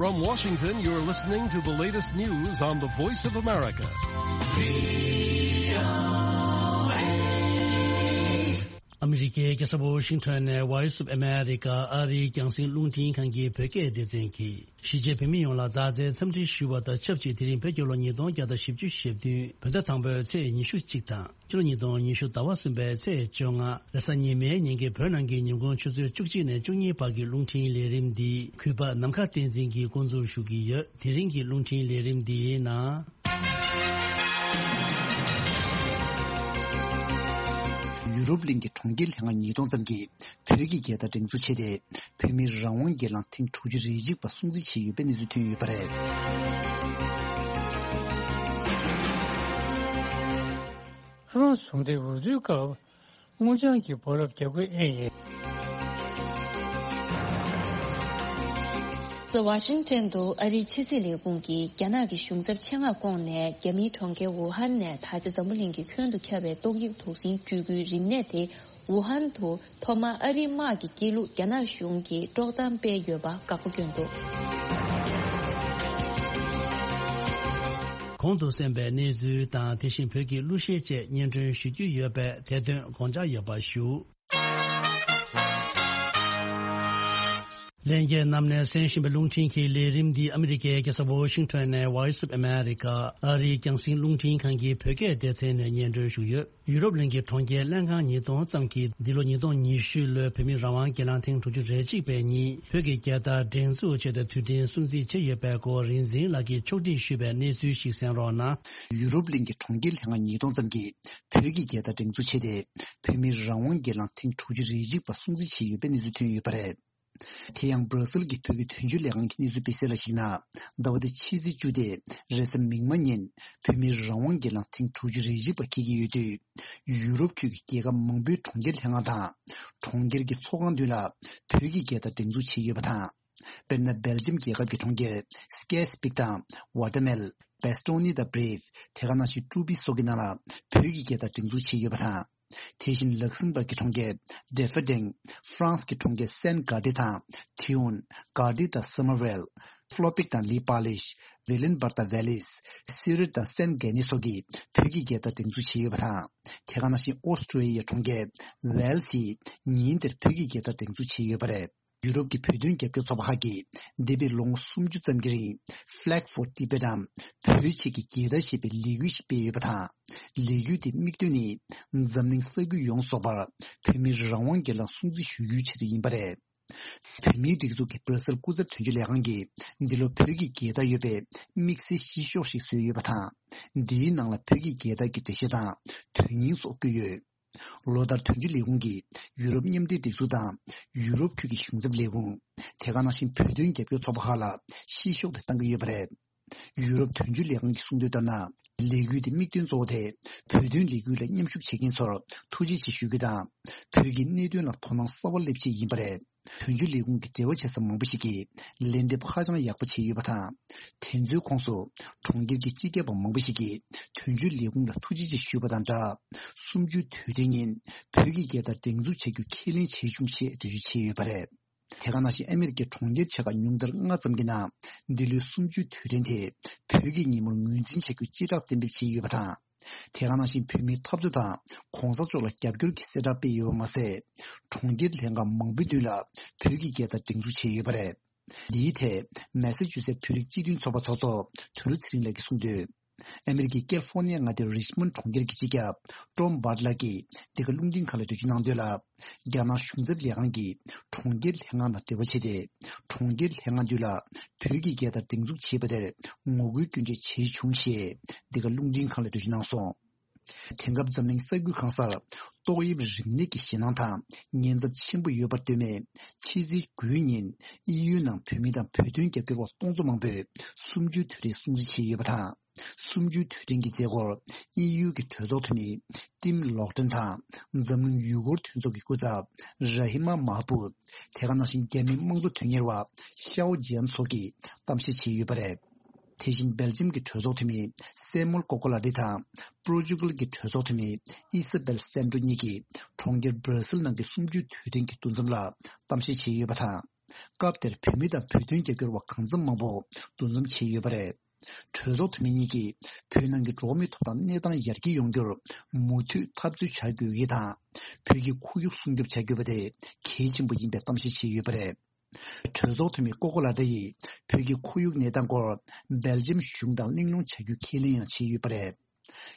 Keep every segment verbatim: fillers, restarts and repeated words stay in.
From Washington, you're listening to the latest news on the Voice of America. ཨ་མི་རི་ཀའི་རྒྱལ་ས་ཝོ་ཤིང་ཊོན་ནས་Voice of America ཨ་རིའི་རྒྱང་སྲིང་རླུང་འཕྲིན་ཁང་གི་བོད་སྐད་སྡེ་ཚན་གྱིས། གཞིས་བྱེས་བོད་མི་ཡོངས་ལ་མཛའ་བརྩེའི་འཚམས་འདྲི་ཞུ་བ་དང་ཆབས་ཅིག་དེ་རིང་བོད་རྒྱལ་ལོ་ཉིས་སྟོང་བརྒྱ་དང་བཞི་བཅུ་ཞེ་བདུན་བོད་ཟླ་དང་པོའི་ཚེས་ཉི་ཤུ་གཅིག་དང་། ཕྱི་ལོ་ཉིས་སྟོང་ཉི་ཤུ་ཟླ་བ་གསུམ་པའི་ཚེས་བཅོ་ལྔ་རེས་གཟའ་ཉི་མའི་ཉིན་གྱི་བོད་ནང་གི་ཉིན་གུང་ཆུ་ཚོད་བཅུ་གཅིག་ནས་བཅུ་གཉིས་བར་གྱི་རླུང་འཕྲིན་ལས་རིམ་འདི་གུས་པ་ནམ་མཁའ་བསྟན་འཛིན་གྱིས་འགོ་འཛུགས་ཞུ་གི་ཡོད། དེ་རིང་གི་རླུང་འཕྲིན་ལས་རིམ་འདིའི་ནང་། ཡུ་རོབ་གླིང་གི་གྲོང་ཁྱེར་ལྷན་ཁག་ཉིས་སྟོང་ཙམ་གྱིས་བོད་ཀྱི་རྒྱལ་དར་སྒྲེང་འཛུགས་བྱས་ཏེ། བོད་མིའི་རང་དབང་སྒེར་ལངས་ཐེངས་དྲུག་ཅུ་རེ་གཅིག་པ་སྲུང་བརྩི་བྱས་ཡོད་པའི་གནས་ཚུལ་ཐོན་ཡོད་པ་རེད། ཧྥ་རན་སི་གཞུང་འབྲེལ་འོས་བསྡུའི་སྐབས་སྔོ་ལྗང་གི་སྦོ་ལོགས་རྒྱག་དགོས་ཨེ་ཡིན། The Washington དུ་ཨ་རིའི་ཕྱི་སྲིད་ལས་ཁུངས་ཀྱིས་རྒྱ་ནག་གི་གཞུང་ཚབ་ཆེད་མངགས་བསྐོངས་ནས། རྒྱ་མིའི་གྲོང་ཁྱེར་ཝུ་ཧན་ནས་ད་ཆ་འཛམ་བུ་གླིང་གི་ཁྱོན་དུ་ཁྱབ་པའི་ཏོག་དབྱིབས་དུག་སྲིན་སྤྲུལ་སྐུའི་རིམས་ནད་དེ་ཝུ་ཧན་དུ་ཐོག་མར་ཨ་རིའི་དམག་གི་སྐྱེལ་ལུགས་རྒྱ་ནག་གཞུང་གིས་དཀྲོག་གཏམ་སྤེལ་ཡོད་པ་དགག་པ་བསྐྱོན་འདུག། གོང་དུ་གསན་པའི་གནས་ཚུལ་དང་། དེ་བཞིན་བོད་ཀྱི་གླུ་གཞས་བཅས་སྙན་སྒྲོན་ཞུ་རྒྱུ་ཡོད་པས། དེ་དོན་དགོངས་འཇགས་ཡོད་པ་ཞུ། ལྷན་རྒྱས་རྣམས་ནས་གསན་བཞིན་པའི་རླུང་འཕྲིན་གྱི་ལས་རིམ་འདི་ཨ་མི་རི་ཀའི་རྒྱལ་ས་ཝོ་ཤིང་ཊོན་ནས་Voice of America ཨ་རིའི་རྒྱང་སྲིང་རླུང་འཕྲིན་ཁང་གི་བོད་སྐད་སྡེ་ཚན་ནས་སྙན་སྒྲོན་ཞུས་ཡོད། ཡུ་རོབ་གླིང་གི་གྲོང་ཁྱེར་ལྷན་ཁག་ཉིས་སྟོང་ཙམ་གྱིས་འདི་ལོ་ཉིས་སྟོང་ཉི་ཤུ་ལོའི་བོད་མིའི་རང་དབང་སྒེར་ལངས་ཐེངས་དྲུག་ཅུ་རེ་གཅིག་པའི་ཉིན་བོད་ཀྱི་རྒྱལ་དར་སྒྲེང་འཛུགས་བྱས་ཏེ་དུས་དྲན་སྲུང་བརྩི་བྱས་ཡོད་པའི་སྐོར་རིག་འཛིན་ལགས་ཀྱིས་ཕྱོགས་སྒྲིག་ཞུས་པའི་གནས་ཚུལ་ཞིག་གསན་རོགས་གནང་། ཡུ་རོབ་གླིང་གི་གྲོང་ཁྱེར་ལྷན་ཁག་ཉིས་སྟོང་ཙམ་གྱིས་བོད་ཀྱི་རྒྱལ་དར་སྒྲེང་འཛུགས་བྱས་ཏེ། བོད་མིའི་རང་དབང་སྒེར་ལངས་ཐེངས་དྲུག་ཅུ་རེ་གཅིག་པ་སྲུང་བརྩི་བྱས་ཡོད་པའི་གནས་ཚུལ་ཐོན་ཡོད་པ་རེད། དེ་ཡང་སྦྲ་སིལ་གྱི་བོད་ཀྱི་དོན་གཅོད་ལས་ཁང་གི་གནས་ཚུལ་སྤེལ་གསལ་ལ་གཞིགས་ན། ཟླ་བ་འདི་ཕྱི་ཚེས་བཅུ་སྟེ་རེས་གཟའ་མིག་དམར་ཉིན་བོད་མིའི་རང་དབང་སྒེར་ལངས་ཐེངས་དྲུག་ཅུ་རེ་གཅིག་པ་འཁེལ་གྱི་ཡོད་དུས། ཡུ་རོབ་ཁུལ་གྱི་རྒྱལ་ཁབ་མང་པོའི་གྲོང་ཁྱེར་ལྷན་ཁང་དང་། གྲོང་ཁྱེར་གྱི་ཚོགས་ཁང་མདུན་ལ་བོད་ཀྱི་རྒྱལ་དར་སྒྲེང་འཛུགས་བྱས་ཡོད་པ་དང་། དཔེར་ན། སྦེལ་ཇམ་རྒྱལ་ཁབ་ཀྱི་གྲོང་ཁྱེར་སྐེ་སི་པིག་དང་། ཝ་ཏ་མེལ། བེ་སི་ཏོ་ནི་དང་། བྷི་རིབ། དེ་ག་ནང་བཞིན་ཀྲུ་པི་སོགས་ཀྱི་ནང་ལ་བོད་ཀྱི་རྒྱལ་དར་སྒྲེང་འཛུགས་བྱས་ཡོད་པ་དང་། དེ་བཞིན་ལག་སེམ་བར་གྱི་གྲོང་ཁྱེར་ཌེ་ཧྥ་ཌེང་། ཧྥ་རན་སི་གི་གྲོང་ཁྱེར་སན་གྷ་ཏི་དང་། ཐི་ཡོན། གྷ་ཏི་དང་སམ་མར་ཝེལ། ཧྥ་ལོ་པིག་དང་ལི་པ་ལིཤ། ཝི་ལིན་སྦར་དང་ཝེ་ལིས། སི་རིད་དང་སན་གྷེ་ནི་སོགས་ཀྱིས་བོད་ཀྱི་རྒྱལ་དར་སྒྲེང་འཛུགས་བྱས་ཡོད་པ་དང་། དེ་ག་ནང་བཞིན་ཨོ་སི་ཀྲོ་ལི་ཡའི་གྲོང་ཁྱེར་ཝེལ་སི་ཡིས་ཉིན་དེར་བོད་ཀྱི་རྒྱལ་དར་སྒྲེང་འཛུགས་བྱས་ཡོད་པ་རེད། ཡུ་རོབ་ཀྱི་བོད་དོན་རྒྱབ་སྐྱོར་ཚོགས་པ་ཁག་གིས་འདས་པའི་ལོ་ངོ་སུམ་ཅུ་ཙམ་གྱི་རིང་Flag for Tibet འམ། བོད་ཆེད་ཀྱི་རྒྱལ་དར་ཞེས་པའི་ལས་འགུལ་ཞིག་སྤེལ་ཡོད་པ་དང་། ལས་འགུལ་དེའི་དམིགས་དོན་ནི། འཛམ་གླིང་ས་ཁུལ་ཡོངས་རྫོགས་པར་བོད་མིའི་རང་དབང་སྒེར་ལངས་སྲུང་བརྩི་ཞུ་རྒྱུའི་ཆེད་དུ་ཡིན་པ་རེད། བོད་མིའི་སྒྲིག་འཛུགས་ཀྱི་སྦྲ་སིལ་སྐུ་ཚབ་དོན་གཅོད་ལས་ཁང་གིས། འདི་ལོ་བོད་ཀྱི་རྒྱལ་དར་ཡོད་པའི་དམིགས་བསལ་གཞི་ཤོག་ཞིག་བཟོས་ཡོད་པ་དང་། འདིའི་ནང་ལ་བོད་ཀྱི་རྒྱལ་དར་གྱི་འགྲེལ་བཤད་དང་། དོན་སྙིང་སོགས་བཀོད་ཡོད། ལོ་ལྟར་དོན་གཅོད་ལས་ཁུངས་ཀྱིས་ཡུ་རོབ་མཉམ་འབྲེལ་སྒྲིག་འཛུགས་དང་། ཡུ་རོབ་ཁུལ་གྱི་གཞུང་ཚབ་ལས་ཁུངས། དེ་ག་ནང་བཞིན་བོད་དོན་རྒྱབ་སྐྱོར་ཚོགས་པ་ཁག་ལ་གཞི་ཤོག་དེ་བཏང་གི་ཡོད་པ་རེད། ཡུ་རོབ་དོན་གཅོད་ལས་ཁང་གིས་གསུངས་དོན་ལྟར་ན། ལས་འགུལ་དེའི་དམིགས་དོན་གཙོ་བོ་དེ། བོད་དོན་ལས་འགུལ་ལ་མཉམ་ཞུགས་བྱེད་མཁན་ཚོར་ཐུགས་རྗེ་ཆེ་ཞུ་རྒྱུ་དང་། བོད་ཀྱི་གནད་དོན་ལ་དོ་སྣང་གསར་བ་སླེབས་ཆེད་ཡིན་པ་རེད། དོན་གཅོད་ལས་ཁུངས་ཀྱི་འབྲེལ་བ་བྱེད་ས་མང་པོ་ཞིག་གིས་ལན་འདེབས་ཧ་ཅང་ཡག་པོ་བྱས་ཡོད་པ་དང་། དེ་ཚོའི་ཁོངས་སུ་གྲོང་ཁྱེར་གྱི་སྤྱི་ཁྱབ་པ་མང་པོ་ཞིག་གིས་དོན་གཅོད་ལས་ཁུངས་ལ་ཐུགས་རྗེ་ཆེ་ཞུས་པ་དང་སྦྲགས། གསུམ་བཅུའི་དུས་དྲན་ཉིན་བོད་ཀྱི་རྒྱལ་དར་སྒྲེང་འཛུགས་བྱ་རྒྱུ་ཁས་ལེན་བྱས་བྱུང་ཞེས་འགྲེལ་བརྗོད་བྱས་ཡོད་པ་རེད། དེ་ག་ནང་བཞིན་ཨ་མེ་རི་ཀའི་གྲོང་ཁྱེར་ཆེ་ཁག་ཉུང་མཐར་ལྔ་ཙམ་གྱི་ནང་འདི་ལོའི་གསུམ་བཅུའི་དུས་དྲན་དེ་བོད་ཀྱི་ཉིན་མོར་ངོས་འཛིན་བྱ་རྒྱུ་སྤྱི་བསྒྲགས་གཏན་འབེབས་བྱས་ཡོད་པ་དང་། དེ་ག་ནང་བཞིན་བོད་མིའི་འཐབ་རྩོད་དང་གོང་ས་མཆོག་ལ་རྒྱབ་སྐྱོར་གྱི་གསལ་བསྒྲགས་སྤེལ་ཡོད་པ་མ་ཟད། གྲོང་ཁྱེར་ལྷན་ཁག་མང་པོའི་མདུན་ལ་བོད་ཀྱི་རྒྱལ་དར་སྒྲེང་འཛུགས་བྱས་ཡོད་པ་རེད། འདིའི་ཐད་མེ་སི་ཅུ་སེ་བོད་རིགས་སྤྱི་མཐུན་ཚོགས་པ་ཚོགས་གཙོ་དོན་གྲུབ་ཚེ་རིང་ལགས་ཀྱིས་གསུངས་དོན། ཨ་མེ་རི་ཀའི་ཀལ་ཧྥོར་ནི་ཡ་མངའ་སྡེའི་རིཆ་མོན་ཌི་གྲོང་ཁྱེར་གྱི་སྤྱི་ཁྱབ་ཊོམ་བྷར་ལགས་ཀྱིས་འདི་ག་རླུང་འཕྲིན་ཁང་ལ་འགྲེལ་བརྗོད་གནང་དོན་ལ། རྒྱ་ནག་གཞུང་ཚབ་ལས་ཁང་གིས་གྲོང་ཁྱེར་ལྷན་ཁང་དང་འབྲེལ་བ་བྱས་ཏེ། གྲོང་ཁྱེར་ལྷན་ཁང་མདུན་ལ་བོད་ཀྱི་རྒྱལ་དར་སྒྲེང་འཛུགས་བྱས་པ་དེར་ངོ་རྒོལ་སྐྱོན་བརྗོད་བྱས་བྱུང་ཞེས་འདི་ག་རླུང་འཕྲིན་ཁང་ལ་འགྲེལ་བརྗོད་གནང་སོང་། དེང་སྐབས་འཛམ་གླིང་ས་ཁུལ་གང་སར་ཏོག་དབྱིབས་རིམས་ནད་ཀྱི་ཞེད་སྣང་དང་ཉེན་ཚབས་ཆེན་པོ་ཡོད་པར་ལྟོས་མེད། ཕྱི་ཚེས་དགུའི་ཉིན་ཨི་ཡུའི་ནང་བོད་མི་དང་བོད་དོན་རྒྱབ་སྐྱོར་བ་སྟོང་ཚོ་མང་པོས་གསུམ་བཅུའི་དུས་དྲན་སྲུང་བརྩི་བྱས་ཡོད་པ་དང་། གསུམ་བཅུའི་དུས་དྲན་གྱི་མཛད་སྒོར་ཨི་ཡུའི་གི་གྲོས་ཚོགས་འཐུས་མི་ཊིམ་ལོག་ཏྲན་དང་འཛམ་གླིང་ཡུལ་སྐོར་མཐུན་ཚོགས་ཀྱི་སྐུ་ཚབ་ར་ཧི་མ་མཱ་ཧ་བུད། དེ་ག་ནང་བཞིན་རྒྱ་མིའི་དམངས་གཙོ་དོན་གཉེར་བ་ཤའོ་ཇི་ཡན་སོགས་ཀྱིས་གཏམ་བཤད་བྱས་ཡོད་པ་རེད། དེ་བཞིན་སྦེལ་ཇམ་གྱི་གྲོས་ཚོགས་འཐུས་མི་སེ་མོལ་ཀོ་ཀོ་ལ་ཏི་དང་། པོར་ཅུ་གལ་གྱི་གྲོས་ཚོགས་འཐུས་མི་ཨི་ས་བེལ་སན་ཏྲོ་གཉིས་ཀྱིས་གྲོང་ཁྱེར་སྦྲ་སིལ་ནང་གི་གསུམ་བཅུའི་དུས་དྲན་གྱི་འདུ་འཛོམས་ལ་གཏམ་བཤད་བྱས་ཡོད་པ་དང་། སྐབས་དེར་བོད་མི་དང་བོད་དོན་རྒྱབ་སྐྱོར་བ་གང་འཚམ་མང་པོ་འདུ་འཛོམས་བྱས་ཡོད་པ་རེད། གྲོས་ཚོགས་འཐུས་མི་གཉིས་ཀྱིས་བོད་ནང་གི་འགྲོ་བ་མིའི་ཐོབ་ཐང་གནས་སྟངས་ཡར་རྒྱས་ཡོང་རྒྱུར་མུ་མཐུད་འཐབ་རྩོད་བྱ་དགོས་ཡིན་དང་། བོད་ཀྱི་ཁོར་ཡུག་སྲུང་སྐྱོབ་བྱ་དགོས་པ་དེ་གལ་ཆེན་པོ་ཡིན་པའི་གཏམ་བཤད་བྱས་ཡོད་པ་རེད། གྲོས་ཚོགས་འཐུས་མི་ཀོ་ཀོ་ལ་ཏྲ་ཡིས་བོད་ཀྱི་ཁོར་ཡུག་གནས་སྟངས་སྐོར་སྦེལ་ཇམ་གཞུང་དང་གླེང་སློང་བྱ་རྒྱུ་ཁས་ལེན་ཡང་བྱས་ཡོད་པ་རེད།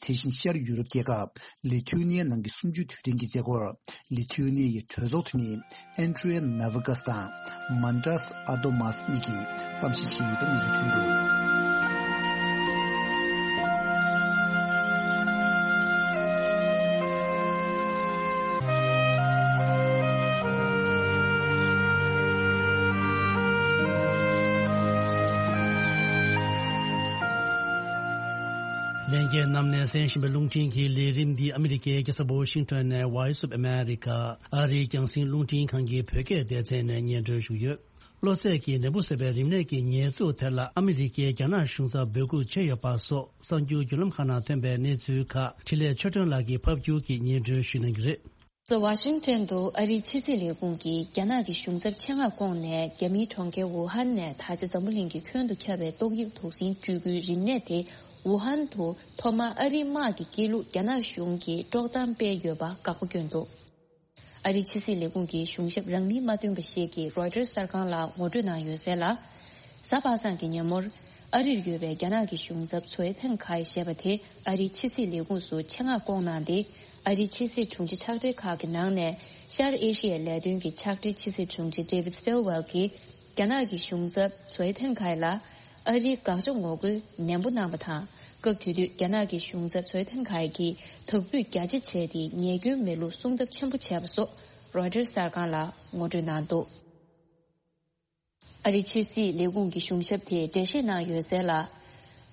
དེ་བཞིན་ཤར་ཡུ་རོབ་རྒྱལ་ཁབ་ལི་ཐུ་ནི་ཡའི་ནང་གི་གསུམ་བཅུའི་དུས་དྲན་གྱི་མཛད་སྒོར་ལི་ཐུ་ནི་ཡའི་གྲོས་ཚོགས་འཐུས་མི་ཨན་ཏྲི་ཡ་ནཱ་ཝི་ཀཱས་དང་མན་ཏྲས་ཨ་དོ་མཱས་གཉིས་ཀྱིས་གཏམ་བཤད་བྱས་ཡོད་པའི་གནས་ཚུལ་ཐོན་འདུག། ལྷན་རྒྱས་རྣམས་ནས་གསན་བཞིན་པའི་རླུང་འཕྲིན་གྱི་ལས་རིམ་འདི་ཨ་མི་རི་ཀའི་རྒྱལ་ས་ཝ་ཤིང་ཊོན་ནས་Voice of America ཨ་རིའི་རྒྱང་སྲིང་རླུང་འཕྲིན་ཁང་གི་བོད་སྐད་སྡེ་ཚན་ནས་སྙན་སྒྲོན་ཞུས་ཡོད། གློ་ཚད་ཀྱི་ནད་འབུ་ཟེར་བའི་རིམས་ནད་ཀྱི་ཉེས་འཛུགས་དེ་ལ་ཨ་མི་རི་ཀས་རྒྱ་ནག་གཞུང་ཚབ་འབོད་འགུག་བྱས་ཡོད་པ་སོགས་གསར་འགྱུར་བརྒྱུད་ལམ་ཁག་ནང་ཐོན་པའི་གནས་ཚུལ་ཁག་འཕྲིན་ལས་ཆོས་སྒྲོན་ལགས་ཀྱིས་ཕབ་བསྒྱུར་གྱིས་སྙན་སྒྲོན་ཞུ་གནང་གི་རེད། གཟའ་ཝ་ཤིང་ཊོན་དུ་ཨ་རིའི་ཕྱི་སྲིད་ལས་ཁུངས་ཀྱིས་རྒྱ་ནག་གི་གཞུང་ཚབ་ཆེད་མངགས་བསྐོངས་ནས་རྒྱ་མིའི་གྲོང་ཁྱེར་ཝུ་ཧན་ནས་ད་ཆ་འཛམ་བུ་གླིང་གི་ཁྱོན་དུ་ཁྱབ་པའི་ཏོག་དབྱིབས་དུག་སྲིན་བཅོས་ཁུལ་རིམས་ནད་དེ་ཝུ་ཧན་དུ་ཐོག་མར་ཨ་རིའི་དམག་གིས་བསྐྱེལ་ལུགས་རྒྱ་ནག་གཞུང་གིས་དཀྲོག་གཏམ་སྤེལ་ཡོད་པ་དགག་པ་བསྐྱོན་འདུག། ཨ་རིའི་ཕྱི་སྲིད་ལས་ཁུངས་ཀྱི་གཞུང་ཞབས་རང་མིང་མ་བཏོན་པ་ཞིག་གིས་རོའི་ཊར་གསར་ཁང་ལ་ངོ་སྤྲོད་གནང་ཡོད་གསལ་ལ། གཟའ་པ་སངས་ཀྱི་ཉིན་མོར་ཨ་རིར་ཡོད་པའི་རྒྱ་ནག་གི་གཞུང་ཚབ་ཚོའེ་ཐེང་ཁའེ་ཞེས་པ་དེ་ཨ་རིའི་ཕྱི་སྲིད་ལས་ཁུངས་སུ་ཆེད་མངགས་བསྐོངས་གནང་སྟེ། ཨ་རིའི་ཕྱི་སྲིད་དྲུང་ཆེ་ཕྱག་སྦྲེལ་ཁག་གི་ནང་ནས་ཤར་ཨེ་ཤི་ཡའི་ལས་དོན་གྱི་ཕྱག་སྦྲེལ་ཕྱི་སྲིད་དྲུང་ཆེ་David Stilwell གྱིས་རྒྱ་ནག་གི་གཞུང་ཚབ་ཚོའེ་ཐེང་ཁའེ་ལ་ཨ་རིའི་དགག་བྱ་ངོ་རྒོལ་ནན་པོ་གནང་བ་དང་། སྐབས་དེ་དུས་རྒྱ་ནག་གི་གཞུང་ཚབ་ཚོའེ་ཐེང་ཁའེ་གྱིས་དག་འབུད་རྒྱ་ཆེ་བྱས་ཏེ་ཉེས་སྐྱོན་མེད་ལུགས་གསུང་ཐབས་ཆེན་པོ་བྱས་པ་སོགས་རོའི་ཊར་གསར་ཁང་ལ་ངོ་སྤྲོད་གནང་འདུག། ཨ་རིའི་ཕྱི་སྲིད་ལས་ཁུངས་ཀྱི་གཞུང་ཞབས་དེས་འགྲེལ་བཤད་གནང་ཡོད་གསལ་ལ།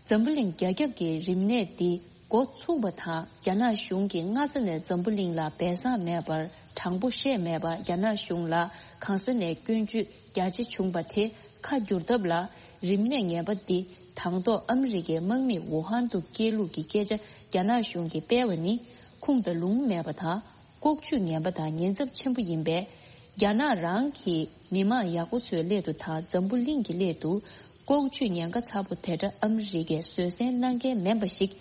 འཛམ་བུ་གླིང་རྒྱ་ཁྱབ་ཀྱི་རིམས་ནད་འདི་འགོ་ཚུགས་པ་དང་རྒྱ་ནག་གཞུང་གིས་སྔ་ས་ནས་འཛམ་བུ་གླིང་ལ་སྦས་གསང་མེད་པར་དྲང་པོ་བཤད་མེད་པ། རྒྱ་ནག་གཞུང་ལ་གང་ས་ནས་སྐྱོན་བརྗོད་རྒྱ་ཆེ་བྱུང་བ་དེ་ཁ་བསྒྱུར་ཐབས་ལ། རིམས་ནད་ངན་པ་འདི་དང་ཐོག་ཨ་མི་རི་ཀའི་དམག་མིས་ཝུ་ཧན་དུ་བསྐྱལ་ལུགས་ཀྱི་སྐད་ཆ་རྒྱ་ནག་གཞུང་གིས་སྤེལ་བ་ནི་ཁུངས་དང་ལུང་མེད་པ་དང་། ལྐོག་ཇུས་ངན་པ་དང་ཉེན་ཚབས་ཆེན་པོ་ཡིན་པས། རྒྱ་ནག་རང་གིས་མི་མང་ཡག་པོ་ཚོའི་སླད་དུ་དང་འཛམ་བུ་གླིང་གི་སླད་དུ། ལྐོག་ཇུས་ཉེན་ཁ་ཚ་པོ་དེ་འདྲ་ཨ་མི་རི་ཀས་བཟོད་བསྲན་གནང་མཁན་མིན་པ་ཞིག་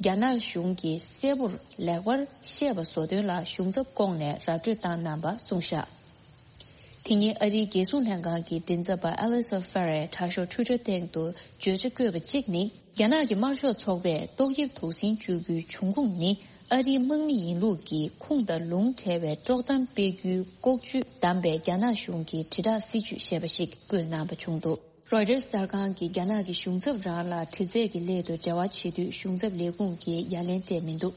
རྒྱ་ནག་གཞུང་གིས་གསལ་པོར་ལེགས་པར་ཤེས་པ་བཟོ་དོན་ལ་གཞུང་ཚབ་བསྐོངས་ནས་ར་སྤྲོད་བཏང་གནང་པ་གསུངས་བཞག། དེ་ཉིན་ཨ་རིའི་རྒྱལ་སྲུང་ལྷན་ཁང་གི་མགྲིན་ཚབ་པ་ཨ་ལི་སོ་ཧྥེ་རེས་དྲ་ཤོག་ཊུའི་ཊར་སྟེང་དུ་བརྗོད་བྱ་བཀོད་པ་གཅིག་ནི། རྒྱ་ནག་གི་དམར་ཤོག་ཚོགས་པས་ཏོག་དབྱིབས་དུག་སྲིན་བཅོས་རྒྱུའི་འབྱུང་ཁུངས་ནི་ཨ་རིའི་དམག་མི་ཡིན་ལུགས་ཀྱི་ཁུངས་དང་ལུང་བྲལ་བའི་དཀྲོག་གཏམ་སྤེལ་རྒྱུའི་ལྐོག་ཇུས་བདམས་པའི་རྒྱ་ནག་གཞུང་གི་དྲིལ་བསྒྲགས་སྲིད་ཇུས་ཞེས་པ་ཞིག་བཀོད་གནང་པ་བྱུང་འདུག། རོའི་ཊར་གསར་ཁང་གིས་རྒྱ་ནག་གི་གཞུང་ཚབ་རང་ལ་དྲི་རྩད་ཀྱི་སླད་དུ་འབྲེལ་བ་བྱེད་དུས་གཞུང་ཚབ་ལས་ཁུངས་ཀྱིས་ཡ་ལན་སྤྲད་མི་འདུག།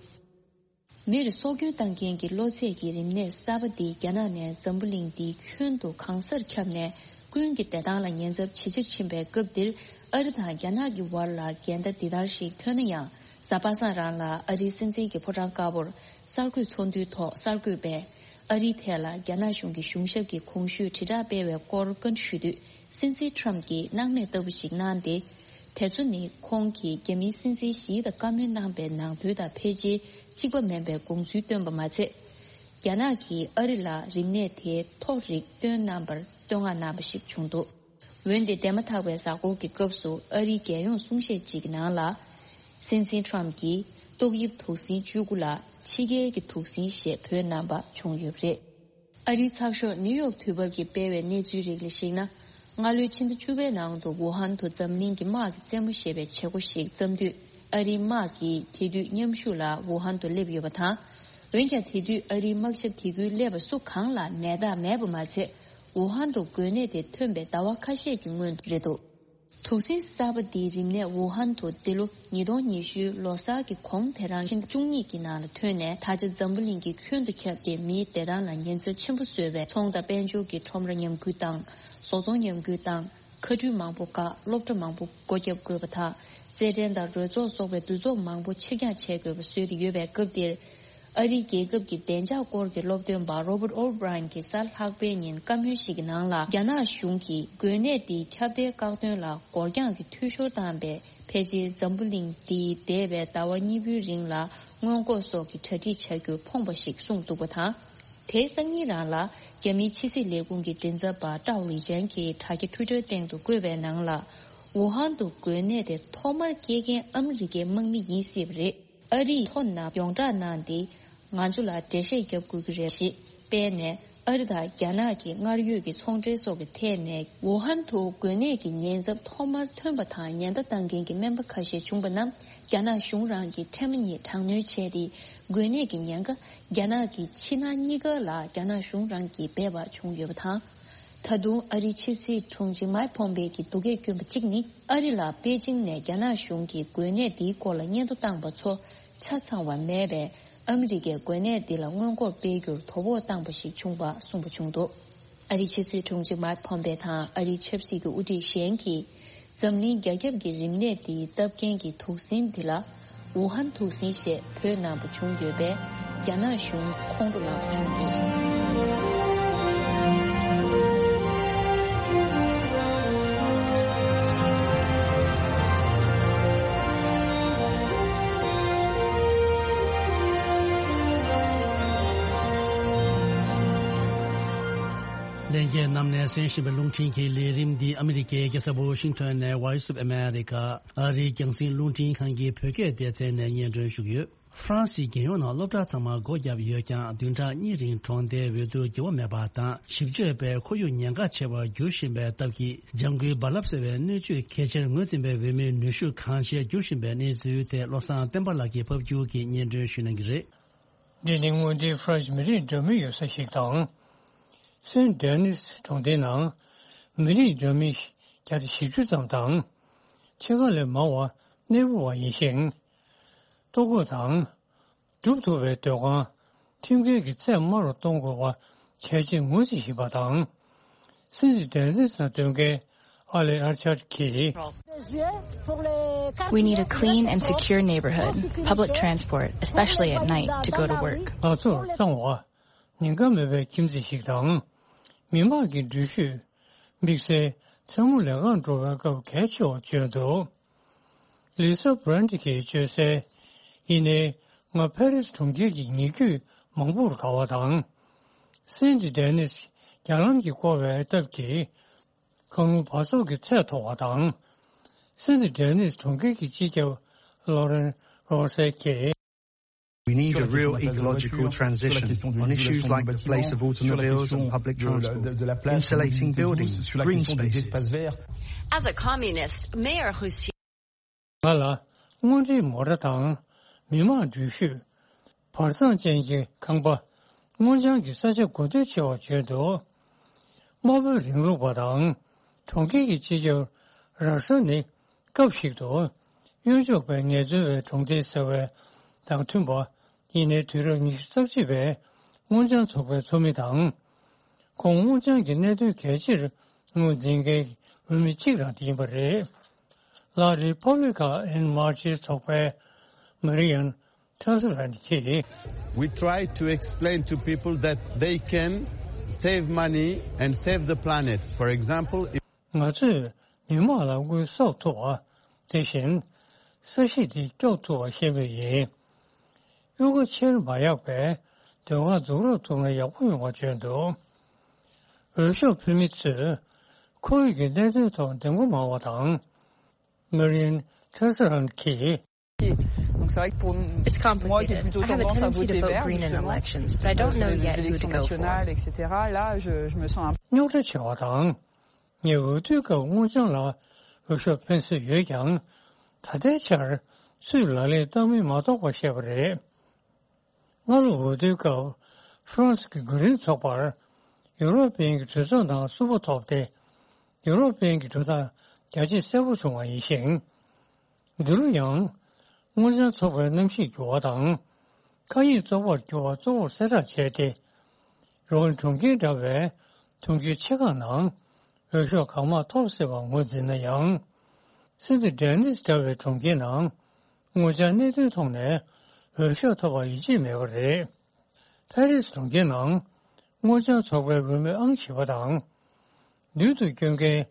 མིར་སྲོག་སྐྱོན་བཏང་མཁན་གྱི་གློ་ཚད་ཀྱི་རིམས་ནད་གསར་པ་འདི་རྒྱ་ནག་ནས་འཛམ་བུ་གླིང་འདིའི་ཁྱོན་དུ་གང་སར་ཁྱབ་ནས་ཀུན་གྱི་བདེ་ཐང་ལ་ཉེན་ཚབས་ཇེ་ཆེར་ཕྱིན་པའི་སྐབས་འདིར། ཨ་རི་དང་རྒྱ་ནག་གི་བར་ལ་འགལ་ཟླ་འདི་ལྟར་ཞིག་ཐོན་ན་ཡང་། གཟའ་པ་སངས་རང་ལ་ཨ་རིའི་སྲིད་འཛིན་གྱི་ཕོ་བྲང་དཀར་པོར་གསར་འགོད་ཚོགས་འདུའི་ཐོག་གསར་འགོད་པས། ཨ་རིའི་ཐད་ལ་རྒྱ་ནག་གཞུང་གི་གཞུང་ཞབས་ཀྱིས་གོང་ཞུས་དྲིལ་བསྒྲགས་སྤེལ་བའི་སྐོར་བཀའ་འདྲི་ཞུས་དུས། སྲིད་འཛིན་ཊམ་གྱིས་སྣང་མེད་ལྟ་བུ་ཞིག་གནང་སྟེ། དེ་ཚོ་ནི་ཁོང་གིས་རྒྱ་མིའི་སྲིད་འཛིན་ཞི་དང་བཀའ་མོལ་གནང་པའི་ནང་དོན་དང་ཕལ་ཆེར་གཅིག་པ་མིན་པའི་དགོངས་ཚུལ་བཏོན་པ་མ་ཚད། རྒྱ་ནག་གིས་ཨ་རི་ལ་རིམས་ནད་དེའི་ཐོ་རེ་བཏོན་གནང་པར་བསྟོད་བསྔགས་གནང་པ་ཞིག་བྱུང་འདུག། འོན་ཏེ་འདས་མ་ཐག་པའི་གཟའ་འཁོར་གྱི་སྐབས་སུ་ཨ་རིའི་རྒྱལ་ཡོངས་གསུང་བཤད་ཅིག་གི་ནང་ལ། སྲིད་འཛིན་ཊམ་གྱིས་ཏོག་དབྱིབས་དུག་སྲིན་བཅུ་དགུ་ལ་ཕྱི་རྒྱལ་གྱི་དུག་སྲིན་ཞེས་འབོད་གནང་པ་བྱུང་ཡོད་པ་རེད། ཨ་རིའི་ཚགས་ཤོག་ནིའུ་ཡོག་དུས་བབ་ཀྱིས་སྤེལ་བའི་གནས་ཚུལ་རིགས་ལ་གཞིགས་ན། སྔ་ལོའི་ཕྱི་ཟླ་བཅུ་པའི་ནང་དུ་ཝུ་ཧན་དུ་འཛམ་གླིང་གི་དམག་གི་རྩེད་མོ་ཞེས་པའི་བྱེད་སྒོ་ཞིག་བརྩམས་དུས། ཨ་རིའི་དམག་གིས་དེ་དུས་མཉམ་ཞུགས་ལ་ཝུ་ཧན་དུ་སླེབས་ཡོད་པ་དང་། འོན་ཀྱང་། དེ་དུས་ཨ་རིའི་དམག་ཞབས་དེ་ཁུལ་སླེབས་པ་སུ་གང་ལ་ནད་རྟགས་མེད་པ་མ་ཚད། ཝུ་ཧན་དུ་འགོས་ནད་དེ་ཐོན་པའི་ཟླ་བ་ཁ་ཤས་ཀྱི་སྔོན་དུ་རེད་འདུག། དུག་སྲིན་གསར་པ་འདིའི་རིམས་ནད་ཝུ་ཧན་དུ་འདི་ལོ་ཉིས་སྟོང་ཉི་ཤུའི་ལོ་གསར་གྱི་གོང་དེ་རང་ཕྱི་ཟླ་བཅུ་གཉིས་ཀྱི་ནང་ལ་ཐོན་ནས། ད་ཆ་འཛམ་བུ་གླིང་གི་ཁྱོན་དུ་ཁྱབ་སྟེ། མིའི་བདེ་ཐང་ལ་ཉེན་ཚབས་ཆེན་པོ་བཟོ་བའི་ཚོང་དང་དཔལ་འབྱོར་གྱི་ཁྲོམ་ར་ཉམས་རྒུད་བཏང་། བཟོ་ཚོང་ཉམས་རྒུད་བཏང་། མཁའ་འགྲུལ་མང་པོ་བཀག། སློབ་གྲྭ་མང་པོ་སྒོ་བརྒྱབ་དགོས་པ་དང་། རྩེད་འགྲན་དང་རོལ་ཚོགས་སོགས་པའི་འདུ་ཚོགས་མང་པོ་ཕྱིར་འགྱངས་བྱེད་དགོས་པ་བཟོས་ཏེ་ཡོད་པའི་སྐབས་འདིར། ཨ་རིའི་རྒྱལ་ཁབ་ཀྱི་བདེ་འཇགས་སྐོར་གྱི་སློབ་སྟོན་པ་Robert O'Brien གྱིས་གཟའ་ལྷག་པའི་ཉིན་བཀའ་མོལ་ཞིག་གི་ནང་ལ། རྒྱ་ནག་གཞུང་གིས་འགོས་ནད་འདིའི་ཁྱབ་གདལ་བཀག་སྡོམ་ལ་འགོར་འགྱངས་ཀྱི་འཐུས་ཤོར་བཏང་བས། ཕལ་ཆེར་འཛམ་བུ་གླིང་འདིའི་འདས་པའི་ཟླ་བ་གཉིས་པོའི་རིང་ལ་སྔོན་འགོག་སོགས་ཀྱི་གྲ་སྒྲིག་བྱ་རྒྱུར་ཕོངས་པ་ཞིག་གསུངས་འདུག་པ་དང་། དེའི་སང་ཉིན་རང་ལ་ རྒྱ་མིའི་ཕྱི་སྲིད་ལས་ཁུངས་ཀྱི་མགྲིན་ཚབ་པ་ཀྲའོ་ལི་ཅན་གྱིས་དྲ་རྒྱ་ཊུའི་ཊར་སྟེང་དུ་བཀོད་པའི་ནང་ལ། ཝུ་ཧན་དུ་འགོས་ནད་དེ་ཐོག་མར་སྐྱེལ་མཁན་ཨ་མི་རི་ཀའི་དམག་མི་ཡིན་སྲིད་པ་རེད། ཨ་རིས་ཐོ་ནང་ཡོངས་བསྒྲགས་གནང་སྟེ། ང་ཚོ་ལ་འགྲེལ་བཤད་བརྒྱབ་དགོས་ཀྱི་རེད་ཞེས་སྤེལ་ནས། ཨ་རི་དང་རྒྱ་ནག་གི་སྔར་ཡོད་ཀྱི་ཚོང་འབྲེལ་སོགས་ཀྱི་ཐད་ནས་ཝུ་ཧན་དུ་འགོས་ནད་ཀྱི་ཉེན་ཚབས་ཐོག་མར་ཐོན་པ་དང་ཉེན་བརྡ་བཏང་མཁན་གྱི་སྨན་པ་ཁ་ཤས་བྱུང་པ་རྣམས་རྒྱ་ནག་གཞུང་རང་གིས་ཕྲན་བུ་ཉིད་དྲག་གནོན་བྱས་ཏེ། འགོས་ནད་ཀྱི་ཉེན་ཁ་རྒྱ་ནག་གི་ཕྱི་ནང་གཉིས་ཀ་ལ་རྒྱ་ནག་གཞུང་རང་གིས་འབད་པ་བྱུང་ཡོད་པ་དང་། ད་དུང་ཨ་རིའི་ཕྱི་སྲིད་དྲུང་ཆེ་མཱིག་ཕོམ་པེ་གིས་སྡུག་སྐད་བསྐྱོན་པ་གཅིག་ནི། ཨ་རི་ལ་པེ་ཅིང་ནས་རྒྱ་ནག་གཞུང་གིས་འགོས་ནད་འདིའི་སྐོར་ལ་སྙན་ཐོ་བཏང་པ་ཚོ་ཆ་ཚང་བ་མེད་པས། ཨ་མི་རི་ཀས་འགོས་ནད་འདི་ལ་སྔོན་འགོག་སྤེལ་རྒྱུར་དོ་ཕོག་བཏང་པ་ཞིག་བྱུང་བ་གསུངས་པ་བྱུང་འདུག་ཨ་རིའི་ཕྱི་སྲིད་དྲུང་ཆེ་མཱིག་ཕོམ་པེ་དང་ཨ་རིའི་ཆབ་སྲིད་ཀྱི་དབུ་ཁྲིད་གཞན་གྱིས། འཛམ་གླིང་རྒྱ་ཁྱབ་ཀྱི་རིམས་ནད་འདིའི་སྟབས་འགན་གྱི་དུག་སྲིན་འདི་ལ། ཝུ་ཧན་དུག་སྲིན་ཞེས་འབོད་གནང་པ་བྱུང་ཡོད་པས། རྒྱ་ནག་གཞུང་ཁོང་ཁྲོ་ལངས་པ་བྱུང་འདུག་ལྷན་རྒྱས་རྣམས་ནས་གསན་བཞིན་པའི་རླུང་འཕྲིན་གྱི་ལས་རིམ་འདི་ཨ་མི་རི་ཀའི་རྒྱལ་ས་ཝོ་ཤིང་ཊོན་ནས་Voice of America ཨ་རིའི་རྒྱང་སྲིང་རླུང་འཕྲིན་ཁང་གི་བོད་སྐད་སྡེ་ཚན་ནས་སྙན་སྒྲོན་ཞུ་གི་ཡོད། ཧྥ་རན་སིའི་རྒྱལ་ཡོངས་ནང་སློབ་གྲྭ་ཚང་མ་སྒོ་བརྒྱབ་ཡོད་ཀྱང་། བདུན་ཕྲག་གཉིས་རིང་གྲོང་སྡེའི་འོས་བསྡུ་འགྱུར་བ་མེད་པ་དང་། ཞིབ་དཔྱོད་པས་ཁོར་ཡུག་ཉེན་ཁ་ཆེ་བར་འགྱུར་བཞིན་པའི་སྟབས་ཀྱིས། ལྗང་ཁུའི་རྦ་རླབས་ཟེར་བའི་སྣོད་བཅུད་གལ་ཆེར་ངོས་འཛིན་པའི་འོས་མིའི་ནུས་ཤུགས་གང་ཆེར་འགྱུར་བཞིན་པའི་གནས་ཚུལ་ཐད། བློ་བཟང་བསྟན་པ་ལགས་ཀྱིས་ཕབ་སྒྱུར་གྱིས་སྙན་སྒྲོན་ཞུ་གནང་གི་རེད། འདི་ནི་སྔོན་དུས་ཧྥ་རན་སི་མི་རིགས་འདྲ་མིན་ཡོད་ས་ཞིག་དང་། སེན་ཌེ་ནིས་གྲོང་སྡེའི་ནང་མི་རིགས་འདྲ་མིན་བརྒྱ་དང་བཞི་བཅུ་ཙམ་དང་། ཕྱེད་ཀ་ལས་མང་བ་གནས་སྤོ་བ་ཡིན་ཞིང་། ལྟོ་གོས་དང་། སྒྲུབ་ཐུབ་པའི་སྡོད་ཁང་ཁྲིམས་འགལ་གྱི་ཚད་དམའ་རུ་གཏོང་དགོས་པ་གལ་ཆེར་ངོས་འཛིན་བཞིན་པ་དང་། སེན་ཌེ་ནིས་ནང་སྡོད་མཁན་ཨ་ལེ་ཨར་ཆར་གྱིས། We need a clean and secure neighborhood, public transport, especially at night, to go to work. ང་ཚོར་གཙང་བ། ཉེན་ཁ་མེད་པའི་ཁྱིམ་མཚེས་ཤིག་དང་། མི་དམངས་ཀྱི་འགྲུལ་བཞུད། དམིགས་བསལ་མཚན་མོ་ལས་ཀར་འགྲོ་བའི་སྐབས་གལ་ཆེ་བར་བརྗོད་འདུག་ལི་ས་བྷ་རན་ཊི་གིས་བརྗོད་གསལ། ཡིན་ནའི། ང་ཕ་རི་སི་གྲོང་ཁྱེར་གྱི་ཉེ་བརྒྱུད་མང་པོར་དགའ་བ་དང་། སེན་ཌི་ཌེ་ནིས་རྒྱ་ལམ་གྱིས་བསྐོར་བའི་སྟབས་ཀྱིས། གངས་རླུང་འབག་བཙོག་གི་ཚད་མཐོ་བ་དང་། སེན་ཌི་ཌེ་ནིས་གྲོང་ཁྱེར་གྱི་སྤྱི་ཁྱབ་ལོ་རེན་རོ་སེ་གྱིས། We need a real ecological transition on issues like the place of automobiles and public transport, insulating buildings, green spaces. As a communist, Mayor Russie ང་ལ་དངོས་འབྲེལ་མོ་ཊ་དང་མི་དམངས་འགྲུལ་བཞུད། བར་མཚམས་ཅན་གྱི་ཁང་པ། སྔོ་ལྗང་གི་ས་ཆ་དགོས་འདོད་ཆེ་བར་བརྗོད་འདུག་དམར་པོའི་རིང་ལུགས་པ་དང་གྲོང་ཁྱེར་གྱི་སྤྱི་ཁྱབ་རག་ས་ནི། སྐབས་ཤིག་ཏུ་གཡོན་ཕྱོགས་པའི་ངལ་རྩོལ་བའི་གྲོང་སྡེ་ཟེར་བའི་དང་མཐུན་པ། ཡིན་ནའི་དུས་རབས་ཉི་ཤུ་རྩ་གཅིག་པའི་སྔོ་ལྗང་ཚོགས་པའི་ཚོགས་མི་དང་། ཁོང་སྔོ་ལྗང་གི་གནད་དོན་གལ་ཆེར་ངོས་འཛིན་མཁན་འོས་མི་གཅིག་རང་ཡིན་པ་རེད། ལ་རི་ཕབ་ལི་ཀ་ཨེན་མར་ཆིའི་ཚོགས་པའི་མ་རི་ཡན་ཁྲ་སུ་རན་གྱིས། We try to explain to people that they can save money and save the planet. For example, if ང་ཚོས་མི་དམངས་ལ་དངུལ་གསོག་ཐུབ་པ། དེ་བཞིན་ས་གཞི་འདི་སྐྱོབ་ཐུབ་པ་ཤེས་མུས་ཡིན། གཡུར་ཁ་ཆེར་མ་ཡག་པས་སྡོད་ཁང་འཛུགས་རོགས་ཐུབ་ན་ཡག་པོ་ཡོང་བ་བརྗོད་འདུག་འོས་ཤོག་ཕུལ་མི་ཚོས་ཁོར་ཡུག་གི་གནད་དོན་ཐོག་འདེམས་བསྐོ་མང་བ་དང་། མེ་རིན་ཁྲེ་སི་རན་གྱིས། Donc c'est vrai que pour It's moi qui ai complicated. Plutôt I have a tendance à tendency voter to vert, vote green in justement, elections, but I don't sur know les yet who to élections go for. Nationales, et cetera, là, je, je me sens un རྙོག་དྲ་ཆེ་བ་དང་། ངས་འོས་བསྡུའི་སྐབས་སྔོ་ལྗང་ལ་འོས་ཤོག་འཕེན་སྲོལ་ཡོད་ཀྱང་། ད་ལྟའི་ཆར་སུས་ལག་ལེན་བསྟར་མིན་མ་རྟོགས་པ་བཤད་པ་རེད། སྔ་ལོ་འོས་བསྡུའི་སྐབས་ཧྥ་རན་སི་གི་གུ་རིན་ཚོགས་པར་ཡུ་རོབ་པའི་གྲོས་ཚོགས་ནང་སུ་པོ་ཐོབ་སྟེ། ཡུ་རོབ་པའི་གྲོས་ཐག་རྒྱ་ཆེ་གསལ་པོ་བྱུང་བ་ཡིན་ཞིང་། འདི་རུ་ཡང་སྔོ་ལྗང་ཚོགས་པའི་གནམ་གཤིས་འགྱུར་བ་དང་། མཁའ་དབྱིངས་བཙོག་པར་འགྱུར་བ་གཙོ་བོར་གསལ་བསྒྲགས་བྱས་ཏེ། རོ་ཨན་གྲོང་ཁྱེར་འདྲ་བའི་གྲོང་ཁྱེར་ཆེ་ཁག་ནང་འོས་ཤོག་གང་མང་ཐོབ་སྲིད་པར་ངོས་འཛིན་ན་ཡང་། སེན་ཏི་ཌེ་ནིས་འདྲ་བའི་གྲོང་ཁྱེར་ནང་སྔོ་ལྗང་གནད་དོན་ཐོག་ནས་འོས་ཤོག་ཐོབ་པར་ཡིད་ཆེས་མེད་པ་རེད། ཕ་རི་སི་གྲོང་ཁྱེར་ནང་སྔོ་ལྗང་ཚོགས་པའི་འོས་མི་ཨང་བཞི་པ་དང་། མདུན་དུ་བསྐྱོད་མཁན་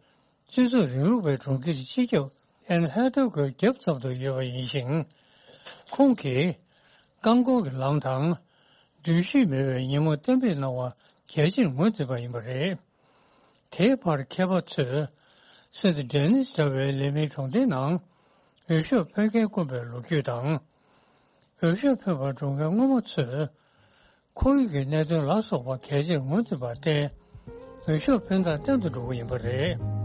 སྤྱི་ཚོགས་རིང་ལུགས་པའི་གྲོང་ཁྱེར་གྱི་སྤྱི་ཁྱབ་ཨན་ཧེ་ཐོ་གོས་རྒྱབ་ཙམ་དུ་ཡོད་པ་ཡིན་ཞིང་། ཁོང་གིས་རྐང་འཁོར་གྱི་ལམ་དང་འགྲུལ་བཞུད་མེད་པའི་ཉིན་མོ་གཏན་འབེབས་གནང་བ་ གལ་ཆེར་ངོས་འཛིན་པ་ཡིན་པ་རེད། དེའི་བར་མཁས་པ་ཚོས་སེནྟ་ཌེ་ནིས་འདྲ་བའི་ལི་མིའི་གྲོང་སྡེའི་ནང་འོས་ཤོག་ཕུལ་མཁན་དཀོན་པའི་ལོ་རྒྱུས་དང་། འོས་ཤོག་ཕུལ་བར་འགྲོ་མཁན་སྔོན་མ་ཚོས་ཁོར་ཡུག་གི་གནད་དོན་ལ་སོགས་པ་གལ་ཆེར་ངོས་འཛིན་པར་བརྟེན། འོས་ཤོག་འཕེན་སྟངས་བརྟན་དུ་འགྲོ་གི་ཡིན་པ་རེད།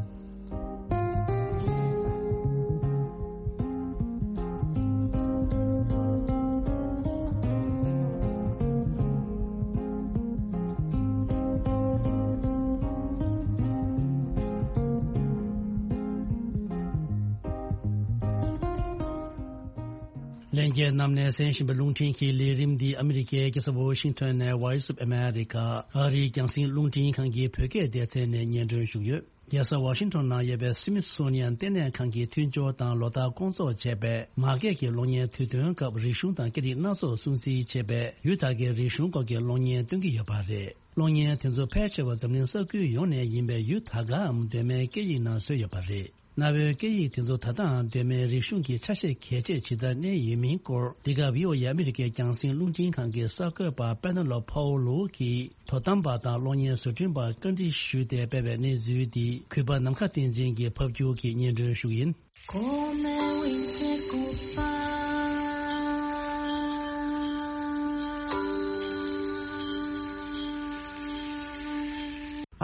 ལྷན་རྒྱས་རྣམས་ནས་གསན་བཞིན་པའི་རླུང་འཕྲིན་གྱི་ལས་རིམ་འདི་ཨ་མི་རི་ཀའི་རྒྱལ་ས་ཝ་ཤིང་ཊོན་ནས་Voice of America ཨ་རིའི་རྒྱང་སྲིང་རླུང་འཕྲིན་ཁང་གི་བོད་སྐད་སྡེ་ཚན་ནས་སྙན་སྒྲོན་ཞུས་ཡོད། རྒྱལ་ས་ཝ་ཤིང་ཊོན་ནང་ཡོད་པའི་སི་མི་ཐི་སོ་ནི་ཡན་ལྟེ་གནས་ཁང་གིས་མཐུན་སྦྱོར་དང་ལོ་ལྟར་སྐོང་ཚོགས་བྱས་པའི་མ་སྐད་ཀྱི་གློག་བརྙན་དུས་སྟོན་སྐབས་རིག་གཞུང་དང་སྐད་རིགས་སྣ་ཚོགས་སྲུང་བརྩི་བྱས་པའི་ཡུལ་དག་གི་རིག་གཞུང་སྐོར་གྱི་གློག་བརྙན་སྟོན་གྱི་ཡོད་པ་རེད། གློག་བརྙན་དེ་ཚོ་ཕལ་ཆེ་བ་འཛམ་གླིང་ས་ཁུལ་ཡོངས་ནས་ཡིན་པའི་ཡུལ་ད་གའམ་གདོད་མའི་སྐད་ཡིག་ནང་བཟོས་ཡོད་པ་རེད། གནའ་བོའི་སྐད་ཡིག་དེ་ཚོ་ད་ལྟའང་གདོད་མའི་རིག་གཞུང་གི་ཆ་ཤས་གལ་ཆེ་ཇི་ལྟར་གནས་ཡོད་མིན་སྐོར། འདི་ག་བྷི་ཨོ་ཨེ་ཨ་མི་རི་ཀའི་རྒྱང་སྲིང་རླུང་འཕྲིན་ཁང་གི་གསར་འགོད་པ་པེ་ན་ལོ་ཕའོ་ལོ་གིས་དོ་དམ་པ་དང་གློག་བརྙན་བཟོ་སྐྲུན་པར་བཀའ་འདྲི་ཞུས་ཏེ་སྤེལ་བའི་གནས་ཚུལ་འདི་གུས་པ་ནམ་མཁའ་བསྟན་འཛིན་གྱིས་ཕབ་སྒྱུར་གྱིས་སྙན་སྒྲོན་ཞུ་གི་ཡིན།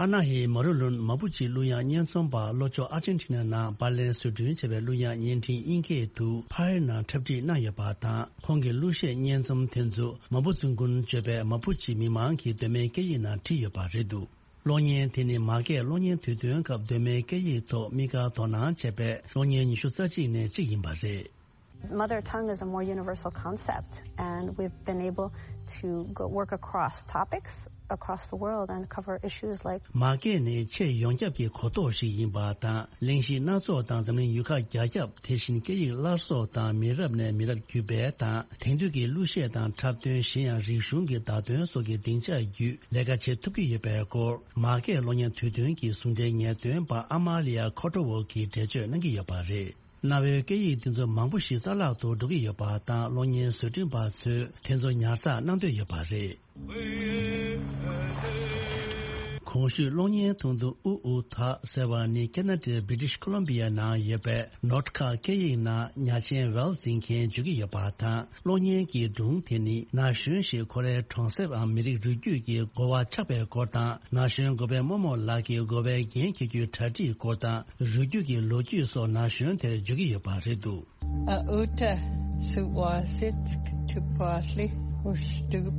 ཨ་ན་ཧེ་མ་རུ་ལུན་མ་པུ་ཅི་གླུ་དབྱངས་བརྙན་རྩོམ་པ་ལྷོ་ཕྱོགས་ཨར་ཇེན་ཊི་ན་ནང་པར་ལེན་བཟོ་སྐྲུན་བྱས་པའི་གླུ་དབྱངས་བརྙན་འཕྲིན་དབྱིན་སྐད་དུ་ཕ་ཧེ་ནང་འཁྲབ་ཁྲིད་གནང་ཡོད་པ་དང་། ཁོང་གི་གླུ་གཞས་བརྙན་རྩོམ་དེ་ཚོ་མ་པུ་ཙུང་ཀུན་བརྗོད་པའི་མ་པུ་ཅི་མི་མང་གི་གདོད་མའི་སྐད་ཡིག་ནང་བྲིས་ཡོད་པ་རེད་འདུག་གློག་བརྙན་དེ་ནི་མ་སྐད་གློག་བརྙན་དུས་སྟོན་སྐབས་གདོད་མའི་སྐད་ཡིག་ཐོག་དམིགས་བཀར་དོ་སྣང་བྱས་པའི་གློག་བརྙན་ཉི་ཤུ་རྩ་གཅིག་ནས་གཅིག་ཡིན་པ་རེད། Mother tongue is a more universal concept, and we've been able to go work across topics across the world and cover issues like མ་སྐད་ནི་ཆེས་ཡོངས་ཁྱབ་ཀྱི་གོ་རྟོགས་ཤིག་ཡིན་པ་དང་། གླེང་གཞི་སྣ་ཚོགས་དང་འཛམ་གླིང་ཡུལ་ཁག་རྒྱ་ཁྱབ། དེ་བཞིན་སྐད་ཡིག་སླར་གསོ་དང་མི་རབས་ནས་མི་རབས་བརྒྱུད་སྤེལ་དང་། དེང་དུས་ཀྱི་གླུ་གཞས་དང་འཁྲབ་སྟོན། གཞན་ཡང་རིག་གཞུང་གི་བརྡ་དོན་སོགས་ཀྱི་སྡིངས་ཆ་བརྒྱུད་ལས་ཀ་བྱེད་ཐུབ་ཀྱི་ཡོད་པའི་སྐོར། མ་སྐད་གློག་བརྙན་དུས་སྟོན་གྱི་ཟུང་འབྲེལ་ངེས་སྟོན་པ་ཨ་མ་ལི་ཡ་ཁོ་ཏྲོ་ཝོ་གིས་འགྲེལ་བརྗོད་གནང་གི་ཡོད་པ་རེད། གནའ་བོའི་སྐད་ཡིག་འདི་ཚོ་མང་པོ་ཞིག་རྩ་བརླག་ཏུ་འགྲོ་གི་ཡོད་པ་དང་། གློག་བརྙན་བཟོ་སྐྲུན་པ་ཚོས་དེ་ཚོ་ཉར་ཚགས་གནང་འདོད་ཡོད་པ་རེད། གོང་ཞུས་གློག་བརྙན་ཐུང་ཐུང་ཨུ་ཨུ་ཐ་ཟེར་བ་ནི་ཁེ་ན་ཌའི་བྷི་ཊི་ཤི་ཀོ་ལོམ་བི་ཡ་ནང་ཡོད་པའི་ནོཊ་ཁ་སྐད་ཡིག་ནང་ཉ་ཆེན་ཝེལ་འཛིན་མཁན་བརྗོད་ཀྱི་ཡོད་པ་དང་། གློག་བརྙན་གྱི་སྒྲུང་དེ་ནི་ན་གཞོན་ཞིག་ཁོ་རའི་གྲོང་གསེབ་འམ་མི་རིགས་རུས་རྒྱུད་ཀྱི་འགོ་བ་ཆགས་པའི་སྐོར་དང་། ན་གཞོན་འགོ་པའི་རྨོ་མོ་ལགས་ཀྱིས་འགོ་པའི་འགན་འཁྱེར་རྒྱུའི་གྲ་སྒྲིག་སྐོར་དང་། རུས་རྒྱུད་ཀྱི་ལོ་རྒྱུས་སོགས་ན་གཞོན་དེར་བརྗོད་ཀྱི་ཡོད་པ་རེད་འདུག་ཨ་ཨུ་ཏྲ་སུ་ཝ་སིད་ཀ་ཐུ་པ་ལི་ཧུ་སྟུབ་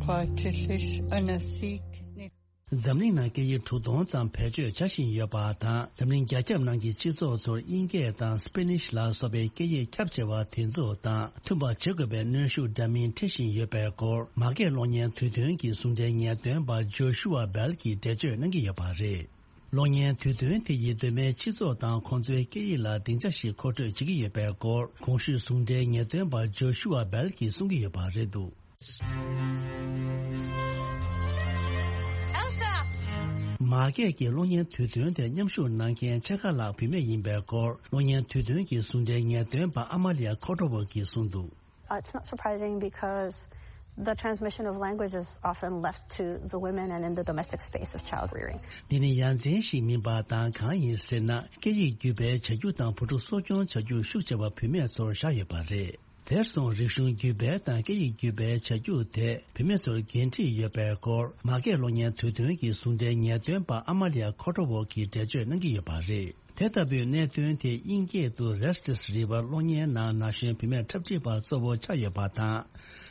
ཁ་ཁྲི་ལིཤ་ཨ་ན་སིག་ནི། འཛམ་གླིང་ནང་སྐད་ཡིག་དྲུག་སྟོང་ཙམ་བེད་སྤྱོད་བྱ་བཞིན་ཡོད་པ་དང་། འཛམ་གླིང་རྒྱ་ཁྱབ་ནང་གི་སྤྱི་ཚོགས་ཚོར་དབྱིན་སྐད་དང་སྤེ་ནིཤ་ལ་སོགས་པའི་སྐད་ཡིག་ཁྱབ་ཆེ་བ་དེ་ཚོ་དང་མཐུན་པ་བྱེད་དགོས་པའི་གནོན་ཤུགས་འདྲ་མིན་འཁྲི་བཞིན་ཡོད་པའི་སྐོར། མ་སྐད་གློག་བརྙན་དུས་སྟོན་གྱི་ཟུང་འབྲེལ་ངེས་སྟོན་པ་ཇོ་ཤུ་ཨ་སྦེལ་གྱིས་འགྲེལ་བརྗོད་གནང་གི་ཡོད་པ་རེད། གློག་བརྙན་དུས་སྟོན་དེ་ཡིས་གདོད་མའི་སྤྱི་ཚོགས་དང་ཁོང་ཚོའི་སྐད་ཡིག་ལ་སྡིངས་ཆ་ཞིག་མཁོ་སྤྲོད་བྱེད་ཀྱི་ཡོད་པའི་སྐོར། གོང་ཞུས་ཟུང་འབྲེལ་ངེས་སྟོན་པ་ཇོ་ཤུ་ཨ་སྦེལ་གྱིས་གསུང་གི་ཡོད་པ་རེད་འདུག Elsa! མ་སྐད་ཀྱི་གློག་བརྙན་དུས་སྟོན་དེ་མཉམ་ཞུགས་གནང་མཁན་ཕྱེད་ཀ་ལྷག་བུད་མེད་ཡིན་པའི་སྐོར། གློག་བརྙན་དུས་སྟོན་གྱི་ཟུང་འབྲེལ་ངེས་སྟོན་པ་ཨ་མ་ལི་ཡ་ཁོ་ཏྲོ་ཝོ་གིས་གསུངས་འདུག Uh, it's not surprising because the transmission of language is often left to the women and in the domestic space of child rearing. འདི་ནི་ཡ་མཚན་ཞིག་མིན་པ་དང་། གང་ཡིན་ཟེར་ན། སྐད་ཡིག་བརྒྱུད་སྤེལ་བྱ་རྒྱུ་དང་བུ་ཕྲུག་གསོ་སྐྱོང་བྱ་རྒྱུ་ཤུགས་ཆེ་བ་བུད་མེད་ཚོར་བཞག་ཡོད་པ་རེད། དེར་སོང་རིག་གཞུང་བརྒྱུད་སྤེལ་དང་སྐད་ཡིག་བརྒྱུད་སྤེལ་བྱ་རྒྱུ་དེ་བུད་མེད་ཚོར་འགན་འཁྲི་ཡོད་པའི་སྐོར། མ་སྐད་གློག་བརྙན་དུས་སྟོན་གྱི་ཟུང་འབྲེལ་ངེས་སྟོན་པ་ཨ་མ་ལི་ཡ་ཁོ་ཏྲོ་ཝོ་གིས་འགྲེལ་བརྗོད་གནང་གི་ཡོད་པ་རེད། དེ་ལྟ་བུའི་གནད་དོན་དེ་དབྱིན་སྐད་དུ་Restless River གློག་བརྙན་ནང་ན་གཞོན་བུད་མེད་འཁྲབ་ཁྲིད་པ་གཙོ་བོ་ཆགས་ཡོད་པ་དང་།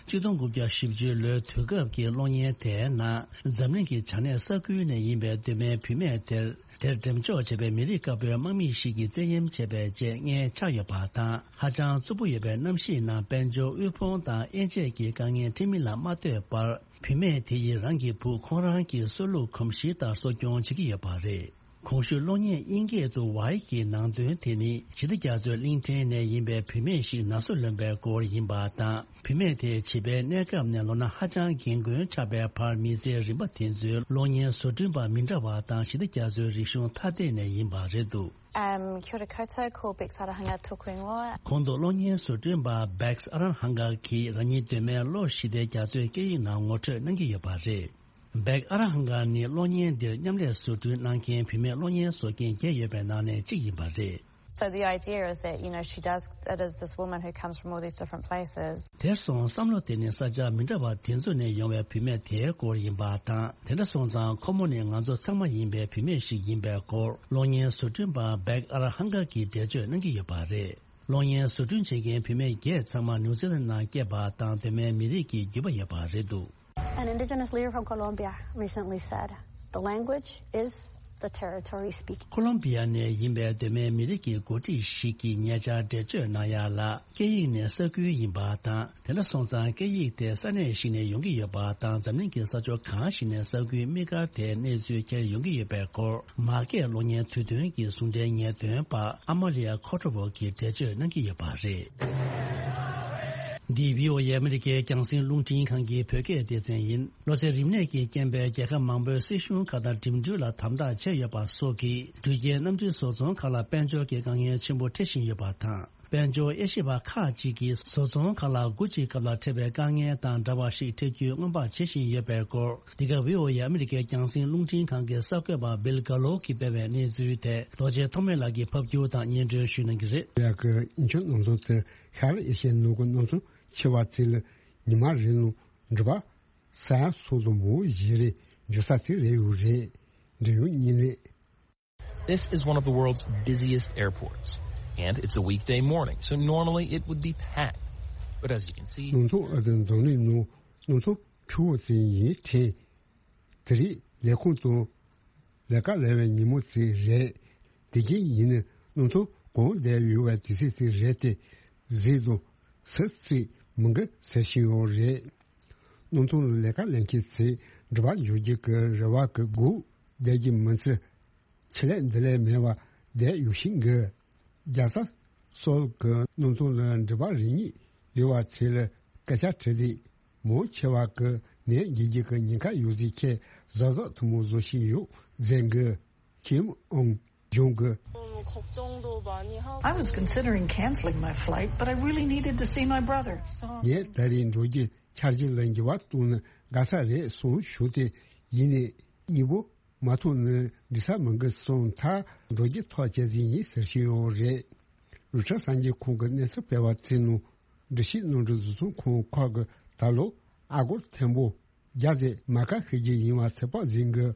ཆིག་སྟོང་དགུ་བརྒྱ་བཞི་བཅུའི་ལོའི་དུས་སྐབས་ཀྱི་གློག་བརྙན་དེའི་ནང་འཛམ་གླིང་གི་བྱང་སྣེ་ས་ཁུལ་ནས་ཡིན་པའི་གདོད་མའི་བུད་མེད་དེར། དེར་འགྲེམས་འཇོག་བྱས་པའི་མི་རིགས་དཀར་པོའི་དམག་མི་ཞིག་གིས་བཙན་གཡེམ་བྱས་པའི་རྗེས་མངལ་ཆགས་ཡོད་པ་དང་། ཧ་ཅང་རྩུབ་པོ་ཡོད་པའི་གནམ་གཤིས་ནང་དཔལ་འབྱོར་དབུལ་ཕོངས་དང་དབྱེ་འབྱེད་ཀྱི་དཀའ་ངལ་འཕྲད་མིན་ལ་མ་ལྟོས་པར། བུད་མེད་དེ་ཡིས་རང་གི་བུ་ཁོང་རང་གི་སྲོག་ལུག་གོམས་གཤིས་ལྟར་གསོ་སྐྱོང་བྱེད་ཀྱི་ཡོད་པ་རེད། གོང་ཞུས་གློག་བརྙན་དབྱིན་སྐད་དུ་ཝའི་གི་ནང་དོན་དེ་ནི་ཞི་བདེ་རྒྱ་མཚོའི་གླིང་ཕྲན་ནས་ཡིན་པའི་བུད་མེད་ཞིག་ན་ཟུག་ལོན་པའི་སྐོར་ཡིན་པ་དང་། བུད་མེད་དེ་བྱིས་པའི་གནས་སྐབས་ནས་ལོ་ན་ཧ་ཅང་རྒན་རྒོན་ཆགས་པའི་བར་མི་ཚེའི་རིམ་པ་དེ་ཚོའི་གློག་བརྙན་བཟོ་སྐྲུན་པ་མི་འདྲ་བ་དང་ཞི་བདེ་རྒྱ་མཚོའི་རིག་གཞུང་ཐ་དད་ནས་ཡིན་པ་རེད་འདུག Um, kia ora koutou, ko Bex Arahanga tōku ingoa. གོང་དུ་གློག་བརྙན་བཟོ་སྐྲུན་པ་Bex Arahanga གིས་རང་ཉིད་གདོད་མའི་གློག་ཞི་བདེ་རྒྱ་མཚོའི་སྐད་ཡིག་ནང་ངོ་སྤྲོད་གནང་གི་ཡོད་པ་རེད། བེག་ཨ་ར་ཧང་ག་ནི་གློག་བརྙན་འདིར་མཉམ་ལས་བཟོ་སྐྲུན་གནང་མཁན་བུད་མེད་གློག་བརྙན་བཟོ་མཁན་བརྒྱད་ཡོད་པའི་ནང་ནས་གཅིག་ཡིན་པ་རེད། So the idea is that, you know, she does, it is this woman who comes from all these different places. དེར་སོང་བསམ་བློ་དེ་ནི་ས་ཆ་མི་འདྲ་བ་དེ་ཚོ་ནས་ཡོང་བའི་བུད་མེད་དེའི་སྐོར་ཡིན་པ་དང་། དེ་འདྲ་སོང་ཙང་ཁོ་མོ་ནི་ང་ཚོ་ཚང་མ་ཡིན་པའི་བུད་མེད་ཞིག་ཡིན་པའི་སྐོར། གློག་བརྙན་བཟོ་སྐྲུན་པ་བེག་ཨ་ར་ཧང་ག་གིས་འགྲེལ་བརྗོད་གནང་གི་ཡོད་པ་རེད། གློག་བརྙན་བཟོ་སྐྲུན་བྱེད་མཁན་བུད་མེད་བརྒྱད་ཚང་མ་ནིའུ་ཛི་ལན་ནང་སྐྱེས་པ་དང་གདོད་མའི་མི་རིགས་ཀྱི་རྒྱུད་པ་ཡོད་པ་རེད་འདུག An indigenous leader from Colombia recently said, "The language is the territory speaking." ཁོ་ལོམ་བི་ཡ་ནས་ཡིན་པའི་གདོད་མའི་མི་རིགས་ཀྱི་འགོ་ཁྲིད་ཞིག་གིས་ཉེ་ཆར་འགྲེལ་བརྗོད་གནང་ཡ་ལ། སྐད་ཡིག་ནི་ས་ཁུལ་ཡིན་པ་དང་། དེ་འདྲ་སོང་ཙང་སྐད་ཡིག་དེ་ས་གནས་ཤིག་ནས་ཡོང་གི་ཡོད་པ་དང་། འཛམ་གླིང་གི་ས་ཕྱོགས་གང་ཞིག་ནས་ས་ཁུལ་དམིགས་བཀར་དེའི་གནས་ཚུལ་འཁྱེར་ཡོང་གི་ཡོད་པའི་སྐོར། མ་སྐད་གློག་བརྙན་དུས་སྟོན་གྱི་ཟུང་འབྲེལ་ཉེས་དོན་པ་ཨ་མ་ལི་ཡ་ཁོ་ཁྲོ་བོ་གིས་འགྲེལ་བརྗོད་གནང་གི་ཡོད་པ་རེད། འདི་བྷི་ཨོ་ཨེ་ཨ་མི་རི་ཀའི་རྒྱང་སྲིང་རླུང་འཕྲིན་ཁང་གི་བོད་སྐད་སྡེ་ཚན་ཡིན། གློ་ཚད་རིམས་ནད་ཀྱི་རྐྱེན་པས་རྒྱལ་ཁབ་མང་པོའི་སྲིད་གཞུང་ཁག་དང་འགྲིམ་འགྲུལ་ལ་དམ་དྲག་བྱས་ཡོད་པ་སོགས་ཀྱིས་འགྲུལ་སྐྱེལ་གནམ་གྲུའི་བཟོ་ཚོང་ཁག་ལ་དཔལ་འབྱོར་གྱི་དཀའ་ངལ་ཆེན་པོ་འཕྲད་བཞིན་ཡོད་པ་དང་། དཔལ་འབྱོར་དབྱེ་ཞིབ་པ་ཁག་ཅིག་གིས་བཟོ་ཚོང་ཁག་ལ་སྒོ་འབྱེད་སྐབས་ལ་འཕྲད་པའི་དཀའ་ངལ་དང་འདྲ་བ་ཞིག་འཕྲད་རྒྱུའི་སྔོན་དཔག་བྱེད་བཞིན་ཡོད་པའི་སྐོར། འདི་ག་བྷི་ཨོ་ཨེ་ཨ་མི་རི་ཀའི་རྒྱང་སྲིང་རླུང་འཕྲིན་ཁང་གི་གསར་འགོད་པ་བིལ་གྷ་ལོ་གིས་སྤེལ་བའི་གནས་ཚུལ་དེ་རྡོ་རྗེ་ཐོགས་མེད་ལགས་ཀྱིས་ཕབ་སྒྱུར་དང་སྙན་སྒྲོན་ཞུ་གནང་གི་རེད། ཡ་གི་ཨིན་ཆོས་གནམ་ཐང་དུ་ཤར་ཨེ་ཤི་ཡའི་ནང་གི་གནམ་ཐང་ཆེ་བ་ཚོ་ལ་ཉི་མ་རེ་ནང་འགྲུལ་པ་ས་ཡ་གསུམ་དང་མང་བོ་ཞིག་རེད། འགྲོ་ས་དེ་རེད་ཡོད་རེད། འབྲེལ་ཡོད་གཉིས་ནས། This is one of the world's busiest airports, and it's a weekday morning, so normally it would be packed. But as you can see, གནམ་ཐང་ཨ་དང་འཛམ་གླིང་ནང་གནམ་ཐང་ཕྲུ་གུ་ཚོ་ཡིན་ཕྲན། དེ་རིང་ལས་ཁུངས་དང་ལས་ཀ་ལས་པའི་ཉིན་མོ་ཚོ་རེད། དེ་གིན་ཡིན་ན་གནམ་ཐང་གང་བསྡད་ཡོད་པའི་དུས་ཚོད་ཚོ་རེད་དེ། གཟིགས་དང་ཟུར་ཚོ་མི་འགི་ཟེར་བཞིན་ཡོད་རེད། གནམ་ཐང་ལ་ལས་ཀ་ལས་མཁན་ཚོས་འགྲུལ་པ་འཇུག་རྒྱུ་གི་རེ་བ་གི་སྒུག་བསྡད་ཀྱི་མི་ཚེ། ཆེད་ལས་འདི་ལས་མེད་པ་བསྡད་ཡོད་བཞིན་གི། རྒྱལ་ས་སོལ་གི་གནམ་ཐང་ལ་འགྲུལ་པ་རེ་གཉིས་ཡོད་པ་ཚོ་ལ་སྐད་ཆ་དྲིས་དུས། མང་ཆེ་བ་གི་ནད་འགོས་རྒྱུ་གི་ཉེན་ཁ་ཡོད་ཚུལ་ཁྱེད་གཟབ་གཟབ་ཐུན་མོང་བཟོ་བཞིན་ཡོད་ཟེར་གི། ཁིམ་ཨོང་ཇོང་གི། I was considering canceling my flight, but I really needed to see my brother. So ངས་ད་རེས་འགྲོ་རྒྱུ་འཆར་གཞི་ལ་འགྱུར་བ་གཏོང་ན་དགའ་ས་རེད་གསུངས་ཞུ་སྟེ། ཡིན་ནའི་གཉིས་པོ་མ་ཐུག་ན་འགྲིག་ས་མི་འགི་གསུངས་ཐལ། འགྲོ་རྒྱུ་ཐག་བཅད་རྩིས་ཡིན་ཟེར་བཞིན་ཡོད་རེད། རུ་ཁྲ་གསར་འགྱུར་ཁང་གི་གནས་ཚུལ་སྤེལ་བ་ཚོའི་ནང་འགྲུལ་བཞུད་གནམ་གྲུ་བཟོ་ཚོང་ཁང་ཁག་གིས་ད་ལོ་ཨ་སྒོར་ཐེར་འབུམ་བརྒྱ་དེ་མ་ཁ་ཤས་ཀྱི་ཡིན་པ་ཚོད་དཔག་ཟིན་གི།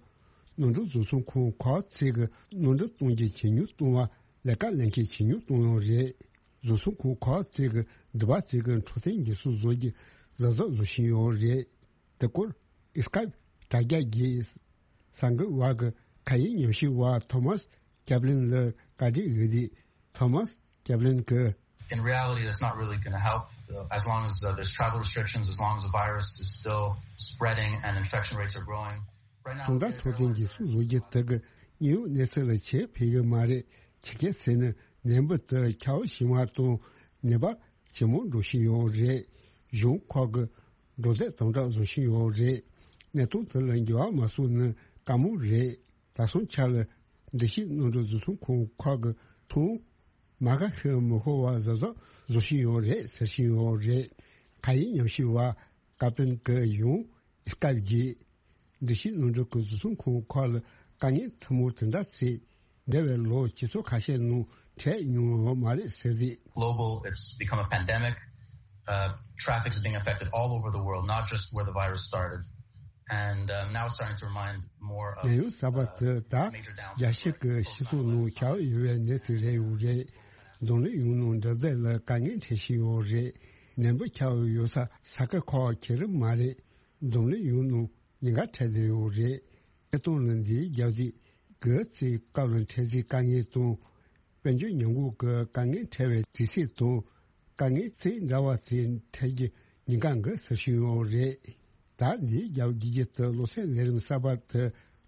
གནམ་གྲུ་བཟོ་ཚོང་ཁང་ཁག་ཚོས་གི་གནམ་གྲུ་གཏོང་རྒྱུ་ཇེ་ཉུང་གཏོང་བ། ལས་ཀ་ལེན་མཁན་ཇེ་ཉུང་གཏོང་ཡོད་རེད། བཟོ་ཚོང་ཁང་ཁག་ཚོས་གི་འགྲུལ་པ་ཚོས་གི་འཕྲོད་བསྟེན་འགན་སྲུང་བཟོ་རྒྱུ་གཟབ་གཟབ་བཟོ་བཞིན་ཡོད་རེད། དེ་སྐོར་ཨི་སི་ཀ་དྲ་རྒྱ་བརྒྱུད་གསར་འགོད་པ་གི་ཁ་ཡིག་ཉམས་ཞིབ་པ་ཐོ་མཱས་ཀེབ་ལིན་ལ་བཀའ་འདྲི་ཡོད་དུས། ཐོ་མཱས་ཀེབ་ལིན་གྱིས། In reality, that's not really going to help uh, as long as uh, there's travel restrictions, as long as the virus is still spreading and infection rates are growing. Right now, གང་ལྟར་འཕྲོད་བསྟེན་འགན་སྲུང་བཟོ་རྒྱུ་དེ་གི་དངོས་ཡོད་གནས་ཚུལ་ལ་ཁྱད་ཕན་ཡོད་མ་རེད། ཆི་གེ་ཟེར་ན་ནད་འབུ་དེ་ཁྱབ་ཞིང་བ་དང་ནད་པ་ཇེ་མང་འགྲོ་བཞིན་ཡོད་རེད། གཞུང་ཁག་གི་འགྲོ་སྡོད་དམ་དྲག་བཟོ་བཞིན་ཡོད་རེད། གནས་སྟངས་དེ་ལ་འགྱུར་བ་མ་སོང་ན་དཀའ་མོ་རེད། ད་སོང་ཆ་ལ་འགྲུལ་བཞུད་གནམ་གྲུ་བཟོ་ཚོང་ཁང་ཁག་གི་ཚོང་མ་ཁ་ཤས་མི་ཤོར་བ་གཟབ་གཟབ་བཟོ་བཞིན་ཡོད་རེད་ཟེར་བཞིན་ཡོད་རེད། ཁ་ཡིག་ཉམས་ཞིབ་པ་ཀ་པན་གྱིས་ཡང་ཨི་སི་ཀ་བརྒྱུད། འགྲུལ་བཞུད་གནམ་གྲུ་གི་བཟོ་ཚོང་ཁང་ཁག་ལ་དཀའ་ངལ་ཐུན་མོང་དེ་འདྲ་ཚོས་འདས་པའི་ལོ་ཆུ་ཚོད་ཁ་ཤས་ནང་འཕྲད་མྱོང་ཡོད་མ་རེད་ཟེར་ཏེ། Global, it's become a pandemic. Uh, traffic is being affected all over the world, not just where the virus started. And um, now it's starting to remind more of ནད་ཡམས་གསར་པ་དེ་ད་རྒྱ་ཤི་གི་སྤྱི་ཚོགས་ནང་ཁྱབ་ཡོད་པའི་གནས་ཚུལ་རེད་ཡོད་རེད། འཛམ་གླིང་ཡོངས་ནང་འགྲོ་སྡོད་ལ་དཀའ་ངལ་འཕྲད་བཞིན་ཡོད་རེད། ནད་འབུ་ཁྱབ་ཡོད་ས་ས་ཁུལ་ཁག་ཁེ་རི་མ་རེད། འཛམ་གླིང་ཡོངས་ནང་ཉེན་ཁ་འཕྲད་བསྡད་ཡོད་རེད། ཉེས་རྡུང་ལ་འདིའི་རྒྱབ་གཟིགས་གི་ཚེ་སྐབས་ལ་འཕྲད་ཚེ་དཀའ་ངལ་དང་། དཔལ་འབྱོར་ཉམས་རྒུད་ཀྱི་དཀའ་ངལ་འཕྲད་པའི་དུས་ཚོད་དང་། དཀའ་ངལ་ཚིག་འདྲ་བ་ཚོའི་འཕྲད་རྒྱུ་ཉེན་ཁ་འགའ་ཟེར་བཞིན་ཡོད་རེད། ད་འདིའི་རྒྱབ་རྒྱུ་རྒྱུ་དུ་གློག་ཚད་ལས་རིམ་གསར་པ་དེ་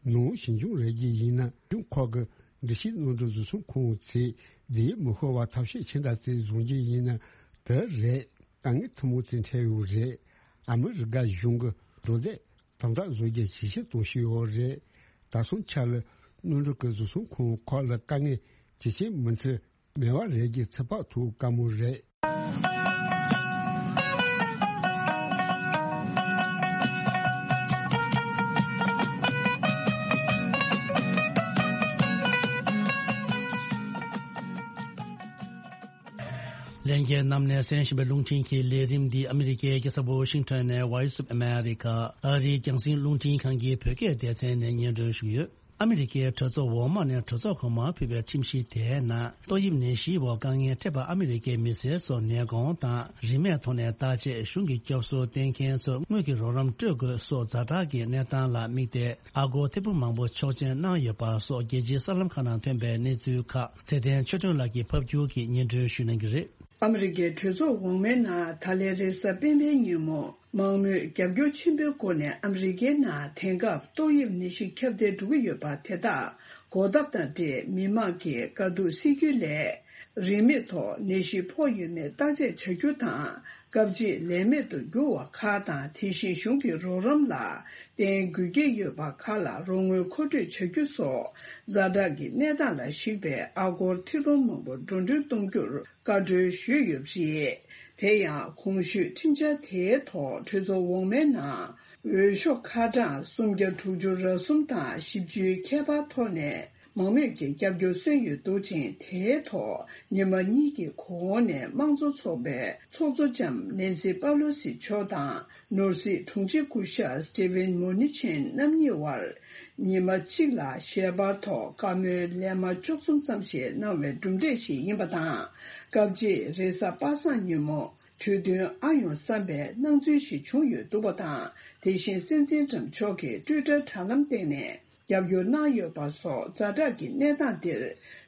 ནང་ཞིབ་འཇུག་རེ་རྒྱུ་ཡིན་ན། གཞུང་ཁག་གི་འགྲུལ་བཞུད་གནམ་གྲུ་བཟོ་ཚོང་ཁང་ཚོས་འདིའི་མི་ཤོར་བ་ཐབས་ཤེས་ཆེ་འདྲ་ཚོའི་བཟུང་རྒྱུ་ཡིན་ན་དེ་རེད། དཀའ་ངལ་ཐུན་མོང་དེ་འཕྲད་ཡོད་རེད། ཨ་མི་རི་ཀ་གཞུང་གི་འགྲོ་སྡོད་དམ་དྲག་བཟོ་རྒྱུ་ཇེ་ཆེར་གཏོང་བཞིན་ཡོད་རེད། ད་སོང་ཆ་ལ་གནམ་གྲུ་གི་བཟོ་ཚོང་ཁང་ཁག་ལ་དཀའ་ངལ་ཇེ་ཆེར་མི་འཚོལ་མེད་པ་རེད་ཀྱི་ཚོད་དཔག་ཐུབ་དཀའ་མོ་རེད། ལྷན་རྒྱས་རྣམས་ནས་གསན་བཞིན་པའི་རླུང་འཕྲིན་གྱི་ལས་རིམ་འདི་ཨ་མི་རི་ཀའི་རྒྱལ་ས་ཝོ་ཤིང་ཊོན་ནས་Voice of America ཨ་རིའི་རྒྱང་སྲིང་རླུང་འཕྲིན་ཁང་གི་བོད་སྐད་སྡེ་ཚན་ནས་སྙན་སྒྲོན་ཞུས་ཡོད། ཨ་མི་རི་ཀའི་གྲོས་ཚོགས་འོག་མ་ནས་གྲོས་ཚོགས་གོང་མར་ཕུལ་བའི་ཁྲིམས་གཞི་དེའི་ནང་ཏོག་དབྱིབས་ནད་གཞིའི་འོག་དཀའ་ངལ་འཕྲད་པ་ཨ་མི་རི་ཀའི་མི་སེར་ཚོར་ནད་གོང་དང་རིན་མེད་ཐོག་ནས་བརྟག་དཔྱད་གཞུང་གི་སྐྱོབ་གསོ་བསྟེན་མཁན་ཚོར་དངུལ་གྱི་རོགས་རམ་སྤྲོད་དགོས་སོགས་ཛ་དྲག་གི་གནས་སྟངས་ལ་དམིགས་ཏེ། ཨ་སྒོར་ཐེར་འབུམ་མང་པོ་ཆོག་མཆན་གནང་ཡོད་པ་སོགས་རྒྱལ་སྤྱིའི་གསར་ལམ་ཁག་ནང་ཐོན་པའི་གནས་ཚུལ་ཁག་ཚེ་བརྟན་ཆོས་སྒྲོན་ལགས་ཀྱིས་ཕབ་བསྒྱུར་གྱིས་སྙན་སྒྲོན་ཞུ་གནང་གི་རེད། ཨ་མི་རི་ཀའི་གྲོས་ཚོགས་འོག་མའི་ནང་ད་ལན་རེས་གཟའ་སྤེན་པའི་ཉིན་མོ་མང་མོས་རྒྱབ་སྐྱོར་ཆེན་པོའི་སྒོ་ནས་ཨ་མི་རི་ཀའི་ནང་དེང་སྐབས་ཏོག་དབྱིབས་ནད་གཞི་ཁྱབ་གདལ་འགྲོ་གི་ཡོད་པ་དེ་དག་གོ་སྟབས་དང་འབྲེལ་མི་མང་གི་དཀའ་སྡུག་སེལ་རྒྱུའི་སླད། རིན་མེད་ཐོག་ནད་གཞི་ཕོག་ཡོད་མེད་བརྟག་དཔྱད་བྱ་རྒྱུ་དང་། སྐབས་གཅིག་ལས་མེད་དུ་གྱུར་བ་ཁག་དང་། དེ་བཞིན་གཞུང་གི་རོགས་རམ་ལ་བརྟེན་དགོས་ཀྱི་ཡོད་པ་ཁག་ལ་རོགས་དངུལ་མཁོ་སྤྲོད་བྱ་རྒྱུ་སོགས་ཛ་དྲག་གི་གནས་སྟངས་ལ་གཞིགས་པའི་ཨ་སྒོར་ཐེར་འབུམ་མང་པོ་འགྲོ་གྲོན་གཏོང་རྒྱུར་བཀའ་འཁྲོལ་ཞུས་ཡོད་པ་རེད། དེ་ཡང་གོང་ཞུས་ཁྲིམས་འཆར་དེའི་ཐོག་གྲོས་ཚོགས་འོག་མའི་ནང་འོས་ཤོག་ཁ་གྲངས་སུམ་བརྒྱ་དྲུག་ཅུ་རེ་གསུམ་དང་བཞི་བཅུའི་ཁྱད་པར་ཐོག་ནས། མང་མོས་ཀྱི་རྒྱབ་སྐྱོར་སོན་ཡོད་འདུག་ཅིང་། དེའི་ཐོག་ཉི་མ་གཉིས་ཀྱི་གོང་ནས་དམངས་གཙོ་ཚོགས་པའི་ཚོགས་གཙོ་ལྕམ་ནེན་སི་པ་ལོ་སི་མཆོག་དང་ནོར་སྲིད་དྲུང་ཆེ་སྐུ་ཞབས་སི་ཏི་ཝིན་མོ་ནི་ཆིན་རྣམ་གཉིས་དབར་ཉི་མ་གཅིག་ལ་ཞལ་པར་ཐོག་བཀའ་མོལ་ལན་མ་བཅུ་གསུམ་ཙམ་ཞིག་གནང་བའི་གྲུབ་འབྲས་ཤིག་ཡིན་པ་དང་། སྐབས་གཅིག་རེས་གཟའ་པ་སངས་ཉིན་མོ་གྲོས་མཐུན་ཨ་ཡོང་བསམ་པའི་སྣང་ཚུལ་ཞིག་བྱུང་ཡོད་འདུག་པ་དང་། དེ་བཞིན་སྲིད་འཛིན་ཊམ་མཆོག་གིས་ཊུའི་ཊར་དྲ་ལམ་སྟེང་ནས། རྒྱབ་སྐྱོར་གནང་ཡོད་པ་སོགས་ཛ་དྲག་གི་གནས་སྟངས་འདིར་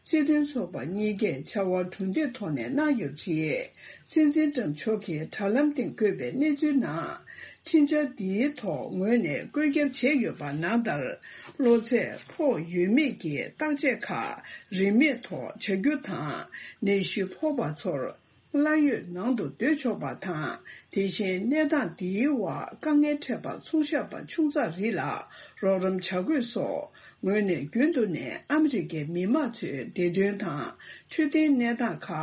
སྲིད་དོན་ཚོགས་པ་གཉིས་ཀས་བྱ་བ་གྲུབ་འབྲས་ཐོག་ནས་གནང་ཡོད་པ་རེད། སྲིད་འཛིན་ཊམ་མཆོག་གིས་དྲ་ལམ་སྟེང་བཀོད་པའི་གནས་ཚུལ་ནང་། ཁྲིམས་འཆར་འདིའི་ཐོག་ངོས་ནས་བཀོད་ཁྱབ་བྱས་ཡོད་པ་ནང་ལྟར། གློ་ཚད་ཕོག་ཡོད་མེད་ཀྱི་བརྟག་དཔྱད་ཁག་རིན་མེད་ཐོག་བྱ་རྒྱུ་དང་། ནད་གཞི་ཕོག་པ་ཚོར། གླ་ཡོད་ནང་དུ་སྡོད་ཆོག་པ་དང་། དེ་བཞིན་གནས་སྟངས་འདིའི་འོག་དཀའ་ངལ་འཕྲད་པ་ཚོང་ཤག་པ་ཆུང་ཙག་རིགས་ལ་རོགས་རམ་བྱ་དགོས་སོགས་ངོས་ནས་རྒྱུན་དུ་ནས་ཨ་མི་རི་ཀའི་མི་དམངས་ཚོའི་བདེ་དོན་དང་ཆོས་ལྡན་གནས་སྟངས་ཁག་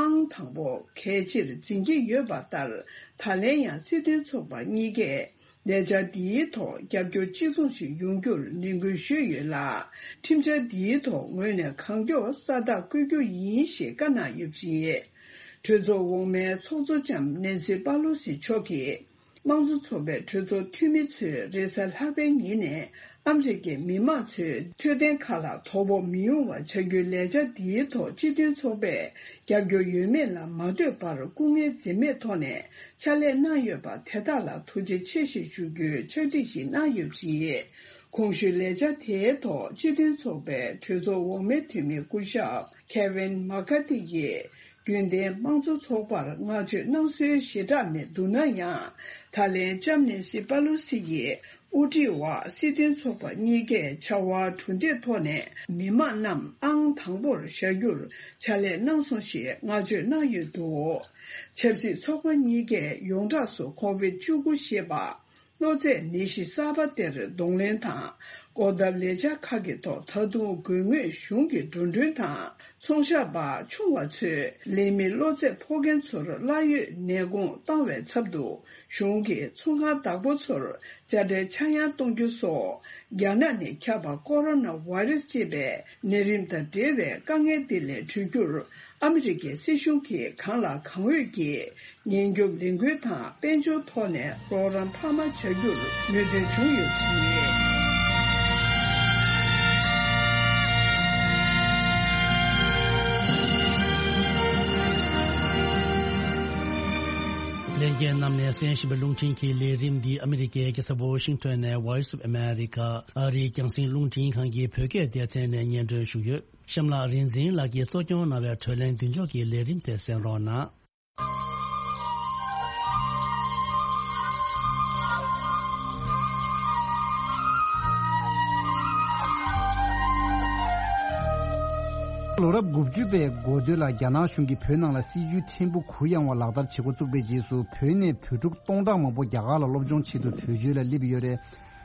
ཨང་དང་པོ་གལ་ཆེར་འཛིན་གྱི་ཡོད་པ་ལྟར། ད་ལན་ཡང་སྲིད་དོན་ཚོགས་པ་གཉིས་ཀས། ལས་འཆར་འདིའི་ཐོག་རྒྱབ་སྐྱོར་གཅིག་མཚུངས་ཤིག་ཡོང་རྒྱུར་ནན་སྐུལ་ཞུས་ཡོད་ལ། ཁྲིམས་འཆར་འདིའི་ཐོག་ངོས་ནས་གང་མགྱོགས་ས་རྟགས་བཀོད་རྒྱུ་ཡིན་ཞེས་བཀའ་གནང་ཡོད་པ་རེད། གྲོས་ཚོགས་འོག་མའི་ཚོགས་གཙོ་ལྕམ་ནེན་སི་པ་ལོ་སི་མཆོག་གིས། དམངས་གཙོ་ཚོགས་པའི་གྲོས་ཚོགས་འཐུས་མི་ཚོས་རེས་གཟའ་ལྷག་པའི་ཉིན་ནས་ཨ་མི་རི་ཀའི་མི་དམངས་ཚོའི་འཕྲོད་བསྟེན་ཁག་ལ་དོ་ཕོག་མི་ཡོང་བ་བྱ་རྒྱུའི་ལས་འཆར་འདིའི་ཐོག་སྤྱི་མཐུན་ཚོགས་པས་རྒྱབ་སྐྱོར་ཡོད་མེད་ལ་མ་ལྟོས་པར་སྐུ་ངལ་འཛེམས་མེད་ཐོག་ནས། ཕྱག་ལས་གནང་ཡོད་པ་དེ་དག་ལ་ཐུགས་རྗེ་ཆེ་ཞེས་ཞུ་རྒྱུའི་ཕྱག་བྲིས་ཤིག་གནང་ཡོད་པ་རེད། གོང་ཞུས་ལས་འཆར་དེའི་ཐོག་སྤྱི་མཐུན་ཚོགས་པའི་གྲོས་ཚོགས་འོག་མའི་འཐུས་མི་སྐུ་ཞབས་ཁེ་ཝིན་མ་ཀ་ཏི་ཡིས། རྒྱུན་ལྡན་དམངས་གཙོ་ཚོགས་པར་བསྔགས་བརྗོད་གནང་སྲོལ་ཞེ་དྲག་མེད་འདུག་ན་ཡང་། ད་ལན་ལྕམ་ནེན་སི་པ་ལོ་སི་ཡིས་དབུ་ཁྲིད་འོག་སྲིད་དོན་ཚོགས་པ་གཉིས་ཀས་བྱ་བ་གྲུབ་འབྲས་ཐོག་ནས་མི་དམངས་རྣམས་ཨང་དང་པོར་བཞག་རྒྱུར་ཕྱག་ལས་གནང་སོང་ཞེས་བསྔགས་བརྗོད་གནང་ཡོད་འདུག་ཆབ་སྲིད་ཚོགས་པ་གཉིས་ཀས་ཡོངས་གྲགས་སུ་ཁོ་ཝིད་བཅུ་དགུ་ཞེས་པ། གློ་ཚད་ནད་གཞི་གསར་པ་དེར་གདོང་ལེན་དང་། སྐོར་ཐབས་ལས་འཆར་ཁག་གི་ཐོག་ད་དུང་དགོས་ངེས་གཞུང་གི་འགྲོ་གྲོན་དང་། ཚོང་ཤག་པ་ཆུང་བ་ཚོས་ལས་མི་གློ་ཚད་ཕོག་མཁན་ཚོར་གླ་ཡོད་ནད་གོང་བཏང་བའི་ཚབ་ཏུ། གཞུང་གིས་ཚོང་ཁང་བདག་པོ་ཚོར་དཔྱ་ཁྲལ་ཆག་ཡང་གཏོང་རྒྱུ་སོགས། རྒྱ་ནག་ནས་ཁྱབ་པ་ཀོ་རོ་ན་བྷའི་རེ་སི་ཅེས་པའི་ནད་རིམས་དང་འབྲེལ་བའི་དཀའ་ངལ་འདི་ལས་གྲོལ་རྒྱུར། ཨ་མི་རི་ཀའི་སྲིད་གཞུང་གིས་གང་ལ་གང་འོས་ཀྱིས་ཉེན་སྐྱོབ་ལས་འགུལ་དང་དཔལ་འབྱོར་ཐོག་ནས་རོགས་རམ་འཕར་མ་བྱ་རྒྱུར་མོས་མཐུན་བྱུང་ཡོད་པ་རེད། ལྷན་རྒྱས་རྣམས་ནས་གསན་བཞིན་པའི་རླུང་འཕྲིན་གྱི་ལས་རིམ་འདི་ཨ་མི་རི་ཀའི་རྒྱལ་ས་ཝོ་ཤིང་ཊོན་ནས་Voice of America ཨ་རིའི་རྒྱང་སྲིང་རླུང་འཕྲིན་ཁང་གི་བོད་སྐད་སྡེ་ཚན་ནས་སྙན་སྒྲོན་ཞུས་ཡོད། གཤམ་ལ་རིག་འཛིན་ལགས་ཀྱིས་གཙོ་སྐྱོང་གནང་བའི་བགྲོ་གླེང་མདུན་ལྕོག་གི་ལས་རིམ་དེ་གསན་རོགས་གནང་། ལོ་རབས་དགུ་བཅུ་པའི་འགོ་སྟོད་ལ་རྒྱ་ནག་གཞུང་གིས་བོད་ནང་ལ་སྲིད་བྱུས་ཕྲན་བུ་གུ་ཡངས་པ་ལག་བསྟར་བྱེད་འགོ་བཙུགས་པའི་རྗེས་སུ། བོད་ནས་བོད་ཕྲུག་སྟོང་ཕྲག་མང་པོ་རྒྱ་གར་ལ་སློབ་སྦྱོང་ཆེད་དུ་བྲོས་བྱོལ་ལ་སླེབས་ཡོད་རེད།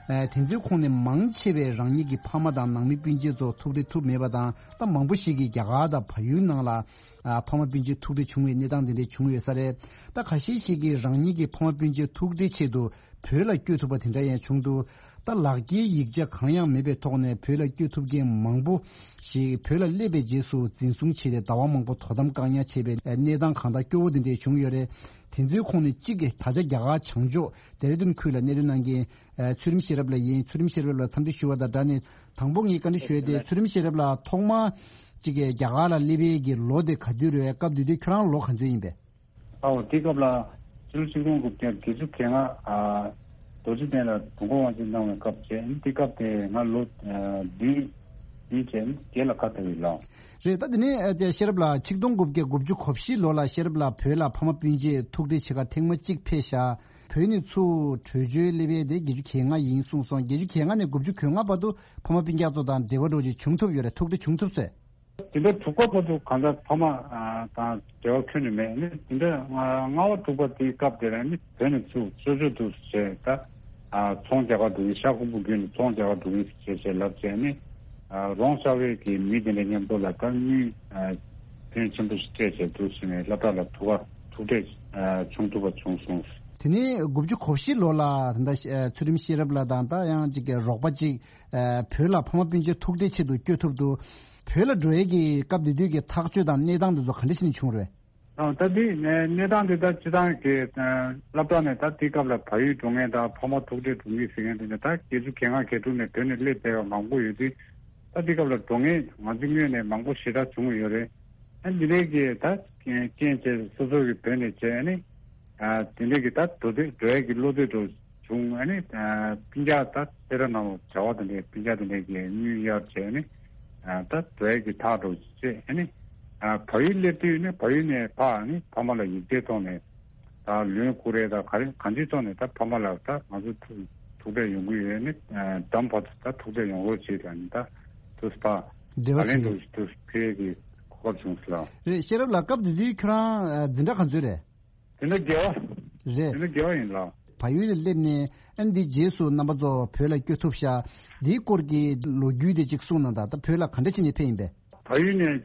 ཨ། དེ་ཚོའི་ཁོངས་ནས་མང་ཆེ་བས་རང་ཉིད་ཀྱི་ཕ་མ་དང་ནང་མི་སྤུན་མཆེད་ཚོ་ཐུག་འཕྲད་ཐུབ་མེད་པ་དང་། ད་མང་པོ་ཞིག་གིས་རྒྱ་གར་དང་བལ་ཡུལ་ནང་ལ། ཨ། ཕ་མ་སྤུན་མཆེད་ཐུག་འཕྲད་བྱུང་བའི་གནས་སྟངས་དེ་འདྲ་བྱུང་ཡོད་ས་རེད། ད་ཁ་ཤས་ཤིག་གིས་རང་ཉིད་ཀྱི་ཕ་མ་སྤུན་མཆེད་ཐུག་འཕྲད་ཆེད་དུ་བོད་ལ་བསྐྱོད་ཐུབ་པ་དེ་འདྲ་ཡང་བྱུང་འདུག་ད་ལག་འཁྱེར་ཡིག་ཆ་གང་ཡང་མེད་པའི་ཐོག་ནས་བོད་ལ་བསྐྱོད་ཐུབ་མཁན་མང་པོ་ཞིག་བོད་ལ་སླེབས་པའི་རྗེས་སུ་འཛིན་བཟུང་བྱས་ཏེ་ཟླ་བ་མང་པོ་དོ་དམ་བཀག་ཉར་བྱས་པའི་གནས་སྟངས་གང་དག་སྐྱོ་བོ་དེ་འདྲས་བྱུང་ཡོད་རེད། དེ་ཚོའི་ཁོངས་ནས་གཅིག་གིས་ད་ཆ་རྒྱ་གར་བྱང་ཕྱོགས་ཌེ་ར་ཌུན་ཁུལ་ལ་གནས་སྡོད་གནང་མཁན་ཚུལ་ཁྲིམས་ཤེས་རབ་ལགས་ཡིན། ཚུལ་ཁྲིམས་ཤེས་རབ་ལགས་འཚམས་འདྲི་ཞུ་བ་དང་སྦྲགས་ནས་དང་པོ་ངས་བཀའ་འདྲི་ཞུ་ཡས་དེ། ཚུལ་ཁྲིམས་ཤེས་རབ་ལགས་ཐོག་མར་གཅིག་གིས་རྒྱ་གར་ལ་སླེབས་པའི་གི་ལོ་དེ་ག་དུས་རེད། སྐབས་དེ་དུས་ཁྱོད་རང་ལོ་ག་ཚོད་ཡིན་པས། ཨའོ། དེ་སྐབས་ལ་ཕྱི་ལོ་ཆིག་སྟོང་དགུ་བརྒྱ་བརྒྱད་ཅུ་གྱ་ལྔ། ཨ། རྡོ་རྗེ་གདན་ལ་དུས་འཁོར་དབང་ཆེན་གནང་བའི་སྐབས་བྱས། དེ་སྐབས་དེ་ང་ལོ་ཨ་བདུན་བདུན་བྱས་བརྒྱད་ལ་ཁ་ཐོན་ཡིན་ལགས། རེད། ད་དེ་ནས་ཨ་ཤེས་རབ་ལགས་ཆིག་སྟོང་དགུ་བརྒྱ་དགུ་བཅུ་གོ་བཞི་ལོ་ལ་ཤེས་རབ་ལགས་བོད་ལ་ཕ་མ་སྤུན་མཆེད་ཐུག་འཕྲད་བྱེད་གར་ཐེངས་མ་གཅིག་ཕེབས་ཤག་བོད་ནས་ཚུར་བྲོས་བྱོལ་སླེབས་པའི་དེ་བརྒྱད་ཅུ་གྱ་ལྔ་ཡིན་གསུངས་སོང་། བརྒྱད་ཅུ་གྱ་ལྔ་ནས་དགུ་བཅུ་གོ་ལྔ་བར་དུ་ཕ་མ་སྤུན་ཀྱག་ཚོ་དང་འབྲེལ་བ་འདྲ་བོ་ཅིག་བྱུང་ཐུབ་ཡོད་རེད། ཐུག་འཕྲད་བྱུང་ཐུབ་སོང་། དེ་འདྲ་དྲུག་པ་བར་དུ་གང་ལྟར་ཕ་མ་ཨ་དང་འབྲེལ་བ་ཁྱོན་ནས་མེད། ནི་དེ་འདྲ་ལྔ་པ་དྲུག་པ་དེའི་སྐབས་དེ་ལ་ནི་བོད་ནས་ཚུར་གསོལ་མཆོད་དུ་བྱས། ད་ཨ་ཚོང་རྒྱག་གར་འགྲོ་གི། ཤར་ཁུག་པ་བརྒྱུད་ནས་ཚོང་རྒྱག་གར་འགྲོ་གི་ཞེས་བྱས་ལབ་བྱས་ནས། ཨ་རོང་ཤར་པའི་གི་མི་དེ་འདྲ་མཉམ་དུ་ལ་ད་དངུལ་ཨ་ཕོན་ཆེན་པོ་ཞིག་སྤྲད་བྱས་འདུག་ཟེར་ནས་སློབ་གྲྭ་ལ་ཐུག་ག་ཐུག་འཕྲད་ཨ་བྱུང་ཐུབ་པ་བྱུང་སོང་། དེ་ནས་དགུ་བཅུ་གོ་བཞི་ལོ་ལ་ད་ལྟ་ཨ་ཚུལ་ཁྲིམས་ཤེས་རབ་ལགས་དང་ད་ཡང་གཅིག་གི་རོགས་པ་གཅིག་ཨ་བོད་ལ་ཕ་མ་སྤུན་མཆེད་ཐུག་འཕྲད་ཆེད་དུ་བསྐྱོད་ཐུབ་འདུག་བོད་ལ་འགྲོ་ཡས་ཀྱི་སྐབས་དེ་དུས་ཀྱི་ཐག་གཅོད་དང་གནས་སྟངས་དེ་ཚོ་ག་འདྲ་ཞིག་ནས་བྱུང་རེད། ཨ་ད་དེ་གནས་གནས་སྟངས་དེ་ད་སྤྱི་བཏང་གི་ཨ་སློབ་གྲྭ་ནས་ད་དེ་སྐབས་ལ་བལ་ཡུལ་འགྲོ་མཁན་དང་ཕ་མ་ཐུག་འཕྲད་འགྲོ་མཁན་ཟེར་མཁན་དེ་ནས་ད་བརྒྱད་ཅུ་གྱ་ལྔ་གྱ་དྲུག་ནས་བོད་ནས་སླེབས་བསྡད་པ་མང་པོ་ཡོད་དུས། ད་དེ་སྐབས་ལ་འགྲོ་མཁན་ང་ཚོ་སྔོན་ནས་མང་པོ་ཞེ་དྲག་བྱུང་ཡོད་རེད། ཨ་འདི་འདྲའི་གི་ད་རྐྱེན་བྱས་སོ་སོ་གི་བོད་ནས་བྱས་ནས་ཨ་དེ་འདྲའི་གི་ད་འགྲོ་འདོད་འགྲོ་ཡས་ཀྱི་བློ་འདོད་འདྲ་བྱུང་། ཨ་ནི་ཨ་སྤུན་ཀྱག་ད་སེ་ར་ནང་ལ་བྱ་བ་དེ་འདྲའི་སྤུན་ཀྱག་དེ་འདྲའི་གི་དངུལ་གཡར་བྱས་ནས་ཨ་ད་འགྲོ་ཡས་ཀྱི་ཐག་འདྲ་བཅད། ཨ་ནི་ཨ་བལ་ཡུལ་སླེབས་དུས་ནི་བལ་ཡུལ་ནས་ཕར་ཨ་ནི་ཕ་མ་ལ་ཡིག་ཆའི་ཐོག་ནས་ད་ལོན་བསྐུར་རེད། ད་ག་རེ་གང་ཅིའི་ཐོག་ནས་ད་ཕ་མ་ལ་ད་ང་ཚོ་ཐུག་ཐུག་འཕྲད་ཡོང་གི་ཡོད། ནི་ཨ་འགྲམ་བར་དུ་ད་ཐུག་འཕྲད་ཡོང་རོགས་བྱེད་ལ་ནི་ད་དུ་ཕར་འབྲེལ་བ་བརྡ་ལན་བྱེད་དུ་དུ་ཕེབས་ཀྱི་གོ་སྐབས་བྱུང་སོང་ལགས། རེད། ཤེས་རབ་ལགས་སྐབས་དེ་དུས་ཁྱོད་རང་ཨ་འཛིན་གྲྭ་ག་ཚོད་རེད། དེ་ནས་དགེ་བ། རེད། དེ་ནས་དགེ་བ་ཡིན་ལགས། བལ་ཡུལ་ལ་སླེབས་ནས་ཨ་འདི་རྗེས་སུ་རྣམ་པ་ཚོ་བོད་ལ་བསྐྱོད་ཐུབ་ཤག་འདིའི་སྐོར་གྱི་ལོ་རྒྱུས་དེ་གཅིག་གསུངས་གནང་དང་། ད་བོད་ལ་ག་འདྲ་བྱས་ནས་ཕེབས་ཡིན་པས། བལ་ཡུལ་ནས་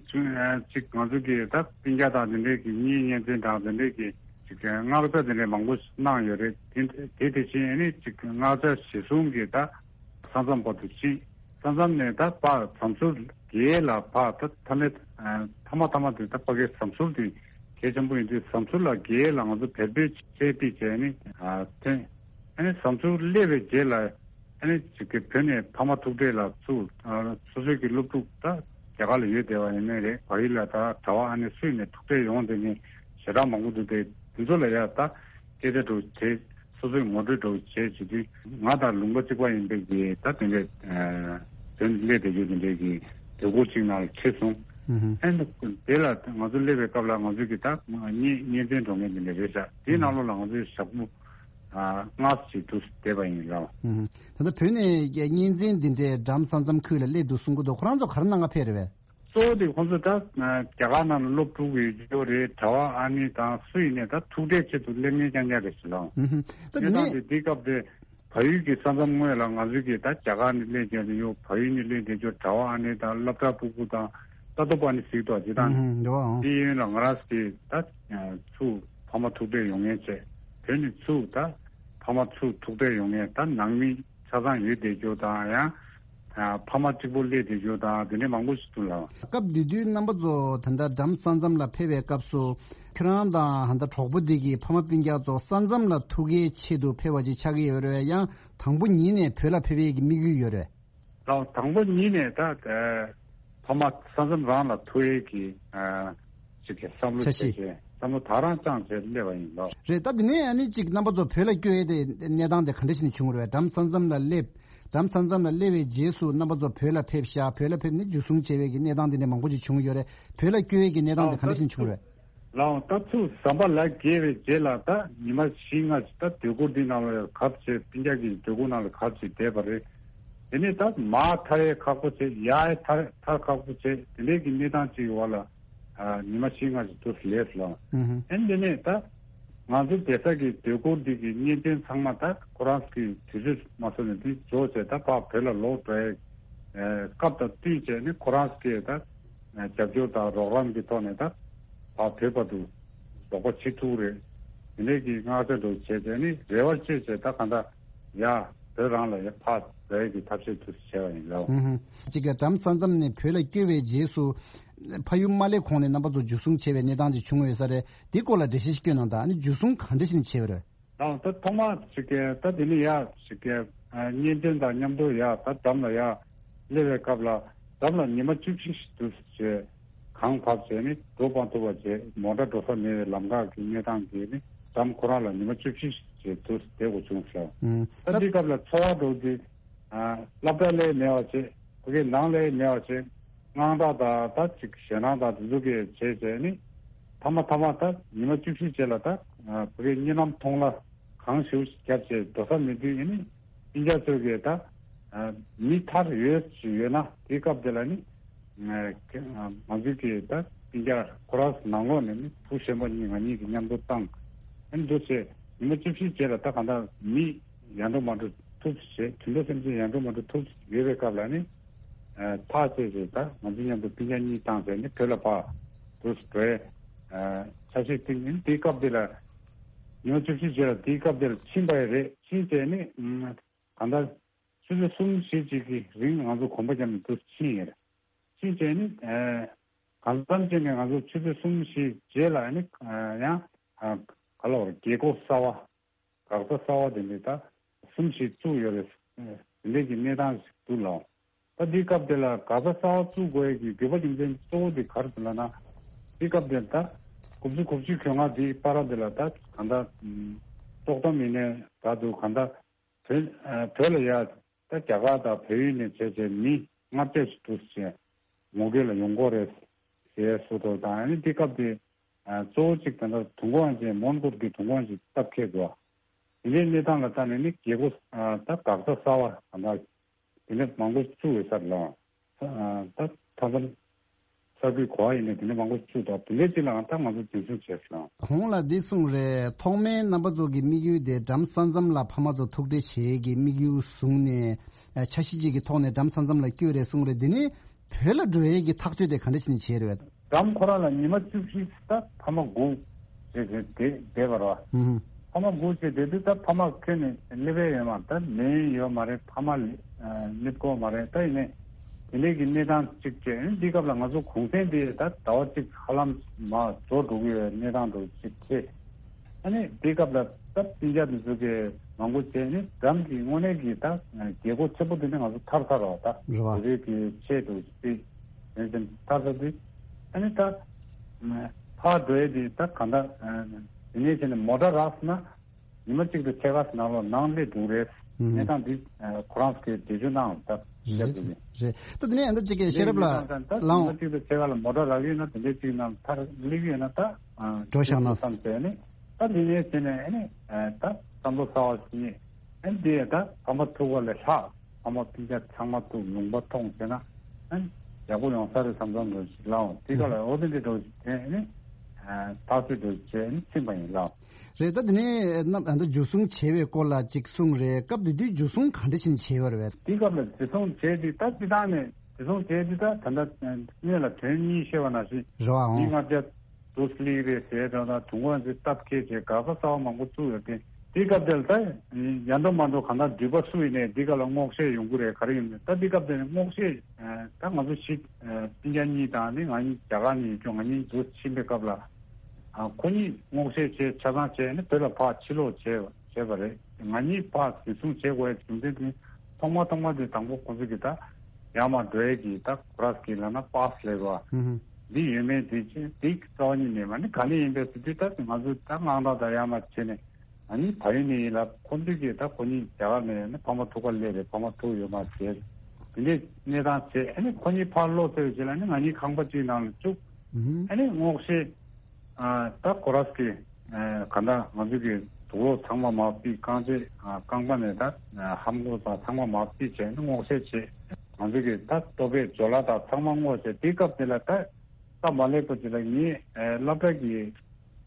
ཅིག་ང་ཚོ་གི་ད་སྤུན་ཀྱག་དང་དེ་འདྲས་ཀྱི་གཉེན་ཉེ་ཚན་དང་དེ་འདྲས་ཀྱི་ཅིག་མངགས་ཆ་དེ་འདྲས་མང་པོ་གནང་ཡོད་རེད། དེ་དེ་དེ་བཞིན་ཨ་ནི་ཅིག་མངགས་ཆ་གཞི་བཟུང་གི་ད་ས་མཚམས་བར་དུ་ཕྱིན། ས་མཚམས་ནས་ད་ཕར་ཟམ་ཟུར་བརྒལ་ལ་ཕར་ད་མཐའ་མའི་མཐའ་མ་མཐའ་མ་དེ་ད་ཕ་གིའི་ཟམ་ཟུར་དེ་གལ་ཆེན་པོ་ཡིན་དུས། ཟམ་ཟུར་ལ་བརྒལ་ལ་ང་ཚོ་བལ་པོའི་ཆས་པིག་བྱས་ནས་ཐོན། ཨ་ནི་ཟམ་ཟུར་སླེབས་པའི་རྗེས་ལ་ཨ་ནི་ཅིག་གི་བོད་ནས་ཕ་མ་ཐུག་འཕྲད་ལ་ཚུར་སོ་སོའི་གི་སློབ་ཕྲུག་ད་རྒྱ་གར་ལ་ཡོད་བསྡད་པ་ཡིན་ནའི་རེད། བལ་ཡུལ་ལ་ད་གྲྭ་པ་ཨ་ནི་སུ་ཡིན་ནའི་ཐུག་འཕྲད་ཡོང་བསྡད་མཁན་ཞེ་དྲག་མང་པོ་འདུག་དེ་དེ་ཚོ་ལ་ཡ་ད་སྐད་ཆ་འདྲ་བོ་བྱས། སོ་སོའི་ངོ་སྤྲོད་འདྲ་བོ་བྱས་བྱེད་དུས། ང་དང་ལུང་པ་གཅིག་པ་ཡིན་པའི་གི་ད་དེ་འདྲའི་ཨ་དོན་སླེབས་བསྡད་རྒྱུ་དེ་འདྲའི་གི་སྡོད་སྒོ་གཅིག་ནང་ལ་ཁྲིད་སོང་། ཨུ་ཧུ། ཨ་ནི་དེ་ལ་ང་ཚོ་སླེབས་པའི་སྐབས་ལ་ང་ཚོའི་གི་ད་གཉེན་གཉེན་ཚན་འགྲོ་མཁན་དེ་འདྲ་རེད་ཤག་དེའི་ནང་ལོགས་ལ་ང་ཚོའི་ཞག་པོ་ཨ་ལྔ་ཙམ་ཞིག་འདུག་བསྡད་པ་ཡིན་ལགས། ཨུ་ཧུ། ད་ལྟ་བོད་ནས་གཉེན་ཚན་འདི་འདྲའི་འགྲམ་ས་མཚམས་ཁུལ་ལ་སླེབས་འདུག་གསུང་གི་འདུག་ཁོ་རང་ཚོ་ག་རེ་གནང་ག་ཕེབས་རེད་པས། གཙོ་བོ་དེ་ཁོང་ཚོ་ད་རྒྱ་གར་ནང་ལ་སློབ་ཕྲུག་ཡོད་རྒྱུ་རེད། གྲྭ་པ་ཨ་ནི་དང་སུ་ཡིན་ནའི་ད་ཐུག་འཕྲད་ཆེད་དུ་སླེབས་མཁན་རྐྱང་རྐྱང་རེད་ཟེར་ལགས། ཨུ་ཧུ། ད་དེ་གནས་སྟངས་ནས་དེ་དེའི་སྐབས་དེ་བལ་ཡུལ་གྱི་ས་མཚམས་ངོས་ལ་ང་ཚོའི་གི་ད་རྒྱ་གར་ནས་སླེབས་བསྡད་ཡོད། བལ་ཡུལ་ནས་སླེབས་བསྡད་ཡོད། གྲྭ་པ་ཨ་ནི་དང་སློབ་གྲྭ་ཕྲུ་གུ་དང་ལྟ་རྟོག་པ་ཨ་ནི་གཟིགས་འདུག་དེ་དང་། ཨུ་ཧུ། རེད་བ། ཨང་། དེ་ཡིན་ལ་ང་རང་ཚོ་གི་ད་ཚུར་ཕ་མ་ཐུག་འཕྲད་ཡོང་མཁན་བྱས། བོད་ནས་ཚུར་ད་ཕ་མ་ཚུར་ཐུག་འཕྲད་ཡོང་མཁན་ད་ནང་མི་ཆ་ཚང་ཡོད་བསྡད་རྒྱུ་དང་། ཡང་ཕ་མ་གཅིག་པོ་སླེབས་བསྡད་རྒྱུ་དང་དེ་འདྲའི་མང་པོ་ཞིག་འདུག་ལགས། སྐབས་དེ་དུས་རྣམ་པ་ཚོ་ད་ལྟ་འགྲམ་ས་མཚམས་ལ་ཕེབས་པའི་སྐབས་སུ་ཁྱོད་རང་དང་ད་ལྟ་གྲོགས་པོ་འདི་གི་ཕ་མ་སྤུན་ཀྱག་ཚོ་ས་མཚམས་ལ་ཐུག་གའི་ཆེད་དུ་ཕེབས་པ་ཅིག་ཆགས་ཀྱི་ཡོད་རེད། ཡང་དང་པོ་ཉིད་ནས་བོད་ལ་ཕེབས་ཡས་ཀྱི་དམིགས་ཡུལ་ཡོད་རེད། ལགས། དང་པོ་ཉིད་ནས་ད་ཕ་མ་ས་མཚམས་རང་ལ་ཐུག་ཡས་ཀྱི་ཨ་ཅིག་གི་བསམ་བློ་འཆར་གཞི། བྱས་བྱས་བསམ་བློ་དེ་རང་བཅངས་བྱས་སླེབས་པ་ཡིན་ལགས། རེད། ད་དེ་ནས་ཨ་ནི་ཅིག་རྣམ་པ་ཚོ་བོད་ལ་བསྐྱོད་ཡས་དེ་གནས་སྟངས་དེ་ག་འདྲ་ཞིག་ནས་བྱུང་རེད། འགྲམ་ས་མཚམས་ལ་སླེབས། འགྲམ་ས་མཚམས་ལ་སླེབས་པའི་རྗེས་སུ་རྣམ་པ་ཚོ་བོད་ལ་ཕེབས་ཤག་བོད་ལ་ཕེབས་ནས་འཇུ་བཟུང་བྱས་པའི་གི་གནས་སྟངས་དེ་འདྲ་མང་པོ་ཅིག་བྱུང་ཡོད་རེད། བོད་ལ་བསྐྱོད་ཡས་ཀྱི་གནས་སྟངས་དེ་ག་འདྲ་ཞིག་ནས་བྱུང་རེད། ལགས། ད་ཚུར་ཟམ་པ་ལ་བརྒལ་བའི་རྗེས་ལ་ད་ཉི་མ་བཞི་ལྔ་ཞིག་ད་སྡོད་སྒོ་འདི་ནང་ལ་གབ་བྱས། སྤུན་ཀྱག་གི་སྡོད་སྒོ་ནང་ལ་གབ་བྱས་བསྡད་པ་རེད། དེ་ནས་ད་མར་ཐར་ཡས་ཁག་པོ་བྱས། ཡར་ཐར་ཐར་ཁག་པོ་བྱས། དེ་འདྲའི་གི་གནས་སྟངས་ཅིག་གི་འོག་ལ་ཨ་ཉི་མ་བཞི་ལྔ་ཞིག་འདུག་སླེབས་སོང་། ཨུ་ཧུ། ཨ་ནི་དེ་ནས་ད་ང་ཚོ་བསྡད་ས་གི་སྡོད་སྒོ་འདི་གི་གཉེན་ཚན་ཚང་མ་ད་ཁོ་རང་གི་དུས་ཚོད་མ་སོང་ནས་འདི་རྫོགས་བྱས་ད་ཕར་བོད་ལ་ལོག་འགྲོ་ཡས་སྐབས་དང་བསྟུན་བྱས་ནས་ཁོ་རང་གི་ད་རྒྱབ་སྐྱོར་དང་རོགས་རམ་གྱི་ཐོག་ནས་ད་ཕར་བོད་བར་དུ་ལོག་པ་བྱེད་ཐུབ་རེད། དེ་འདྲའི་གི་མངགས་ཆ་འདྲ་བོ་བྱས་བྱས་ནས་རེ་བ་བཅོལ་བྱས་ད་གང་ལྟར་ཡར་ བོད་རང་ལ་ཡང་ཕར་འགྲོ་ཡས་ཀྱི་ཐབས་ཤེས་དུ་བྱས་པ་ཡིན་ལགས། ཧུམ་ཧུམ། གཅིག་གི་འགྲམ་ས་མཚམས་ནས་བོད་ལ་བསྐྱོད་པའི་རྗེས་སུ་ཕ་ཡུལ་མ་སླེབས་གོང་ནས་རྣམ་པ་ཚོ་འཇུ་བཟུང་བྱས་པའི་གནས་སྟངས་ཅིག་བྱུང་ཡོད་ས་རེད། དེ་སྐོར་ལ་འགྲེལ་བཤད་ཞིག་སྐྱོན་གནང་དང་། ཨ་ནི་འཇུ་བཟུང་ག་འདྲ་ཞིག་བྱས་པ་རེད། ད་ད་ཐོག་མ་ཞིག་གི་ད་དེ་ནི་ཡ་ཞིག་གི་ཨ་གཉེན་སྟོན་དང་མཉམ་དུ་ཡ་ད་འགྲམ་ལ་ཡ་སླེབས་པའི་སྐབས་ལ་འགྲམ་ལ་ཉི་མ་བཅུ་བཞི་ཞིག་འདུག་ཅེས་གངས་བབས་བྱས་ནི་འགྲོ་སྤང་ཐུབ་པ་བྱས། མོ་ཊ་འགྲོ་ས་མེད་པའི་ལམ་ཁ་གི་གནས་སྟངས་ཀྱིས་ནི་འགྲམ་ཁོ་རང་ལ་ཉི་མ་བཅུ་བཞི་ཞིག་འདུག་བསྡད་དགོས་བྱུང་ཟེར། ཨུམ། ད་ད་འདི་སྐབས་ལ་འཚོ་བ་འགྲོ་དུས་ཨ་སློབ་གྲྭ་ལས་མེད་པ་བྱས། ཕ་གི་ནང་ལས་མེད་པ་བྱས། དངངས་སྐྲག་དང་ད་ཅིག་ཞེད་སྣང་དང་དེ་ཚོ་གི་བྱས་བྱས་ནི་མཐའ་མ་མཐའ་མ་ད་ཉི་མ་བཅུ་བཞི་རྗེས་ལ་ད་ཨ་ཕ་གི་གཉིད་ལམ་མཐོང་ལ་གངས་ཞེ་པོ་ཞིག་བརྒྱབ་བྱས་འགྲོ་ས་མེད་དུས་ཨེ་ནི་སྤུན་ཀྱག་ཚོས་གི་ད་ཨ་མི་ཐར་ཡོད་ཅིག་ཡོད་ན་དེའི་སྐབས་དེ་ལ་ནི་ཨ་ང་ཚོའི་གི་ད་སྤུན་ཀྱག་ཁོ་རང་ནང་ལོགས་ནས་ནི་བུ་གཞོན་པ་གཉིས་ང་གཉིས་ཀྱི་མཉམ་དུ་བཏང་ཨེ་འདུག་བྱས་ཉི་མ་བཅུ་བཞི་རྗེས་ལ་ད་གང་ལྟར་མི་ཡར་འགྲོ་མར་འགྲོ་ཐུབ་ཅེས་དུད་འགྲོ་སེམས་ཅན་ཡར་འགྲོ་མར་འགྲོ་ཐུབ་ཡོད་པའི་སྐབས་ལ་ནི། ཨ་ཐག་བཅད་ཅེས་ད་ང་ཚོ་མཉམ་དུ་སྤུན་ཀྱག་གཉིས་བཏང་ཟེར་ནི་བོད་ལ་ཕར་འགྲོ་འགྲོ་ཡས་ཨ་འཆར་གཞི་བཏིང་ནི་དེའི་སྐབས་དེ་ལ་ཉི་མ་བཅུ་བཞི་རྗེས་ལ་དེའི་སྐབས་དེ་ལ་ཕྱིན་པ་ཡི་རེད། ཕྱིན་བྱས་ནི་ཨ་གང་ལྟར་ཆུ་ཚོད་གསུམ་བཞི་ཅིག་གི་རིང་ང་ཚོ་གོམ་པ་བརྒྱབ་ནས་འགྲོ་ཕྱིན་ཡོད་རེད། ཕྱིན་བྱས་ནི་ཨ་གང་འཚམ་བྱས་ནས་ང་ཚོ་ཆུ་ཚོད་གསུམ་བཞི་རྗེས་ལ་ནི་ཨ་ཡང་ཨ་ག་ལ་བར་རྒྱལ་སྒོ་གསར་བ། འགག་རྩ་གསར་བ་དེ་འདྲ་ད་གསུམ་ཞིག་བཙུགས་ཡོད་རེད། དེ་འདྲའི་གི་གནས་སྟངས་ཤིག་འདུག་ལགས། ད་འདིའི་སྐབས་དེ་ལ་འགག་རྩ་གསར་བ་བཙུགས་དགོས་ཡས་ཀྱི་དགོས་པ་རྒྱུ་མཚན་གཙོ་བོ་དེ་ག་རེ་རེད་ལབ་ན། འདིའི་སྐབས་དེ་ད་དགུ་བཅུ་གོ་གཅིག་གྱོད་ལྔ་འདིའི་བར་དེ་ལ་ད་གང་ལྟར་དཀྲོག་གཏམ་ཡིན་ནའི་ད་འདུག་གང་ལྟར་བོད་ཨ་བོད་ལ་ཡ་ད་རྒྱ་གར་དང་བལ་ཡུལ་ནས་བྱས་བྱས་མི་ལྔ་བརྒྱ་ཞིག་འདུག་ཟེར། ངོ་རྒོལ་ལ་ཡོང་གི་རེད་ཟེར་བཟོ་འདྲ་དང་། ཨ་ནི་འདི་སྐབས་དེ་ཨ་གཙོ་བོ་གཅིག་ད་ལྟ་དུས་འཁོར་ཅན་མོན་གྷོ་གི་དུས་འཁོར་ཅན་སྟབས་འཁེལ་འགྲོ་བ། དེ་འདྲའི་གནས་སྟངས་ལ་ལྟ་ནས་ནི་རྒྱལ་སྒོ་ཨ་ད་འགག་རྩ་གསར་བ་ད་ལྟ་དེ་འདྲ་མང་པོ་བཙུགས་ཡོད་ས་རེད་ལགས། ཨ་ད་མཐའ་མཚམས་གསར་འགོད་གོ་བ་ཡིན་ནའི་དེ་འདྲ་མང་པོ་བཙུགས་འདུག་དེ་འདྲའི་གཅིག་ལའང་ད་ང་ཚོ་འཛིན་བཟུང་བྱས་སོང་། གོང་ལ་འདི་གསུངས་རེད། ཐོག་མའི་རྣམ་པ་ཚོ་གི་དམིགས་ཡུལ་དེ་འགྲམ་ས་མཚམས་ལ་ཕ་མ་ཚོ་ཐུག་འཕྲད་བྱེད་ཀྱི་དམིགས་ཡུལ་བཟུང་ནས་ཨ་འཆར་གཞི་གཅིག་གི་ཐོག་ནས་འགྲམ་ས་མཚམས་ལ་བསྐྱོད་རེད་གསུངས་རེད། འདི་ནི་བོད་ལ་འགྲོ་ཡས་ཀྱི་ཐག་གཅོད་དེ་ག་འདྲ་ཞིག་བྱས་རེད། འགྲམ་ཁོ་རང་ལ་ཉི་མ་བཅུ་བཞི་ད་ཕ་མ་སྒུག་བྱས་བྱས་བསྡད་བསྡད་པ་རེད་བ། ཧུམ། ཕ་མ་སྒུག་བྱས་བསྡད་དུས་ད་ཕ་མ་ཁྱོན་ནས་སླེབས་ཡས་ཡོད་མ་རེད། ད་ལན་ཡོད་མ་རེད། ཕ་མ་ལ་ཨ་སླེབས་ཀྱི་ཡོད་མ་རེད། ད་ཡིན་ནའི་དེ་འདྲའི་གི་གནས་སྟངས་གཅིག་བྱས། འདི་སྐབས་ལ་ང་ཚོ་གུང་སེང་དེ་ད་ཟླ་བ་གཅིག་ཧ་ལམ་མར་འགྲོ་འགྲོ་གི་ཡོད་གནས་སྟངས་འདྲ་གཅིག་འཕྲད། ཨ་ནི་དེའི་སྐབས་ལ་ད་སྤུན་ཀྱག་དེ་ཚོ་གིས་མང་པོ་བྱས་ནི་འགྲམ་གྱི་དངོས་གནས་ཀྱི་ད་རྒྱལ་སྒོ་ཆེན་པོ་དེ་ནི་ང་ཚོ་ཐར་ཚར་བ་ད། རེད་བ། བོད་རིགས་ཀྱི་ཆེད་དུ་སྤེལ་ཡོན་ཏན་ཐར་ཚར་དུས། ཨ་ནི་ད་ཕར་འགྲོ་ཡས་དེ་ད་གང་ལྟར་དེ་ནས་བྱས་ནས་མོ་ཊ་རག་སོང་ན་ཉི་མ་གཅིག་དང་ཕྱེད་ཀ་ནང་ལོགས་ནང་སླེབས་འགྲོ་གི་རེད། ཨུམ། གནས་སྟངས་འདི་ཁོ་རང་ཚོས་འགྲེལ་བརྗོད་གནང་ད་རེད་རེད། ད་དེ་ནས་ཨ་ནི་གཅིག་གི་ཤེས་རབ་ལགས་ལའང་ཉི་མ་གཅིག་དང་ཕྱེད་ཀ་ལ་མོ་ཊ་རག་གི་ཡོད་ན་དེ་འདྲའི་གཅིག་ནང་ཐར་སླེབས་ཀྱི་ཡོད་ན་ད། འགྲོ་བཞག་ན་བསམ་བྱས་ནས་ད་འདི་ནས་བྱས་ནས་ཨ་ནི་ད་བསམ་བློ་གསར་བ་ཞིག་ཨ་ནི་འདི་ད་ཕ་མ་ཐུག་པ་ལས་ལྷག་ཕ་མ་སྤུན་ཀྱག་ཚང་མ་ཐུག་ལུང་པ་མཐོང་བྱས་ན་ཨ་ནི་ཡག་པོ་ཡོང་ས་རེད་བསམ་བསམ་འདྲ་ཞིག་ལའང་དེ་ག་ལ་འོ་དེ་འདྲ་འདྲ་ཞིག་དེ་ཨ་ནི་ཐག་གཅོད་འདྲ་བྱས་ཨ་ནི་ཕྱིན་པ་ཡིན་ལགས། རེད། ད་དེ་ནས་རྣམ་ཨ་ད་འཇུ་བཟུང་བྱས་པའི་སྐོར་ལ་ཅིག་གསུངས་རེད། སྐབས་དེ་དུས་འཇུ་བཟུང་ག་འདྲ་ཞིག་བྱས་པ་རེད། དེ་སྐབས་ལ་འཇུ་བཟུང་བྱས་དུས་ད་སྤྱི་བཏང་ནས། དེ་སོང་བྱས་དུས་ད་ད་ལྟ་སྔོན་ལ་དོན་གཉིས་བཤད་པ་ནང་བཞིན་རེད་བ། མི་ལྔ་བརྒྱ་དུ་སླེབས་རེད་ཟེར་དང་ད་དུས་འཁོར་ཚོས་སྟབས་འཁེལ་བྱས་འགག་རྩ་གསར་བ་མང་པོ་བཙུགས་ཡོད་དེ། དེའི་སྐབས་དེར་ད་ཡར་འགྲོ་མར་འགྲོ་གང་ལྟར་འགྲུལ་པ་སུ་ཡིན་ནའི་འདི་ག་ལ་སྔོག་བཤེར་ཡོང་གི་རེད། ག་རེ་ཡིན་ནའི་ད་འདི་སྐབས་དེར་སྔོག་བཤེར་ད་ང་ཚོ་ཞིག་སྤུན་ཀྱག་གཉིས་དང་ནི་ང་གཉིས་རྒྱ་གར་ནས་ཡིན་ཀྱང་ང་གཉིས་འདུ་ཕྱིན་པའི་སྐབས་ལ་ཁོ་གཉིས་སྔོག་བཤེར་བྱས་ཆ་ཚང་བྱས་ནས་བོད་ལ་ཕར་ཕྱིར་ལོག་བྱས་བྱས་པ་རེད། ང་གཉིས་ཕར་འཛིན་བཟུང་བྱེད་དགོས་ཡ་རྒྱུ་མཚན་དེ་ཐོག་མ་ཐོག་མ་དེ་དང་པོ་ཁོ་ཚོ་གི་ད་ཡར་མར་འགྲོ་ཡ་གི་ད་ཁོ་རང་གི་ལབ་ན་པཱ་སི་ལབ་པ་འདི་ཡོད་མེད་དེ་ཅི་དེ་རྩ་བ་ཉིད་ནས་མ་ནི་ག་ནས་ཡིན་པའི་ཟེར་དུས་ད་ང་ཚོ་ད་དངངས་སྐྲག་ད་ཡར་མར་བྱས་ནས་ང་གཉིས་ད་ཡོད་ནས་ཡིན་ལབ། ཁོ་ཚོ་གིས་ད་ཁོ་གཉིས་རྒྱ་གར་ནས་ཡོད་ན་ཕ་མ་ཐུག་ག་སླེབས་རེད། ཕ་མ་ཐུག་ཡོད་མ་རེད་དེ་འདྲའི་གནས་སྟངས་བྱས། ཨ་ནི་ཁོ་གཉིས་ཕར་ལོག་ཚར་བའི་རྗེས་ལ་ནི་ང་གཉིས་ཁང་པ་གཅིག་ནང་ལ་བཅུག་ཨ་ནི་སྔོག་བཤེར། ཨ་ད་ཁོ་རང་གི་ཨ་ག་འདྲ་ང་ཚོ་གི་དུག་ལོག་ཚང་མ་མར་ཕུད། རྐང་རྗེས་ཨ་རྐང་པ་ནས་ད་ཨ་ལྷམ་གོག་དང་ཚང་མ་མར་ཕུད་བྱས་ནས་སྔོག་བཤེར་བྱས། ང་ཚོ་གི་ད་ལྟོ་ཕད་ཇོ་ལ་དང་ཚང་མ་སྔོག་བྱས། དེའི་སྐབས་དེ་ལ་ད་སྟབས་མ་ལེགས་པ་ཅིག་ལ་ངའི་ཨ་སློབ་གྲྭ་གི་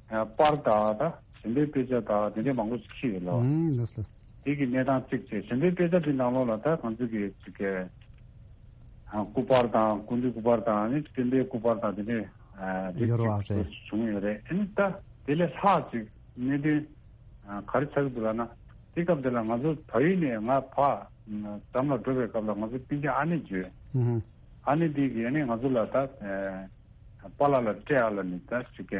ཨ་པར་དང་ད་གཞན་པའི་དཔེ་ཆ་དང་དེ་འདྲའི་མང་པོ་ཞིག་ཁྱེར་ཡོད་ལོ། ཨང་ལགས་སོ། དེ་གི་གནས་སྟངས་གཅིག་བྱས། གཞན་པའི་དཔེ་ཆ་དེ་ནང་ལོགས་ལ་ད་ང་ཚོ་གི་ཅིག་གི་ཨ་སྐུ་པར་དང་སྐུ་མདུན་སྐུ་པར་དང་ནི་སྤྲིན་པའི་སྐུ་པར་དང་དེ་འདྲའི་ཨ་རིགས་ཡོད་རེད་བ། ཅིག་རེད། བྱུང་ཡོད་རེད། ཨ་ནི་ད་དེ་ལས་ལྷག་ཅིག་གནད་དོན་ཨ་ག་རེ་ཆགས་ཀྱི་འདུག་ལབ་ན། དེ་སྐབས་དེ་ལ་ང་ཚོ་བལ་ཡུལ་ནས་ང་ཕར་འགྲམ་ལ་འགྲོ་བའི་སྐབས་ལ་ང་ཚོ་སྤུན་ཀྱག་ཨ་ནེ་བརྗོད། ཨ་ནེ་དེ་གིས་ཨ་ནི་ང་ཚོ་ལ་ད་པཱ་ལགས་ལ་སྤྲད་ཨ་ལ་ནི་ད་ཅིག་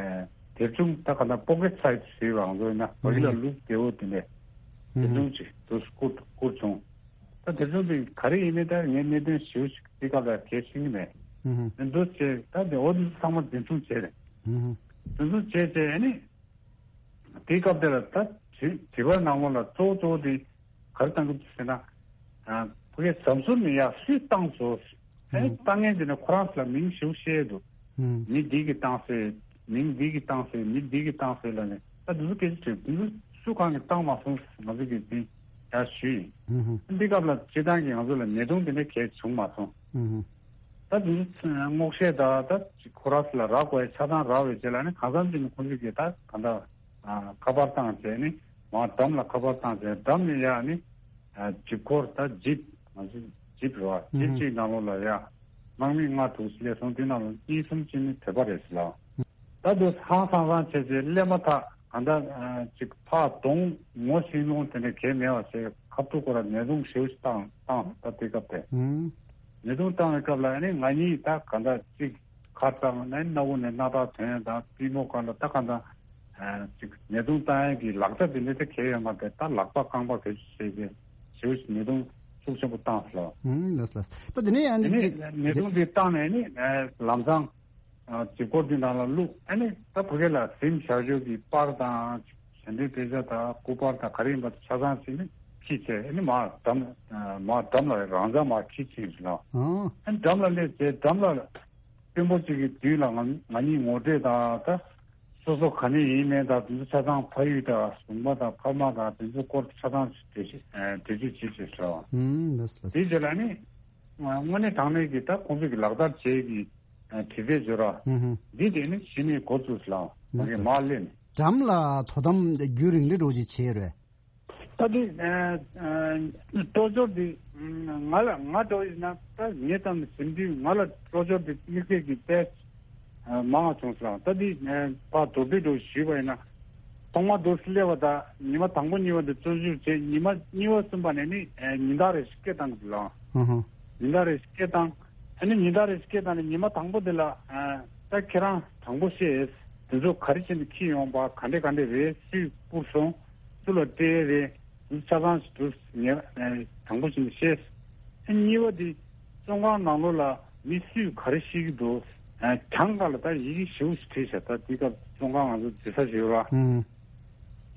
དེབ་ཆུང་ད་ག་ད་པོ་ཀེ་ཊི་སའི་ཛི་ཟེར་བ་ང་ཚོ་ཡིན་ན་བོད་ཡིག་ལ་ལུག་བདེ་བོ་དེ་འདྲས་དེབ་ཆུང་ཅིག་དུ་བསྐུར་བསྐུར་བྱུང་། ད་དེབ་ཆུང་དེ་ག་རེ་ཡིན་མིན་ད་ངས་གནད་དོན་ཞིབ་ཞིག་དེ་སྐབས་ལ་གལ་ཤེས་ཀྱི་མེད། འདུག་བྱས་ད་དེ་འོ་དེ་ཚོ་ཚང་མ་འཛིན་བཟུང་བྱས་རེད། འཛིན་བཟུང་བྱས་བྱས་ཨ་ནི། དེའི་སྐབས་དེ་ལ་ད་དྲི་དྲི་བ་ནང་ལོགས་ལ་གཙོ་བོ་གཙོ་བོ་དེ་ག་རེ་བཏང་གི་འདུག་ཟེར་ན། ཕ་གིའི་ཟམ་ཟུར་ནས་ཡར་སུས་བཏང་སོང་། ཨེ་བཏང་མཁན་དེ་ནི་ཁོ་རང་ཚོ་ལ་མིང་ཞིག་བཤད་འདུག་མི་འདི་གིས་བཏང་སོང་། མིང་འདི་གིས་བཏང་སོང་། མི་འདི་གིས་བཏང་སོང་ལབ་ནས་ད་འདི་ཚོ་སྐད་ཆ་དྲིས་འདི་ཚོ་སུ་གང་གིས་བཏང་མ་སོང་ང་ཚོ་གིས་འདི་ཡར་ཞུས་ཡིན། འདི་སྐབས་ལ་སྤྱིར་བཏང་གི་ང་ཚོ་ལ་ཉེས་རྡུང་དེ་འདྲ་གས་བྱུང་མ་སོང་། ད་དེ་ཚོ་སྔོག་བཤད་དང་ད་ཅིག་ཁོ་རང་ཚོ་ལ་རག་དགོས་ཆ་ཚང་རག་པའི་རྗེས་ལ་ནི་གང་འཚམ་ཅིག་ནི་ཁོང་ཚོས་ཀྱིས་ད་གང་ལྟར་ཁ་པར་བཏང་བྱས་ནི་མར་འགྲམ་ལ་ཁ་པར་བཏང་བྱས་འགྲམ་ནས་ཡར་ནི་ཇིབ་འཁོར་ད་ཇིབ་ང་ཚོ་ཇིབ་རེད་བ་ཇིབ་གཅིག་ནང་ལོགས་ལ་ཡར་དམག་མི་ལྔ་དྲུག་སླེབས་སོང་། དེ་ནང་ལ་གཉིས་གསུམ་ཅིག་ནི་བོད་པ་རེད་ཟེར་ལ། ད་དུ་ཧང་སང་སང་བྱས་བྱས་སླེབས་མ་ཐག་གང་ལྟར་ཅིག་ཕར་གདོང་ངོ་ཤེས་མྱོང་དེ་འདྲ་གས་མེད་པ་བྱས་ཁ་ཐུག་ཁོ་ར་ཉེས་རྡུང་ཞེ་པོ་ཞིག་བཏང་བཏང་ད་དེ་སྐབས་དེ། ཉེས་རྡུང་བཏང་བའི་སྐབས་ལ་ནི་ང་གཉིས་ད་གང་ལྟར་ཅིག་ཁ་བཏང་ནས་སྣ་བུག་ནས་སྣ་ཐག་ཐོན་ད་པུས་མོ་སྒང་ལ་ད་གང་ལྟར་ཅིག་ཉེས་རྡུང་བཏང་ཡས་ཀྱི་ལག་ཆ་དེ་འདྲ་དེ་གས་ཡོད་མ་རེད། ད་ལག་པ་རྐང་པ་བེད་སྤྱོད་བྱས་ཏེ་ཞེ་པོ་ཞིག་ཉེས་རྡུང་ཤུགས་ཆེན་པོ་བཏང་སོང་། ལགས་ལགས། ད་དེ་ནས་ཡང་དེ་ནི་ནི་ཉེས་རྡུང་དེ་བཏང་ནས་ནི་ལམ་སང་། ཨ་ཇིབ་འཁོར་འདི་ནང་ལ་བླུགས། ཨ་ནི་ད་ཕ་གི་ལ་གཟིམ་བཞག་ཕྱོགས་ཀྱི་པར་དང་ཞལ་འདོན་དཔེ་ཆ་དང་སྐུ་པར་དང་ག་རེ་ཡིན་པ་དེ་ཆ་ཚང་ཞིག་ནི་ཁྱི་བྱས་ཨ་ནི་མར་འགྲམ་མར་འགྲམ་ལ་རང་འཇགས་མར་ཁྱི་ཕྱིན་ཟེར་ལ། ཨ་ནི་འགྲམ་ལ་སླེབས་བྱས་འགྲམ་ལ་དཔོན་པོ་གཅིག་གི་མདུན་ལ་ང་ང་གཉིས་ངོ་སྤྲོད་དང་ད་སོ་སོ་ག་ནས་ཡིན་མིན་དང་དེ་ཚོ་ཆ་ཚང་ཕ་ཡུལ་དང་གཞུང་པ་དང་ཕ་མ་དང་དེ་ཚོ་སྐོར་ཆ་ཚང་ཞིག་འགྲེལ་བཤད་འགྲེལ་བརྗོད་བྱེད་ཅེས་ཟེར་བ། དེའི་རྗེས་ལ་ནི་དངོས་གནས་དྲང་གནས་ཀྱི་ད་ཁོང་ཚོ་གི་ལག་བསྟར་བྱེད་ཀྱི། དྲི་རྩད་འཇོག་ར། འདི་དེ་ནི་གཞི་ནས་འགོ་བཙུགས་ལ་ང་གི་མ་སླེབས་ནས། འགྲམ་ལ་དོ་དམ་རྒྱུན་རིང་ལི་འགྲོ་ཅིག་བྱས་རེད། ད་དེ་སྤྲོ་སྦྱོར་འདི་ང་ལ་ང་འགྲོ་ཡིན་ན་ད་ངའི་ཙམ་ནས་ཟིན་དུས་ང་ལ་སྤྲོ་སྦྱོར་འདི་དམིགས་བསལ་གྱི་དཔེ་མང་བ་བྱུང་སོང་། ད་དེ་ཕར་མདོར་བསྡུས་འགྲོ་ཞུས་པ་ཡིན་ན་ཐོག་མ་འདུག་སླེབས་པ་ད་ཉི་མ་དང་པོ་གཉིས་པ་འདི་བཙོན་བཞུགས་བྱས་ཉི་མ་གཉིས་པ་གསུམ་པ་ནས་ནི་ཉིན་ལྟར་རེ་ཞིག་སྐད་བཏང་གི་འདུག་ལ། ཉིན་ལྟར་རེ་ཞིག་སྐད་བཏང་། ཨ་ནི་ཉིན་ལྟར་རེ་སྐད་བཏང་ནས་ཉི་མ་དང་པོ་དེ་ལ་ཨ་ད་ཁྱེད་རང་དྲང་པོ་བཤད། དེ་ཚོ་ག་རེ་བྱས་ནས་འཁྱེར་ཡོང་པ་ག་འདྲས་ག་འདྲས་རེད། སུས་བསྐུར་སོང་། སུ་ལ་སྤྲད་རེད། དེ་ཚོ་ཆ་ཚང་ཞིག་འདུག་ངས་ཨ་དྲང་པོ་བྱས་ནས་བཤད། ཨ་གཉིས་པ་དེ་བཙོན་ཁང་ནང་ལོགས་ལ་མི་སུས་ག་རེ་བཤད་ཀྱི་འདུག་ཨ་གྱང་ཁ་ལ་ད་ཡི་གེ་ཞེ་པོ་ཞིག་བྲིས་བཞག་ད་དེ་སྐབས་བཙོན་ཁང་ང་ཚོ་འཛུལ་ས་ཞིག་ཡོད་ར།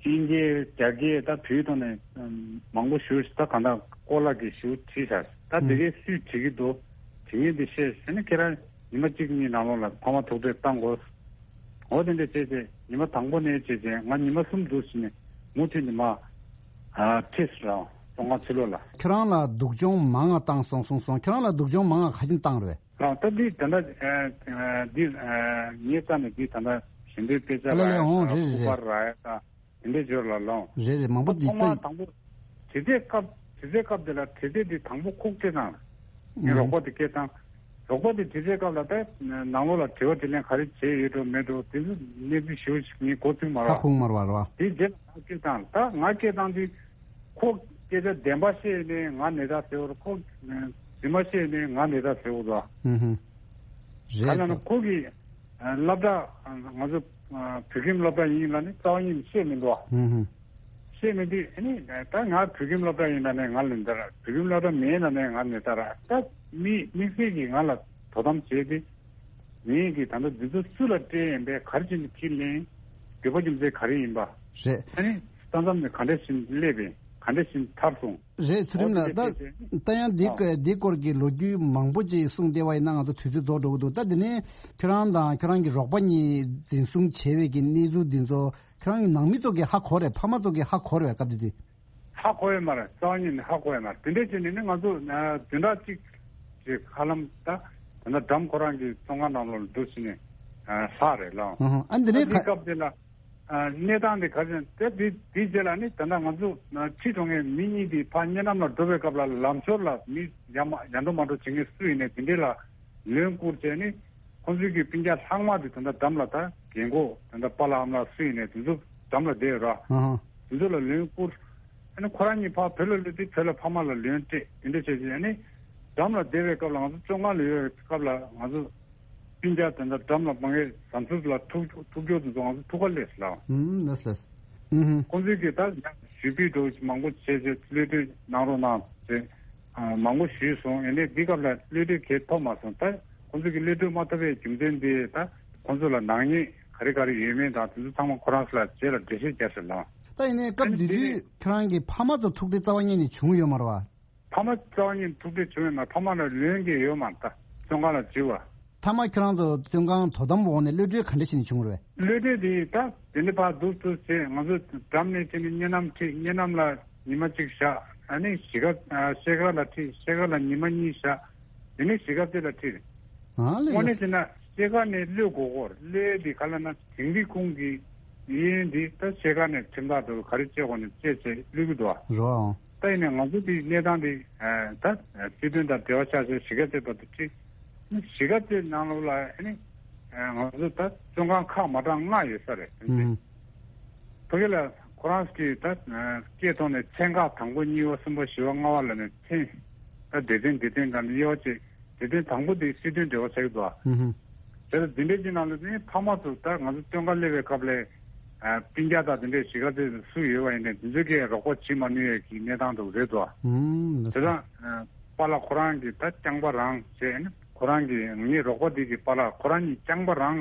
ཨིན་སྐད་རྒྱ་སྐད་ད་བོད་ཐོག་ནས་མང་པོ་ཞུ་ད་གང་ལྟར་ཀོ་ལག་གིས་ཞུ་བྲིས་ཤག་ད་དེ་གའི་སུས་བྲིས་ཀྱི་འདུག་བྲིས་མཁན་དེ་བཤད་ཟེར་ན་ཁྱེད་རང་ཉི་མ་གཅིག་གཉིས་ནང་ལོགས་ལ་ཕ་མ་ཐུག་འཕྲད་བཏང་དགོས། འོ་དེ་འདྲ་བྱས་ཏེ་ཉི་མ་དང་པོ་ནས་བྱས་ཏེ་ང་ཉི་མ་གསུམ་འདུག་ཟེར་ནས་མུ་མཐུད་ནས་མ་ཁྲིད་སོང་བཙོན་ཁང་ཕྱི་ལོགས་ལ། ཁྱེད་རང་ལ་སྡུག་སྦྱོང་མང་ང་བཏང་སོང་གསུངས་སོང་། ཁྱེད་རང་ལ་སྡུག་སྦྱོང་མང་ང་ག་ཅིག་བཏང་རེད། ལགས་ད་འདི་ད་ལྟ་འདི་ངའི་རྩ་ནས་འདི་ད་ལྟ་ཞལ་འདོན་དཔེ་ཆ་ལ་ལ་ལ་ཡ་འོང་རེད་རེད་རེད། སྐུ་པར་ར་ཡ་ད་དེ་འདྲའི་སྦྱོར་ལ་ལོང་། རེད་རེད་མང་པོ་འདི་ཐོག་མ་ད་དང་པོ་དྲི་རྩད་སྐབས་དྲི་རྩད་སྐབས་དེ་ལ་དྲི་རྩད་འདི་དང་པོ་ཁོ་སྐད་བཏང་། ངའི་རོགས་པ་དེ་སྐད་བཏང་། རོགས་པ་དེ་དྲི་རྩད་སྐབས་ལ་ད་ནང་ལོགས་ལ་དྲི་བ་དྲིས་ལན་ག་རེ་བྱས་ཡོད་འགྲོ་མེད་འགྲོ་དེ་ཚོ་གནས་ཚུལ་ཞེ་པོ་ཞིག་ངས་གོ་ཐུབ་མ་རེད་བ། ཁ་ཁུག་མ་རེད་བ་རེད་བ། དེ་རྗེས་ལ་ང་སྐད་བཏང་ད་ང་སྐད་བཏང་དུས། ཁོ་སྐད་ཆ་བདེན་པ་བཤད་ནས་ང་ནད་རྟགས་ཟེར་བ་རེད། ཁོ་རྫུན་མ་བཤད་ནས་ང་ནད་རྟགས་ཟེར་བ་རེད། ཧུམ་ཧུམ། ག་རེ་ལབ་ན་རེད་ཁོ་གི་སློབ་གྲྭ་ང་ཚོ་བོད་ཁྱིམ་སློབ་གྲྭ་ཡིན་ལབ་ནས་རྩ་བ་ཉིད་ནས་བཤད་མི་འདུག་བ། ཧུམ་ཧུམ། བཤད་མི་འདུག་ཨ་ནི་ད་ང་བོད་ཁྱིམ་སློབ་གྲྭ་ཡིན་ལབ་ནས་ང་ནད་རྟགས་རེད། བོད་ཁྱིམ་སློབ་གྲྭ་མིན་ལབ་ནས་ང་ནད་རྟགས་རེད། ད་མི་དམིགས་བསལ་གྱིས་ང་ལ་དོ་དམ་བྱས་ཏེ། ངས་ཀྱིས་ད་ལྟ་འདི་ཚོ་སུ་ལ་སྤྲད་ཡིན་པས་ག་རེ་བྱས་ནས་ཁས་ལེན། འགྱོད་པ་རྒྱུ་མཚན་ག་རེ་ཡིན་པ། རེད། ཨ་ནི་ས་མཚམས་ནས་ག་འདྲ་བྱས་ནས་སླེབས་པས་ག་འདྲ་བྱས་ནས་ཐར་སོང་། རེད་ཚུལ་ཁྲིམས་ལགས། ད་ད་ཡང་འདི་ཨ་འདི་སྐོར་གྱི་ལོ་རྒྱུས་མང་པོ་ཅིག་གསུངས་བསྡད་པ་ཡིན་ན་ང་ཚོ་དུས་ཚོད་རྫོགས་འགྲོ་གི་འདུག་ད་འདི་ནས་ཁྱོད་རང་དང་ཁྱོད་རང་གི་རོགས་པ་གཉིས་འཛིན་བཟུང་བྱས་པའི་གི་གནས་ཚུལ་འདི་ཚོ་ཁྱོད་རང་གི་ནང་མི་ཚོ་གིས་ཧ་གོ་རེད། ཕ་མ་ཚོ་གིས་ཧ་གོ་རེད་བས་སྐབས་དེ་དུས། ཧ་གོ་ཡོད་མ་རེད། རྩ་བ་ཉིད་ནས་ཧ་གོ་ཡོད་མ་རེད། དེ་འདྲས་བྱས་ནས་ནི་ང་ཚོ་བདུན་ཕྲག་གཅིག་ཅིག་ཧ་ལམ་ད་ད་ལྟ་འགྲམ་ཁོ་རང་གི་བཙོན་ཁང་ནང་ལོགས་ལ་འདུག་ཕྱིན་ནས་ལྷག་རེད་ལགས། ཨ་འདི་ནས་དེའི་སྐབས་དེ་ལ་གནས་སྟངས་དེ་ག་ཚོད་དེ་དེ་དེའི་རྗེས་ལ་ནི་ད་ལྟ་ང་ཚོ་ཁྲིད་འགྲོ་མཁན་མི་གཉིས་དེ་ཕར་གཉའ་ནམ་ལ་འགྲོ་བའི་སྐབས་ལ་ལམ་ཞོར་ལ་མི་ཡ་མ་ཡ་འགྲོ་མ་འགྲོ་བྱེད་མཁན་སུ་ཡིན་ནའི་དེ་འདྲས་ལ། ལན་བསྐུར་བྱས་ནས་ཁོང་ཚོའི་གི་སྤུན་ཀྱག་ལྷག་མ་དེ་ད་ལྟ་འགྲམ་ལ་ད་རྒན་གོག་ད་ལྟ་པཱ་ལགས་ཨ་མ་ལགས་སུ་ཡིན་ནའི་དེ་ཚོ་འགྲམ་ལ་བསྡད་ཡོད་ར། ཨ་ཧ། དེ་ཚོ་ལ་ལན་བསྐུར། ཨ་ནི་ཁོ་རང་གཉིས་ཕར་བོད་ལ་སླེབས་དུས་བོད་ལ་ཕ་མ་ལ་ལན་སྤྲད་དེ་འདྲ་བྱས་བྱས། ཨ་ནི་འགྲམ་ལ་བསྡད་པའི་སྐབས་ལ་ང་ཚོ་བཙོན་ཁང་ལ་ཡོད་པའི་སྐབས་ལ་ང་ཚོ་སྤུན་ཀྱག་དེ་འདྲ་འགྲམ་ལ་མང་གི་ཟམ་ཟུར་ལ་ཐུག་ཐུག་རྒྱུ་དེ་ཚོ་ང་ཚོ་ཐུག་ག་སླེབས་ལ། ཨུམ་ལགས་ལགས། ཨུམ། ཁོང་ཚོས་ཀྱིས་ད་ཞུ་སྤེལ་འདྲ་བོ་ཞིག་མང་པོ་བྱས་བྱས་གློད་གྲོལ་གནང་རོགས་གནང་ཟེར། ཨ། མང་པོ་ཞུས་སོང་། ཡིན་ནའི་འདི་སྐབས་ལ་གློད་གྲོལ་གང་ཐོབ་མ་སོང་། ད་ཁོང་ཚོ་གིས་གློད་གྲོལ་མ་ཐོབ་པའི་རྒྱུ་མཚན་དེ་ད་ཁོང་ཚོ་ལ་ནག་ཉེས་ག་རེ་ག་རེ་ཡོད་མེད་དང་དེ་ཚོ་ཚང་མ་ཁོ་རང་ཚོ་ལ་རྗེས་ལ་འགྲེལ་བཤད་རྒྱག་ཟེར་ལ། ད་ཡིན་ནའི་སྐབས་དེ་དུས་ཁྱོད་རང་གི་ཕ་མ་ཚོ་ཐུག་འཕྲད་རྩ་བ་ཉིད་ནས་བྱུང་ཡོད་མ་རེད་བ། ཕ་མ་རྩ་བ་ཉིད་ཐུག་འཕྲད་བྱུང་ཡོད་མ། ཕ་མ་ལ་ལན་གྱི་ཡོད་མ་རེད། ད་བཙོན་ཁང་ལ་འཛུལ་བ། མཐའ་མ་ཁྱོད་རང་ཚོ་བཙོན་ཁང་དོ་དམ་འོག་ནས་གློད་གྲོལ་ག་འདྲ་བྱས་ནས་བྱུང་རེད། གློད་གྲོལ་དེ་ད་དེ་འདྲ་ཕར་འདུག་ཚུར་བྱས། ང་ཚོ་འགྲམ་ནས་དེ་ནས་བསྙེན་གནས་ཁྲིད། བསྙེན་གནས་ལ་ཉི་མ་གཅིག་བཞག་ཨ་ནི་གཞིས་ཀ་ཨ་ཤེལ་དཀར་ལ་ཁྲིད། ཤེལ་དཀར་ལ་ཉི་མ་གཉིས་བཞག་དེ་ནས་གཞིས་ཀ་རྩེ་ལ་ཁྲིད། ཨ་ལས། དངོས་གནས་བྱས་ན་ཤེལ་དཀར་ནས་གློད་དགོས་སྐོར། གློད་དེ་ག་ལབ་ན་དིང་རི་ཁོང་གི་གཡས་གཡོན་དེ་ད་ཤེལ་དཀར་ནས་ཁྲིམས་ཐག་འདྲ་བོ་ག་རེ་བཅད་དགོས་ནས་བཅད་བྱས་གློད་ཀྱི་འདུག་ཨ། རོ། ད་ཡིན་ནའི་ང་ཚོ་དེའི་གནས་སྟངས་དེ་ཨ་ད་སྲིད་དོན་དང་འབྲེལ་བ་ཆགས་བྱས་གཞིས་ཀ་རྩེ་བར་དུ་ཁྲིད། གཞིས་ཀ་རྩེ་ནང་ལོགས་ལ་ཨ་ནི་ང་ཚོ་ད་བཙོན་ཁང་ཁག་མ་གྲངས་ལྔ་ཡོད་ས་རེད། ཨུམ། ཕ་གི་ལ་ཁོ་རང་གིས་ད་སྐད་ཐོག་ནས་ཚན་ཁག་དང་པོ་གཉིས་པ་གསུམ་པ་བཞི་པ་ལྔ་པ་ལབ་ནས་ཚན་ད་སྡེ་ཚན་སྡེ་ཚན་དང་དབྱེ་བ་བྱས། སྡེ་ཚན་དང་པོ་དེ་སྲིད་དོན་འབྲེལ་བ་ཆགས་ཀྱི་འདུག་ཨ། ཨུམ། བྱས་ཙང་འདི་འདྲའི་ཅིག་ནང་ལ་ནི་ཕ་མ་ཚོ་ད་ང་ཚོ་བཙོན་ཁང་སླེབས་པའི་སྐབས་ལ་ཨ་སྤུན་ཀྱག་དང་དེ་འདྲའི་གཞིས་ཀ་རྩེ་སུ་ཡོད་པ་ཡིན་ནའི་དེ་ཚོ་གིས་རོགས་པ་བྱེད་མ་ནུས་ཡས་ཀྱི་གནས་སྟངས་འདྲ་བོ་རེད་འདུག་ཨ། ཨུམ། བྱས་ཙང་ཨ་པཱ་ལགས་ཁོ་རང་གིས་ད་རྐྱང་པ་རང་བྱས་ནས་ཁོ་རང་གིས་ངའི་རོགས་པ་དེ་གིས་པཱ་ལགས་ཁོ་རང་གཉིས་རྐྱང་པ་རང་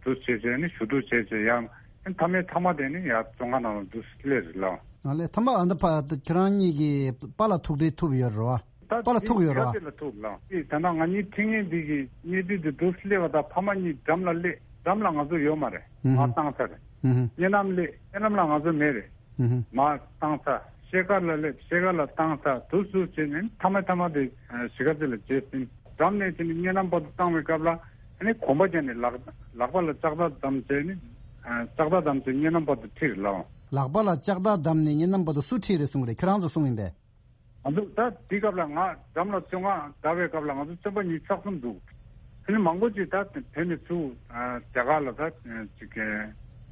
དུ་བྱས་བྱས་ནས་ཞུ་གཏུག་བྱས་བྱས་ཡང་མཐའ་མའི་མཐའ་མ་དེ་ནི་ཡར་བཙོན་ཁང་ནང་ལ་འདུག་སླེབས་རེད་ལགས། ཨ་ལས། མཐའ་མ་ཨ་ད་ཕ་ཁྱེད་རང་གཉིས་ཀྱིས་པཱ་ལགས་ཐུག་འཕྲད་ཐུབ་ཡོད་རེད་བ། ད་པཱ་ལགས་ཐུག་ཡོད་རེད་བ། གཞིས་ཀ་རྩེ་ལ་ཐུག་ལགས། ཨེ་ད་ལྟ་ང་གཉིས་འཕྲད་མཁན་འདི་གི་གནས་དུས་དེ་འདུག་སླེབས་པ་དང་ཕ་མ་གཉིས་འགྲམ་ལ་སླེབས། འགྲམ་ལ་ང་ཚོ་ཡོད་མ་རེད། ཨུ་ཧུ། མར་བཏང་ཚར་རེད། ཨུ་ཧུ། བསྙེན་གནས་སླེབས། བསྙེན་གནས་ལ་ང་ཚོ་མེད་རེད། ཨུ་ཧུ། མར་བཏང་ཚར། ཤེལ་དཀར་ལ་སླེབས། ཤེལ་དཀར་ལ་བཏང་ཚར། འདུག་སེ་བྱས་ནས་མཐའ་མ་མཐའ་མ་དེ་གཞིས་ཀ་རྩེ་ལ་བྱས་ཟིན། འགྲམ་ནས་དེ་ནས་བསྙེན་གནས་བར་དུ་བཏང་བའི་སྐབས་ལ་ཨ་ནི་གོམ་པ་བརྒྱབ་ནས་ལག་ལག་པ་ལ་ལྕགས་ཐག་བསྡམས་བྱས་ནས་ཨ་ལྕགས་ཐག་བསྡམས་བྱས་བསྙེན་གནས་བར་དུ་ཁྲིད་རེད་ལགས། ལག་པ་ལ་ལྕགས་ཐག་བསྡམས་ནས་བསྙེན་གནས་བར་དུ་སུ་ཁྲིད་རེད་གསུངས་རེད། ཁྱེད་རང་ཚོ་གསུངས་ཡིན་པས། ང་ཚོ་ད་དེའི་སྐབས་ལ་ང་འགྲམ་ལ་བཙོན་ཁང་བསྡད་པའི་སྐབས་ལ་ང་ཚོ་བཙོན་པ་ཉི་ཤུ་རྩ་གསུམ་འདུག་དེ་ནི་མང་པོ་ཅིག་ད་བོད་ནས་ཚུར་ཨ་རྒྱ་གར་ལ་ད་ཅིག་གི་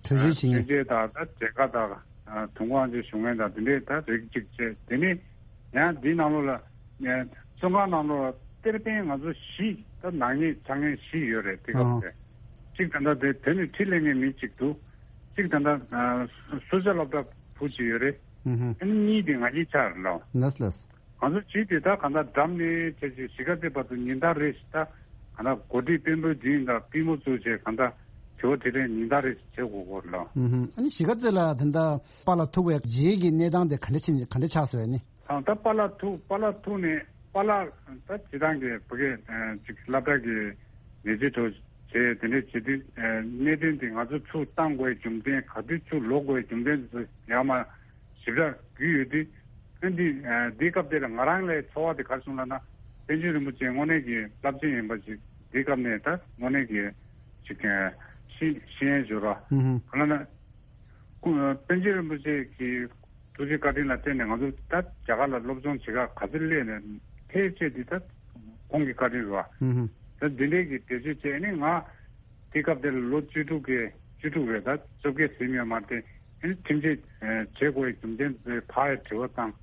བྲོས་བྱོལ་བྱེད་མཁན། བྲོས་བྱོལ་དང་ད་མཇལ་ཁ་དང་ཨ་དུས་འཁོར་ཅིག་ཞུ་མཁན་དང་དེ་འདྲས་ད་རིགས་གཅིག་བྱས། དེ་ནས་ཡང་འདིའི་ནང་ལོགས་ལ་ཨ་བཙོན་ཁང་ནང་ལོགས་ལ་གཏེར་སྟོན་ང་ཚོ་བཞི་ད་ནག་ཉེས་ཆགས་མཁན་བཞི་ཡོད་རེད། དེ་སྐབས་ཨ་དེ་གཅིག་ད་ལྟ་དེ་བོད་ནས་ཁྲིད་སླེབས་མཁན་མི་གཅིག་འདུག་གཅིག་ད་ལྟ་ཨ་སུ་ཇཱ་སློབ་གྲྭ་བུ་གཅིག་ཡོད་རེད། ཨུ་ཧུ། ཨ་ནི་གཉིས་དེ་ང་གཉིས་ཆགས་རེད་ལགས། ལགས་ལགས། ང་ཚོ་བྱིས་དེ་ད་གང་ལྟར་འགྲམ་ནས་བྱས་བྱས་གཞིས་ཀ་རྩེ་བར་དུ་ཉིན་ལྟར་རེ་བཞིན་ད་གང་ལྟར་གོ་སྒྲིག་དཔོན་པོའི་མདུན་དང་པུས་མོ་བཙུགས་བྱས་གང་ལྟར་དྲི་བ་དྲིས་ལན་ཉིན་ལྟར་རེ་བཞིན་བྱེད་དགོས་སྐོར་ལ། ཨུ་ཧུ། ཨ་ནི་གཞིས་ཀ་རྩེ་ལ་དེ་འདྲ་པཱ་ལགས་ཐུག་པའི་རྗེས་ཀྱི་གནས་སྟངས་དེ་ག་འདྲ་ཕྱིན་ག་འདྲ་ཆགས་སོང་ཡ་ནི། ད་ད་པཱ་ལགས་ཐུག་པཱ་ལགས་ཐུག་ནས་པཱ་ལགས་ད་སྤྱིར་བཏང་གི་བོད་སྐད་ཅིག་སློབ་གྲྭ་གི་ལས་བྱེད་འདྲ་བོ་བྱས། དེ་འདྲ་བྱེད་དུས་གནད་དོན་དེ་ང་ཚོ་ཚུར་བཏང་དགོས་རྒྱུ་མཚན་ག་དུས་ཚུར་ལོག་དགོས་རྒྱུ་མཚན་དེ་ཚོ་ཡར་མར་ཞིབ་ཕྲ་བརྒྱུད་ཡོད་དུས། ཨ་འདི་ཨ་འདིའི་སྐབས་དེ་ལ་ང་རང་ལ་ཚོར་བ་དེ་ག་རེ་བྱུང་ལབ་ན། པཎ་ཆེན་རིན་པོ་ཆེ་དངོས་གནས་ཀྱི་རླབས་ཆེན་ཡིན་པ་ཞིག་འདིའི་སྐབས་ནས་ད་དངོས་གནས་ཀྱི་ཅིག་ཨ་ཤེས་ཤེས་ཡོན་ཞུ་རོགས། ཧུམ་ཧུམ། ག་ལབ་ན། སྐུ་པཎ་ཆེན་རིན་པོ་ཆེ་གི་ཐུགས་རྗེ་བཀའ་དྲིན་ལ་བརྟེན་ནས་ང་ཚོ་ད་རྒྱ་གར་ལ་སློབ་སྦྱོང་བྱེད་ག་ག་ཚོད་སླེབས་ནས་ཕེབས་བྱས་འདི་ད་ཁོང་གི་བཀའ་དྲིན་རེད་བ། ཧུམ་ཧུམ། ད་འདི་འདྲའི་གི་བེད་སྤྱོད་བྱས་ནས་ང་། དེ་སྐབས་དེར་ལོ་བཅུ་དྲུག་གི་བཅུ་དྲུག་རེད། ད་བཅོ་བརྒྱད་ཟིན་ཡོད་མ་རེད་དེ། ཨ་ནི་ཁྲིམས་ཆད་ཨ་བྱེད་དགོས་ཡའི་རྒྱུ་མཚན་དེ་ཕར་ཡ་དྲི་བ་བཏང་།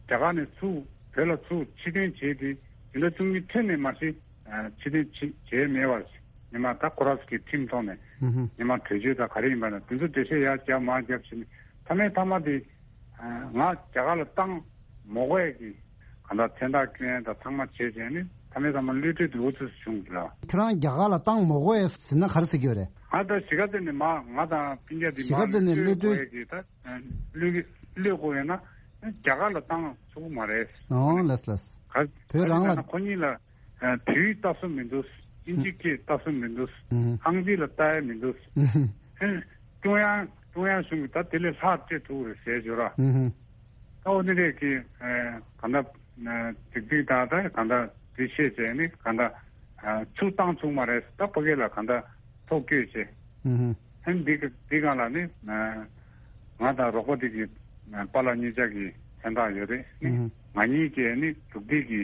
རྒྱ་གར་ནས་ཚུར་བོད་ལ་ཚུར་ཕྱིར་འཐེན་བྱས་ཏེ་དེ་འདྲ་བཅུ་གཉིས་ཐོན་ནས་མ་གཞི་ཨ་ཕྱིར་འཐེན་བྱེད་བྱས་མེད་པར་ཉི་མ་ད་ཁོ་རང་ཚོ་གི་ཁྲིམས་ཐོག་ནས་ཨུ་ཧུ། ཉི་མ་གྲོས་ཆོད་དང་ག་རེ་ཡིན་པ་ན་དེ་ཚོ་འགྲེལ་བཤད་ཡར་རྒྱབ་མར་རྒྱབ་བྱས་ནས་མཐའ་མའི་མཐའ་མ་དེ། ང་རྒྱ་གར་ལ་བཏང་མ་དགོས་ཀྱི་གང་ལྟར་མཚན་རྟགས་བསྐྱོན་དང་ཚང་མ་བྱས་བྱས་ནས་མཐའ་མའི་མཐའ་མ་གློད་གྲོལ་དུ་འུ་ཚུགས་སུ་བྱུང་གི་ལ། ཁྱོད་རང་རྒྱ་གར་ལ་བཏང་མ་དགོས་ཟེར་ན་ག་རེ་ཟེར་གྱི་ཡོད་རེད། ང་ད་གཞིས་ཀ་རྩེ་ནས་མ་ང་དང་སྤུན་ཀྱག་འདི་མ་གཞིས་ཀ་རྩེ་ནས་གློད་གློད་གྲོལ་དགོས་ཡ་གི་ད་གློད་གློད་དགོས་ཡོད་ན་རྒྱ་གར་ལ་བཏང་ཆོག་གི་མ་རེད། ཨོ་ལགས་ལགས། ག་བོད་རང་ལ། ཁོ་གཉིས་ལ། ཨ་བོད་ཡིག་ལྟ་སྲོལ་མི་འདུག་དབྱིན་ཇི་སྐད་ལྟ་སྲོལ་མི་འདུག་ཨུ་ཧུ། ཨང་རྩིས་ལ་ལྟ་ཡ་མི་འདུག་ཨུ་ཧུ། ཨ་ཀྲུང་དབྱང་ཀྲུང་དབྱང་གཞུང་གིས་ད་དེ་ལས་ལྷག་སྤྲད་ཐུབ་རེད་ཟེར་བརྗོད་ར། ཨུ་ཧུ། ད་འོ་དེ་འདྲས་ཀྱི་ཨ་གང་ལྟར་ཨ་སྒྲིག་སྒྲིག་དང་ད་གང་ལྟར་འདི་བཤད་བྱས་ནི་གང་ལྟར་ཨ་ཚུར་བཏང་ཚུགས་མ་རེད། ད་ཕ་གི་ལ་གང་ལྟར་ཐོག་བསྐྱོད་བྱས། ཨུ་ཧུ། ཨ་ནི་འདི་ག་འདི་སྒང་ལ་ནི་ང་དང་རོགས་པ་འདི་གི་པཱ་ལགས་གཉིས་ཆ་གི་མཚན་རྟགས་ཡོད་རེད། ཨུ་ཧུ། ང་གཉིས་ཀྱི་ནི་འདུག་སྟེགས་ཀྱི་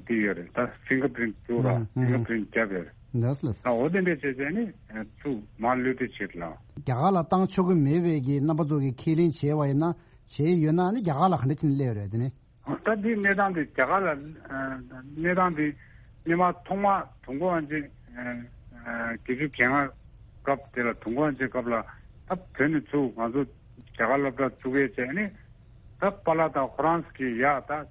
འདི་ཡོད་རེད། ད་ཕིང་གར་པི་རིན་བཙུགས་ར། ཨུ་ཧུ། ཕིང་གར་པི་རིན་རྒྱབ་ཡོད་རེད། ལགས་ལགས། ད་འོ་དེ་འདྲས་བྱས་བྱས་ནི་ཚུར་མར་གློད་གྲོལ་བྱེད་ལ། རྒྱ་གར་ལ་བཏང་ཆོག་གི་མེད་པའི་གི་རྣམ་པ་ཚོ་གི་ཁས་ལེན་བྱས་པ་ཡིན་ན། བྱས་ཡོད་ན་ནི་རྒྱ་གར་ལ་ག་འདྲ་བྱས་ནས་སླེབས་ཡོད་རེད་དེ་ནི། ད་འདི་གནས་སྟངས་དེ་རྒྱ་གར་ལ་གནས་སྟངས་དེ་སྔོན་མ་ཐོག་མ་དུས་འཁོར་དབང་ཆེན་བརྒྱད་ཅུ་གྱ་ལྔ་སྐབས་དེ་ལ་དུས་འཁོར་དབང་ཆེན་སྐབས་ལ་ད་བོད་ནས་ཚུར་ང་ཚོ་རྒྱ་གར་སློབ་གྲྭ་བཙུགས་ཡས་བྱས་ནས་ད་པཱ་ལགས་དང་ཁོ་རང་གི་ཡག་ད་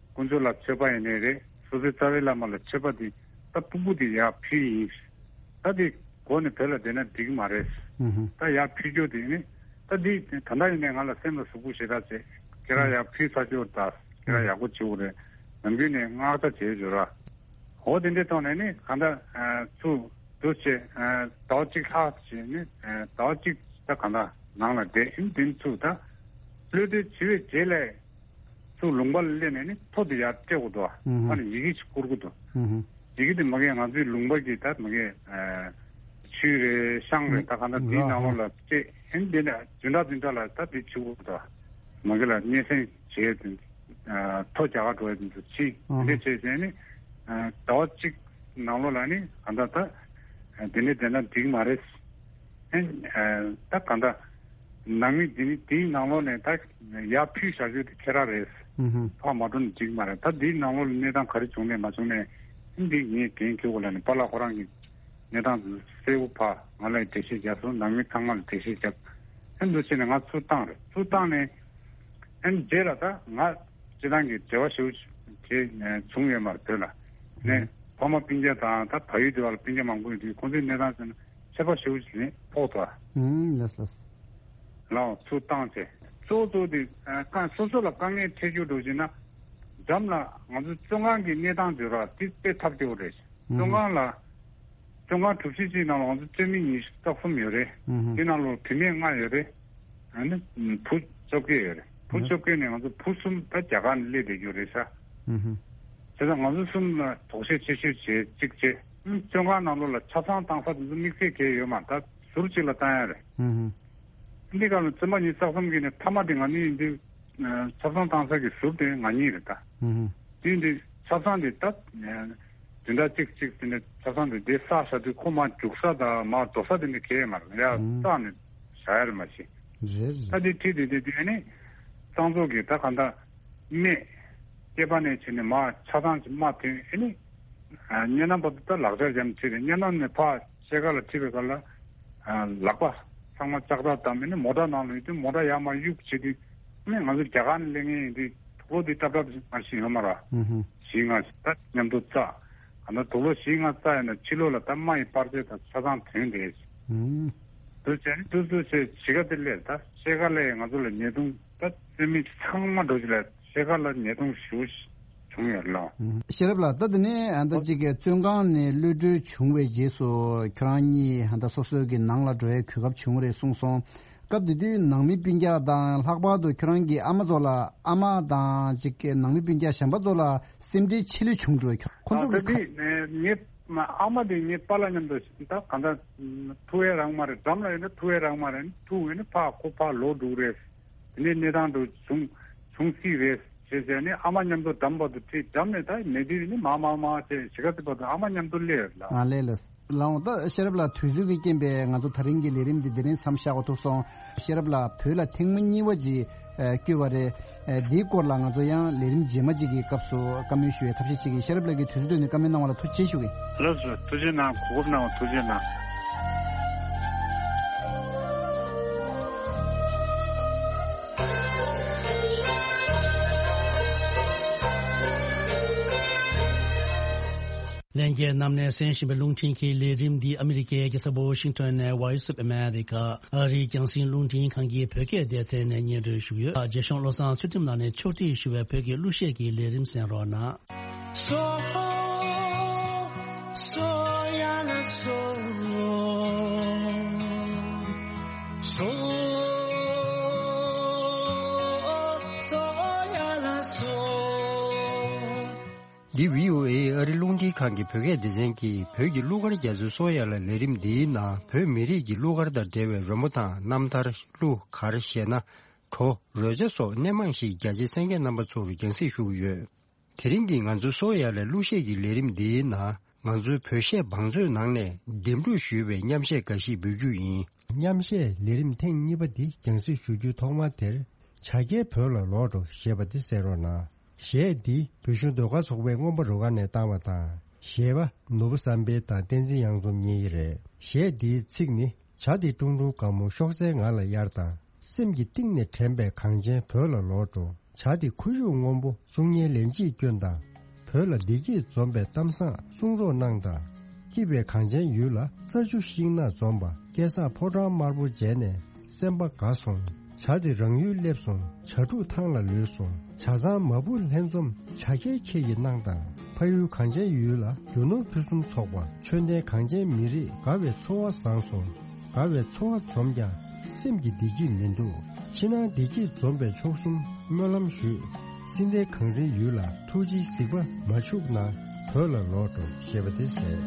དཀོན་མཆོག་ལ་མཆོད་པ་ཡིན་ནའི་རེད། སོ་སོའི་རྩ་བའི་བླ་མ་ལ་མཆོད་པ་དེ་ད་ཕྲུ་གུ་དེ་ཡར་ཕུལ་ཡིན། ད་དེ་གོ་ནས་བོད་ལ་བསྡད་ན་འགྲིག་གི་མ་རེད། ད་ཡར་ཕུལ་རྒྱུ་དེ་ནི་ད་དེ་ད་ལྟ་ཡིན་ནའི་ང་ལ་སེམས་ལ་ཟུག་པོ་ཞེ་དྲག་བྱས། ཁྱེད་རང་ཡར་ཕུལ་ཚར་རྒྱུ་ད་ཁྱེད་རང་ཡག་པོ་བྱེད་དགོས་རེད། ནམ་རྒྱུན་ནས་མངགས་ད་བྱས་བྱོས་ར། འོ་དེ་འདྲའི་ཐོག་ནས་ནི་གང་ལྟར་ཚུར་འདུག་བྱས་ཟླ་བ་གཅིག་ལྷག་བྱས་ནི་ཟླ་བ་གཅིག་ད་གང་ལྟར་ནང་ལ་བསྡད་ཡིན། དེ་ཚུར་ད་གློད་གྲོལ་བྱས་པའི་རྗེས་ལ། ཚུར་ལུང་པ་ལ་སླེབས་ནས་ནི་ཐོ་དེ་ཡར་སྤྲད་དགོས་འདུག་ཨ། ཨ་ནི་ཡི་གེ་ཞིག་བསྐུར་དགོས་འདུག་ཡི་གེ་དེ་མ་གི་ང་ཚོའི་ལུང་པ་གི་ད་མ་གི་ཆུས་རེད་ཤང་རེད་ད་གང་ལྟར་དེའི་ནང་ལོགས་ལ་སྤྲད་ཨེ་འདི་ནས་བདུན་ཕྲག་བདུན་ཕྲག་ལ་ད་དེ་བྱེད་དགོས་འདུག་མ་གི་ལ་སྙན་སེང་བྱས་ཏེ་ཐོ་རྒྱག་ག་འགྲོ་ཡ་དེ་ཚོ་ཕྱིན་འདི་འདྲ་བྱས་བྱས་ནི་ཟླ་བ་གཅིག་ནང་ལོགས་ལ་ནི་གང་ལྟར་ད་དེ་ནས་དེ་འདྲ་འགྲིག་མ་རེད། ཨེ་ད་གང་ལྟར་ནང་མི་འདི་ནི་དེའི་ནང་ལོགས་ནས་ད་ཡར་ཕུལ་བཞག་རྒྱུ་དེ་ཁྱེད་རང་རེད། ཕར་མ་འགྲོ་ན་འགྲིག་མ་རེད། ད་དེའི་ནང་ལོགས་ལ་གནས་སྟངས་ག་རེ་བྱུང་ནས་མ་བྱུང་ནས་ཨེ་འདི་ངས་འགན་འཁྱེར་དགོས་ལབ་ནས་པཱ་ལགས་ཁོ་རང་གི་གནས་སྟངས་དེ་གསལ་པོ་ཕར་ང་ལ་འགྲེལ་བཤད་རྒྱབ་སོང་། ནང་མི་ཚང་མ་ལ་འགྲེལ་བཤད་རྒྱབ། ཨེ་འདུག་བྱས་ནས་ང་ཚུར་བཏང་རེད། ཚུར་བཏང་ནས་ཨེ་རྗེས་ལ་ད་ང་སྤྱི་བཏང་གི་འབྲེལ་བ་ཞེ་པོ་ཅིག་བྱུང་ཡོད་མ་རེད་བོད་ལ། ནས་ཕ་མ་སྤུན་ཀྱག་དང་ད་བལ་ཡུལ་དེ་བ་ལ་སྤུན་ཀྱག་མང་པོ་ཡོད་དུས་ཁོང་ཚོའི་གནས་སྟངས་ཟེར་ན་ཁྱད་པར་ཞེ་པོ་ཅིག་ཕོག་ཐུབ་པ། ཨུམ་ལགས་ལགས། ལའོ་ཚུར་བཏང་ཚེ་གཙོ་བོ་གཙོ་བོ་དེ་ཨ་དཀའ་སོ་སོ་ལ་དཀའ་ངལ་འཕྲད་རྒྱུ་འགྲོ་བཞིན་ན་འགྲམ་ལ་ང་ཚོ་བཙོན་ཁང་གི་གནས་སྟངས་དེ་ར་དེ་དཔེ་ཐབས་སྐྱོ་བོ་རེད། བཙོན་ཁང་ལ་བཙོན་ཁང་གྲུ་བཞི་གཅིག་ནང་ལ་ང་ཚོ་བཙོན་མི་ཉི་ཤུ་རྩ་གསུམ་ཡོད་རེད། དེ་ནང་ལ་བུད་མེད་ལྔ་ཡོད་རེད། ཨ་ནི་བུ་བཅོ་བརྒྱད་ཡོད་རེད། བུ་བཅོ་བརྒྱད་ནས་ང་ཚོ་བུ་གསུམ་ད་རྒྱ་གར་ནས་སླེབས་བསྡད་རྒྱུ་རེད་ཤག་བྱས་ཙང་ང་ཚོ་གསུམ་ལ་དོགས་གཞི་ཆེ་ཤོས་བྱས་གཅིག་བྱས། བཙོན་ཁང་ནང་ལོགས་ལ་ཆ་ཚང་བཏང་ས་དེ་ཚོ་དམིགས་བསལ་གང་ཡང་ཡོད་མ་རེད། ད་ཟུར་གཅིག་ལ་བཏང་ཡ་རེད། འདི་ག་ལ་བཙོན་པ་ཉི་ཤུ་རྩ་གསུམ་གྱི་ནས་མཐའ་མ་དེ་ང་གཉིས་ཡིན་དུས་ཆ་ཚང་བཏང་ས་གི་ཟུར་དེ་ང་གཉིས་རེད་ད། དེ་འདི་ཆ་ཚང་དེ་ད་བདུན་ཕྲག་གཅིག་གཅིག་དེ་ནས་ཆ་ཚང་དེ་དེ་བསགས་བཞག་དུས་ཁོ་མར་རྒྱུག་ས་དང་མར་འགྲོ་ས་དེ་འདྲ་གང་ཡང་མ་རེད། ཡ་བསགས་ནས་བཞག་ཡ་རེད་མ་གཞི། རེད་རེད། ད་དེ་ཁྲིད་དེ་དེ་དེ་ནས་གཙང་བཙོག་གི་ད་ག་འདྲ་སྨད་སྐེད་པ་ནས་བྱས་ནས་མར་ཆ་ཚང་གི་རྨ་ཐོན་ཨེ་ནི། ཨ་གཉའ་ནམ་བར་དུ་ད་ལག་ཆ་འཇམ་ཁྲིད་རེད། གཉའ་ནམ་ནས་ཕར་ཤེལ་དཀར་ལ་ཁྲིད་པའི་སྐབས་ལ་ཨ་ལག་པ་ཚང་མ་ལྕགས་ཐག་བསྡམས་ཨེ་ནི་མོ་ཊ་ནང་ལ་ཡོད་དུས་མོ་ཊ་ཡར་མར་གཡུག་བྱེད་དུས་ཨེ་ནི་ང་ཚོ་རྒྱ་གར་ནས་སླེབས་མཁན་ཡིན་དུས་དུག་ལོག་དེ་ཏབ་ཏབ་མར་ཞིག་ཡོད་མ་རེད། ཞིག་ང་ད་མཉམ་དུ་བཙགས། ག་ན་དུག་ལོག་ཞིག་ང་བཙགས་ཡོད་ན་ཕྱི་ལོགས་ལ་ད་རྨ་ཡི་པར་ཆས་དང་ཆ་ཚང་ཐོན་བསྡད། དུ་བྱས་ནས་དུ་དུ་བྱས་གཞིས་ཀ་དེ་སླེབས་ད་ཤེལ་དཀར་ལ་ང་ཚོ་ལ་ཉེས་རྡུང་ད་བཙོན་མི་ཚང་མ་འགྲོ་གཞི་ལ་ཤེལ་དཀར་ལ་ཉེས་རྡུང་ཞེ་པོ་བྱུང་ཡོད་ལ། ཤེས་རབ་ལགས་ད་དེ་ནས་ཨ་ད་ཅིག་གི་བཙོན་ཁང་ནས་གློད་གྲོལ་བྱུང་བའི་རྗེས་སུ་ཁྱོད་རང་གཉིས་ཨ་ད་སོ་སོའི་གི་ནང་ལ་འགྲོ་ཡའི་གོ་སྐབས་བྱུང་རེད་གསུངས་སོང་། སྐབས་དེ་དུས་ནང་མི་སྤུན་ཀྱག་དང་ལྷག་པར་དུ་ཁྱོད་རང་གི་ཨ་མ་ཚོ་ལ་ཨ་མ་དང་ཅིག་གི་ནང་མི་སྤུན་ཀྱག་གཞན་པ་ཚོ་ལ་སེམས་ཁྲལ་ཆེ་ལོས་བྱུང་འགྲོ། ཁོ་ཚོ་ཨ་གི་ད་དེ་ངས་ཨ་མ་དེ་ངའི་པཱ་ལགས་མཉམ་དུ་ད་གང་ལྟར་ཐུག་ཡས་རག་མ་རེད། འགྲམ་ལ་ཡོད་ན་ཐུག་ཡས་རག་མ་རེད། ཐུག་ཡོད་ན་ཕར་ཁོ་ཕར་ལོག་འགྲོ་གི་རེད། དེ་ནས་གནས་སྟངས་དུ་བྱུང་བྱུང་སྲིད་རེད་ཞེས་བྱས་ནས་ཨ་མ་མཉམ་དུ་འགྲམ་བར་དུ་ཁྲིད། འགྲམ་ནས་ད་མེད་དུས་ནི་མ་མ་མ་ཞེས་གཞིས་ཀ་དེ་བར་དུ་ཨ་མ་མཉམ་དུ་སླེབས་ཡོད་ལ། ཨ་ལས་ལས། ལགས་འོང་ད་ཤེས་རབ་ལགས་དུས་ཚོད་ཀྱི་རྐྱེན་པས་ང་ཚོ་ད་རིང་གི་ལས་རིམ་འདི་འདི་རིང་མཚམས་བཞག་པ་ཐུག་སོང་། ཤེས་རབ་ལགས་བོད་ལ་ཐེངས་མ་གཉིས་པ་ཅིག་ཨ་བསྐྱོད་པ་རེད། ཨ་འདིའི་སྐོར་ལ་ང་ཚོ་ཡང་ལས་རིམ་རྗེས་མ་ཅིག་གི་སྐབས་སུ་བཀའ་མོལ་ཞུ་བའི་ཐབས་ཤེས་བྱེད་ཀྱི། ཤེས་རབ་ལགས་ཀྱིས་དུས་ཚོད་བཏོན་ནས་བཀའ་མོལ་གནང་བ་ལ་ཐུགས་རྗེ་ཆེ་ཞུ་གི། ལགས་སོ་ཐུགས་རྗེ་གནང་། གོ་སྐབས་གནང་བ་ཐུགས་རྗེ་གནང་། ལྷན་རྒྱས་རྣམས་ནས་གསན་བཞིན་པའི་རླུང་འཕྲིན་གྱི་ལས་རིམ་འདི་ཨ་མི་རི་ཀའི་རྒྱལ་ས་ཝོ་ཤིང་ཊོན་ནས་Voice of America ཨ་རིའི་རྒྱང་སྲིང་རླུང་འཕྲིན་ཁང་གི་བོད་སྐད་སྡེ་ཚན་ནས་སྙན་སྒྲོན་ཞུ་གི་ཡོད། རྗེ་གཞུང་བློ་བཟང་ཚུལ་ཁྲིམས་ལགས་ནས་ཕྱོགས་སྒྲིག་ཞུ་བའི་བོད་ཀྱི་གླུ་གཞས་ཀྱི་ལས་རིམ་གསན་རོགས་གནང་། འདི་བྷི་ཨོ་ཨེ་ཨ་རི་རླུང་འཕྲིན་ཁང་གི་བོད་སྐད་སྡེ་ཚན་གྱིས་བོད་ཀྱི་གླུ་གར་རྒྱ་མཚོའི་སོ་ཡ་ལ་ལས་རིམ་འདིའི་ནང་བོད་མི་རིགས་ཀྱི་གླུ་གར་དང་འབྲེལ་བའི་རོལ་མོ་དང་རྣམ་ཐར། གླུ་གར་ཞེ་ན། བྲོ། རོལ་ཆ་སོགས་སྣེ་མང་ཞིག་རྒྱ་ཆེའི་གསན་མཁན་རྣམ་པ་ཚོར་རྒྱང་སྲིང་ཞུ་གི་ཡོད། དེ་རིང་གི་ང་ཚོའི་སོ་ཡ་ལ་གླུ་གཞས་ཀྱི་ལས་རིམ་འདིའི་ནང་ང་ཚོའི་བོད་གཞས་བང་མཛོད་ནང་ནས་འདེམས་སྒྲུག་ཞུས་པའི་མཉམ་གཞས་འགའ་ཞིག་འབུལ་རྒྱུ་ཡིན། མཉམ་གཞས་ལས་རིམ་ཐེངས་གཉིས་པ་འདི་རྒྱང་སྲིང་ཞུ་རྒྱུའི་ཐོག་མ་དེར། ། བྱ་རྒྱལ་བོད་ལ་ལོག་འགྲོ་ཞེས་པ་འདི་གསན་རོགས་གནང་། གཞས་འདི་བོད་གཞུང་ཟློས་གར་ཚོགས་པའི་རྔོན་པ་རུ་ཁག་ནས་བཏང་བ་དང་། གཞས་པ་ནོར་བུ་བསམ་འཕེལ་དང་བསྟན་འཛིན་གཡང་འཛོམས་གཉིས་ཀྱི་རེད། གཞས་འདིའི་ཚིག་ནི། བྱ་འདི་ཀྲུང་ཀྲུང་དཀར་མོ་ཤོག་སེར་ང་ལ་གཡར་དང་། སེམས་ཀྱི་གཏིང་ནས་དྲན་པའི་གངས་ཅན་བོད་ལ་ལོག་འགྲོ། བྱ་འདི་ཁོར་ཡུག་སྔོན་པོ་གསུང་སྙན་ལན་གཅིག་སྐྱོན་དང་། བོད་ལ་བདེ་སྐྱིད་འཛོམས་པའི་གཏམ་བཟང་གསུང་རོགས་གནང་དང་། སྐྱིད་པའི་གངས་ཅན་ཡུལ་ལ་རྩྭ་ཆུ་ཤིང་ནགས་འཛོམས་པ། སྐལ་བཟང་ཕོ་བྲང་དམར་པོ་མཇལ་ནས་སེམས་པ་དགའ་སོང་། བྱ་འདི་རང་ཡུལ་སླེབས་སོང་། བྱ་ཕྲུག་ཐང་ལ་ལུས་སོང་། བྱ་ཚང་མ་བུ་ལྷན་འཛོམས། བྱ་རྒྱལ་ཁྱེད་ཀྱིས་གནང་དང་། ཕ་ཡུལ་གངས་ཅན་ཡུལ་ལ་རྒྱུ་ནོར་ཕུན་སུམ་ཚོགས་པ། ཆོས་ལྡན་གངས་ཅན་མི་རིགས་དགའ་བའི་འཚོ་བ་བཟང་སོང་། དགའ་བའི་འཚོ་བ་འཛོམས་ཀྱང་སེམས་ཀྱི་བདེ་སྐྱིད་མི་འདུག་ཕྱི་ནང་བདེ་སྐྱིད་འཛོམས་པའི་མཆོག་གསུམ་སྨོན་ལམ་ཞུས། སྲིད་མཐའི་གངས་རིའི་ཡུལ་ལ་ཐུགས་རྗེའི་གཟིགས་པ་མ་འཆུག་ན་བོད་ལ་ལོག་འགྲོ་ཞེས་པ་དེ་ཟེར།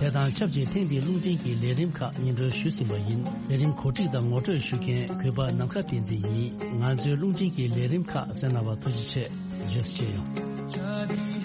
དེ་དང་ཆབས་ཅིག་ཐེངས་འདིའི་རླུང་འཕྲིན་གྱི་ལས་རིམ་ཁག་སྙན་སྒྲོན་ཞུས་ཟིན་པ་ཡིན། ལས་རིམ་གོ་སྒྲིག་དང་ངོ་སྤྲོད་ཞུ་མཁན་གུས་པ་ནམ་མཁའ་བསྟན་འཛིན་ཡིན། ང་ཚོའི་རླུང་འཕྲིན་གྱི་ལས་རིམ་ཁག་གསན་གནང་བར་ཐུགས་རྗེ་ཆེ། རྗེས་སུ་མཇལ་ཡོང་།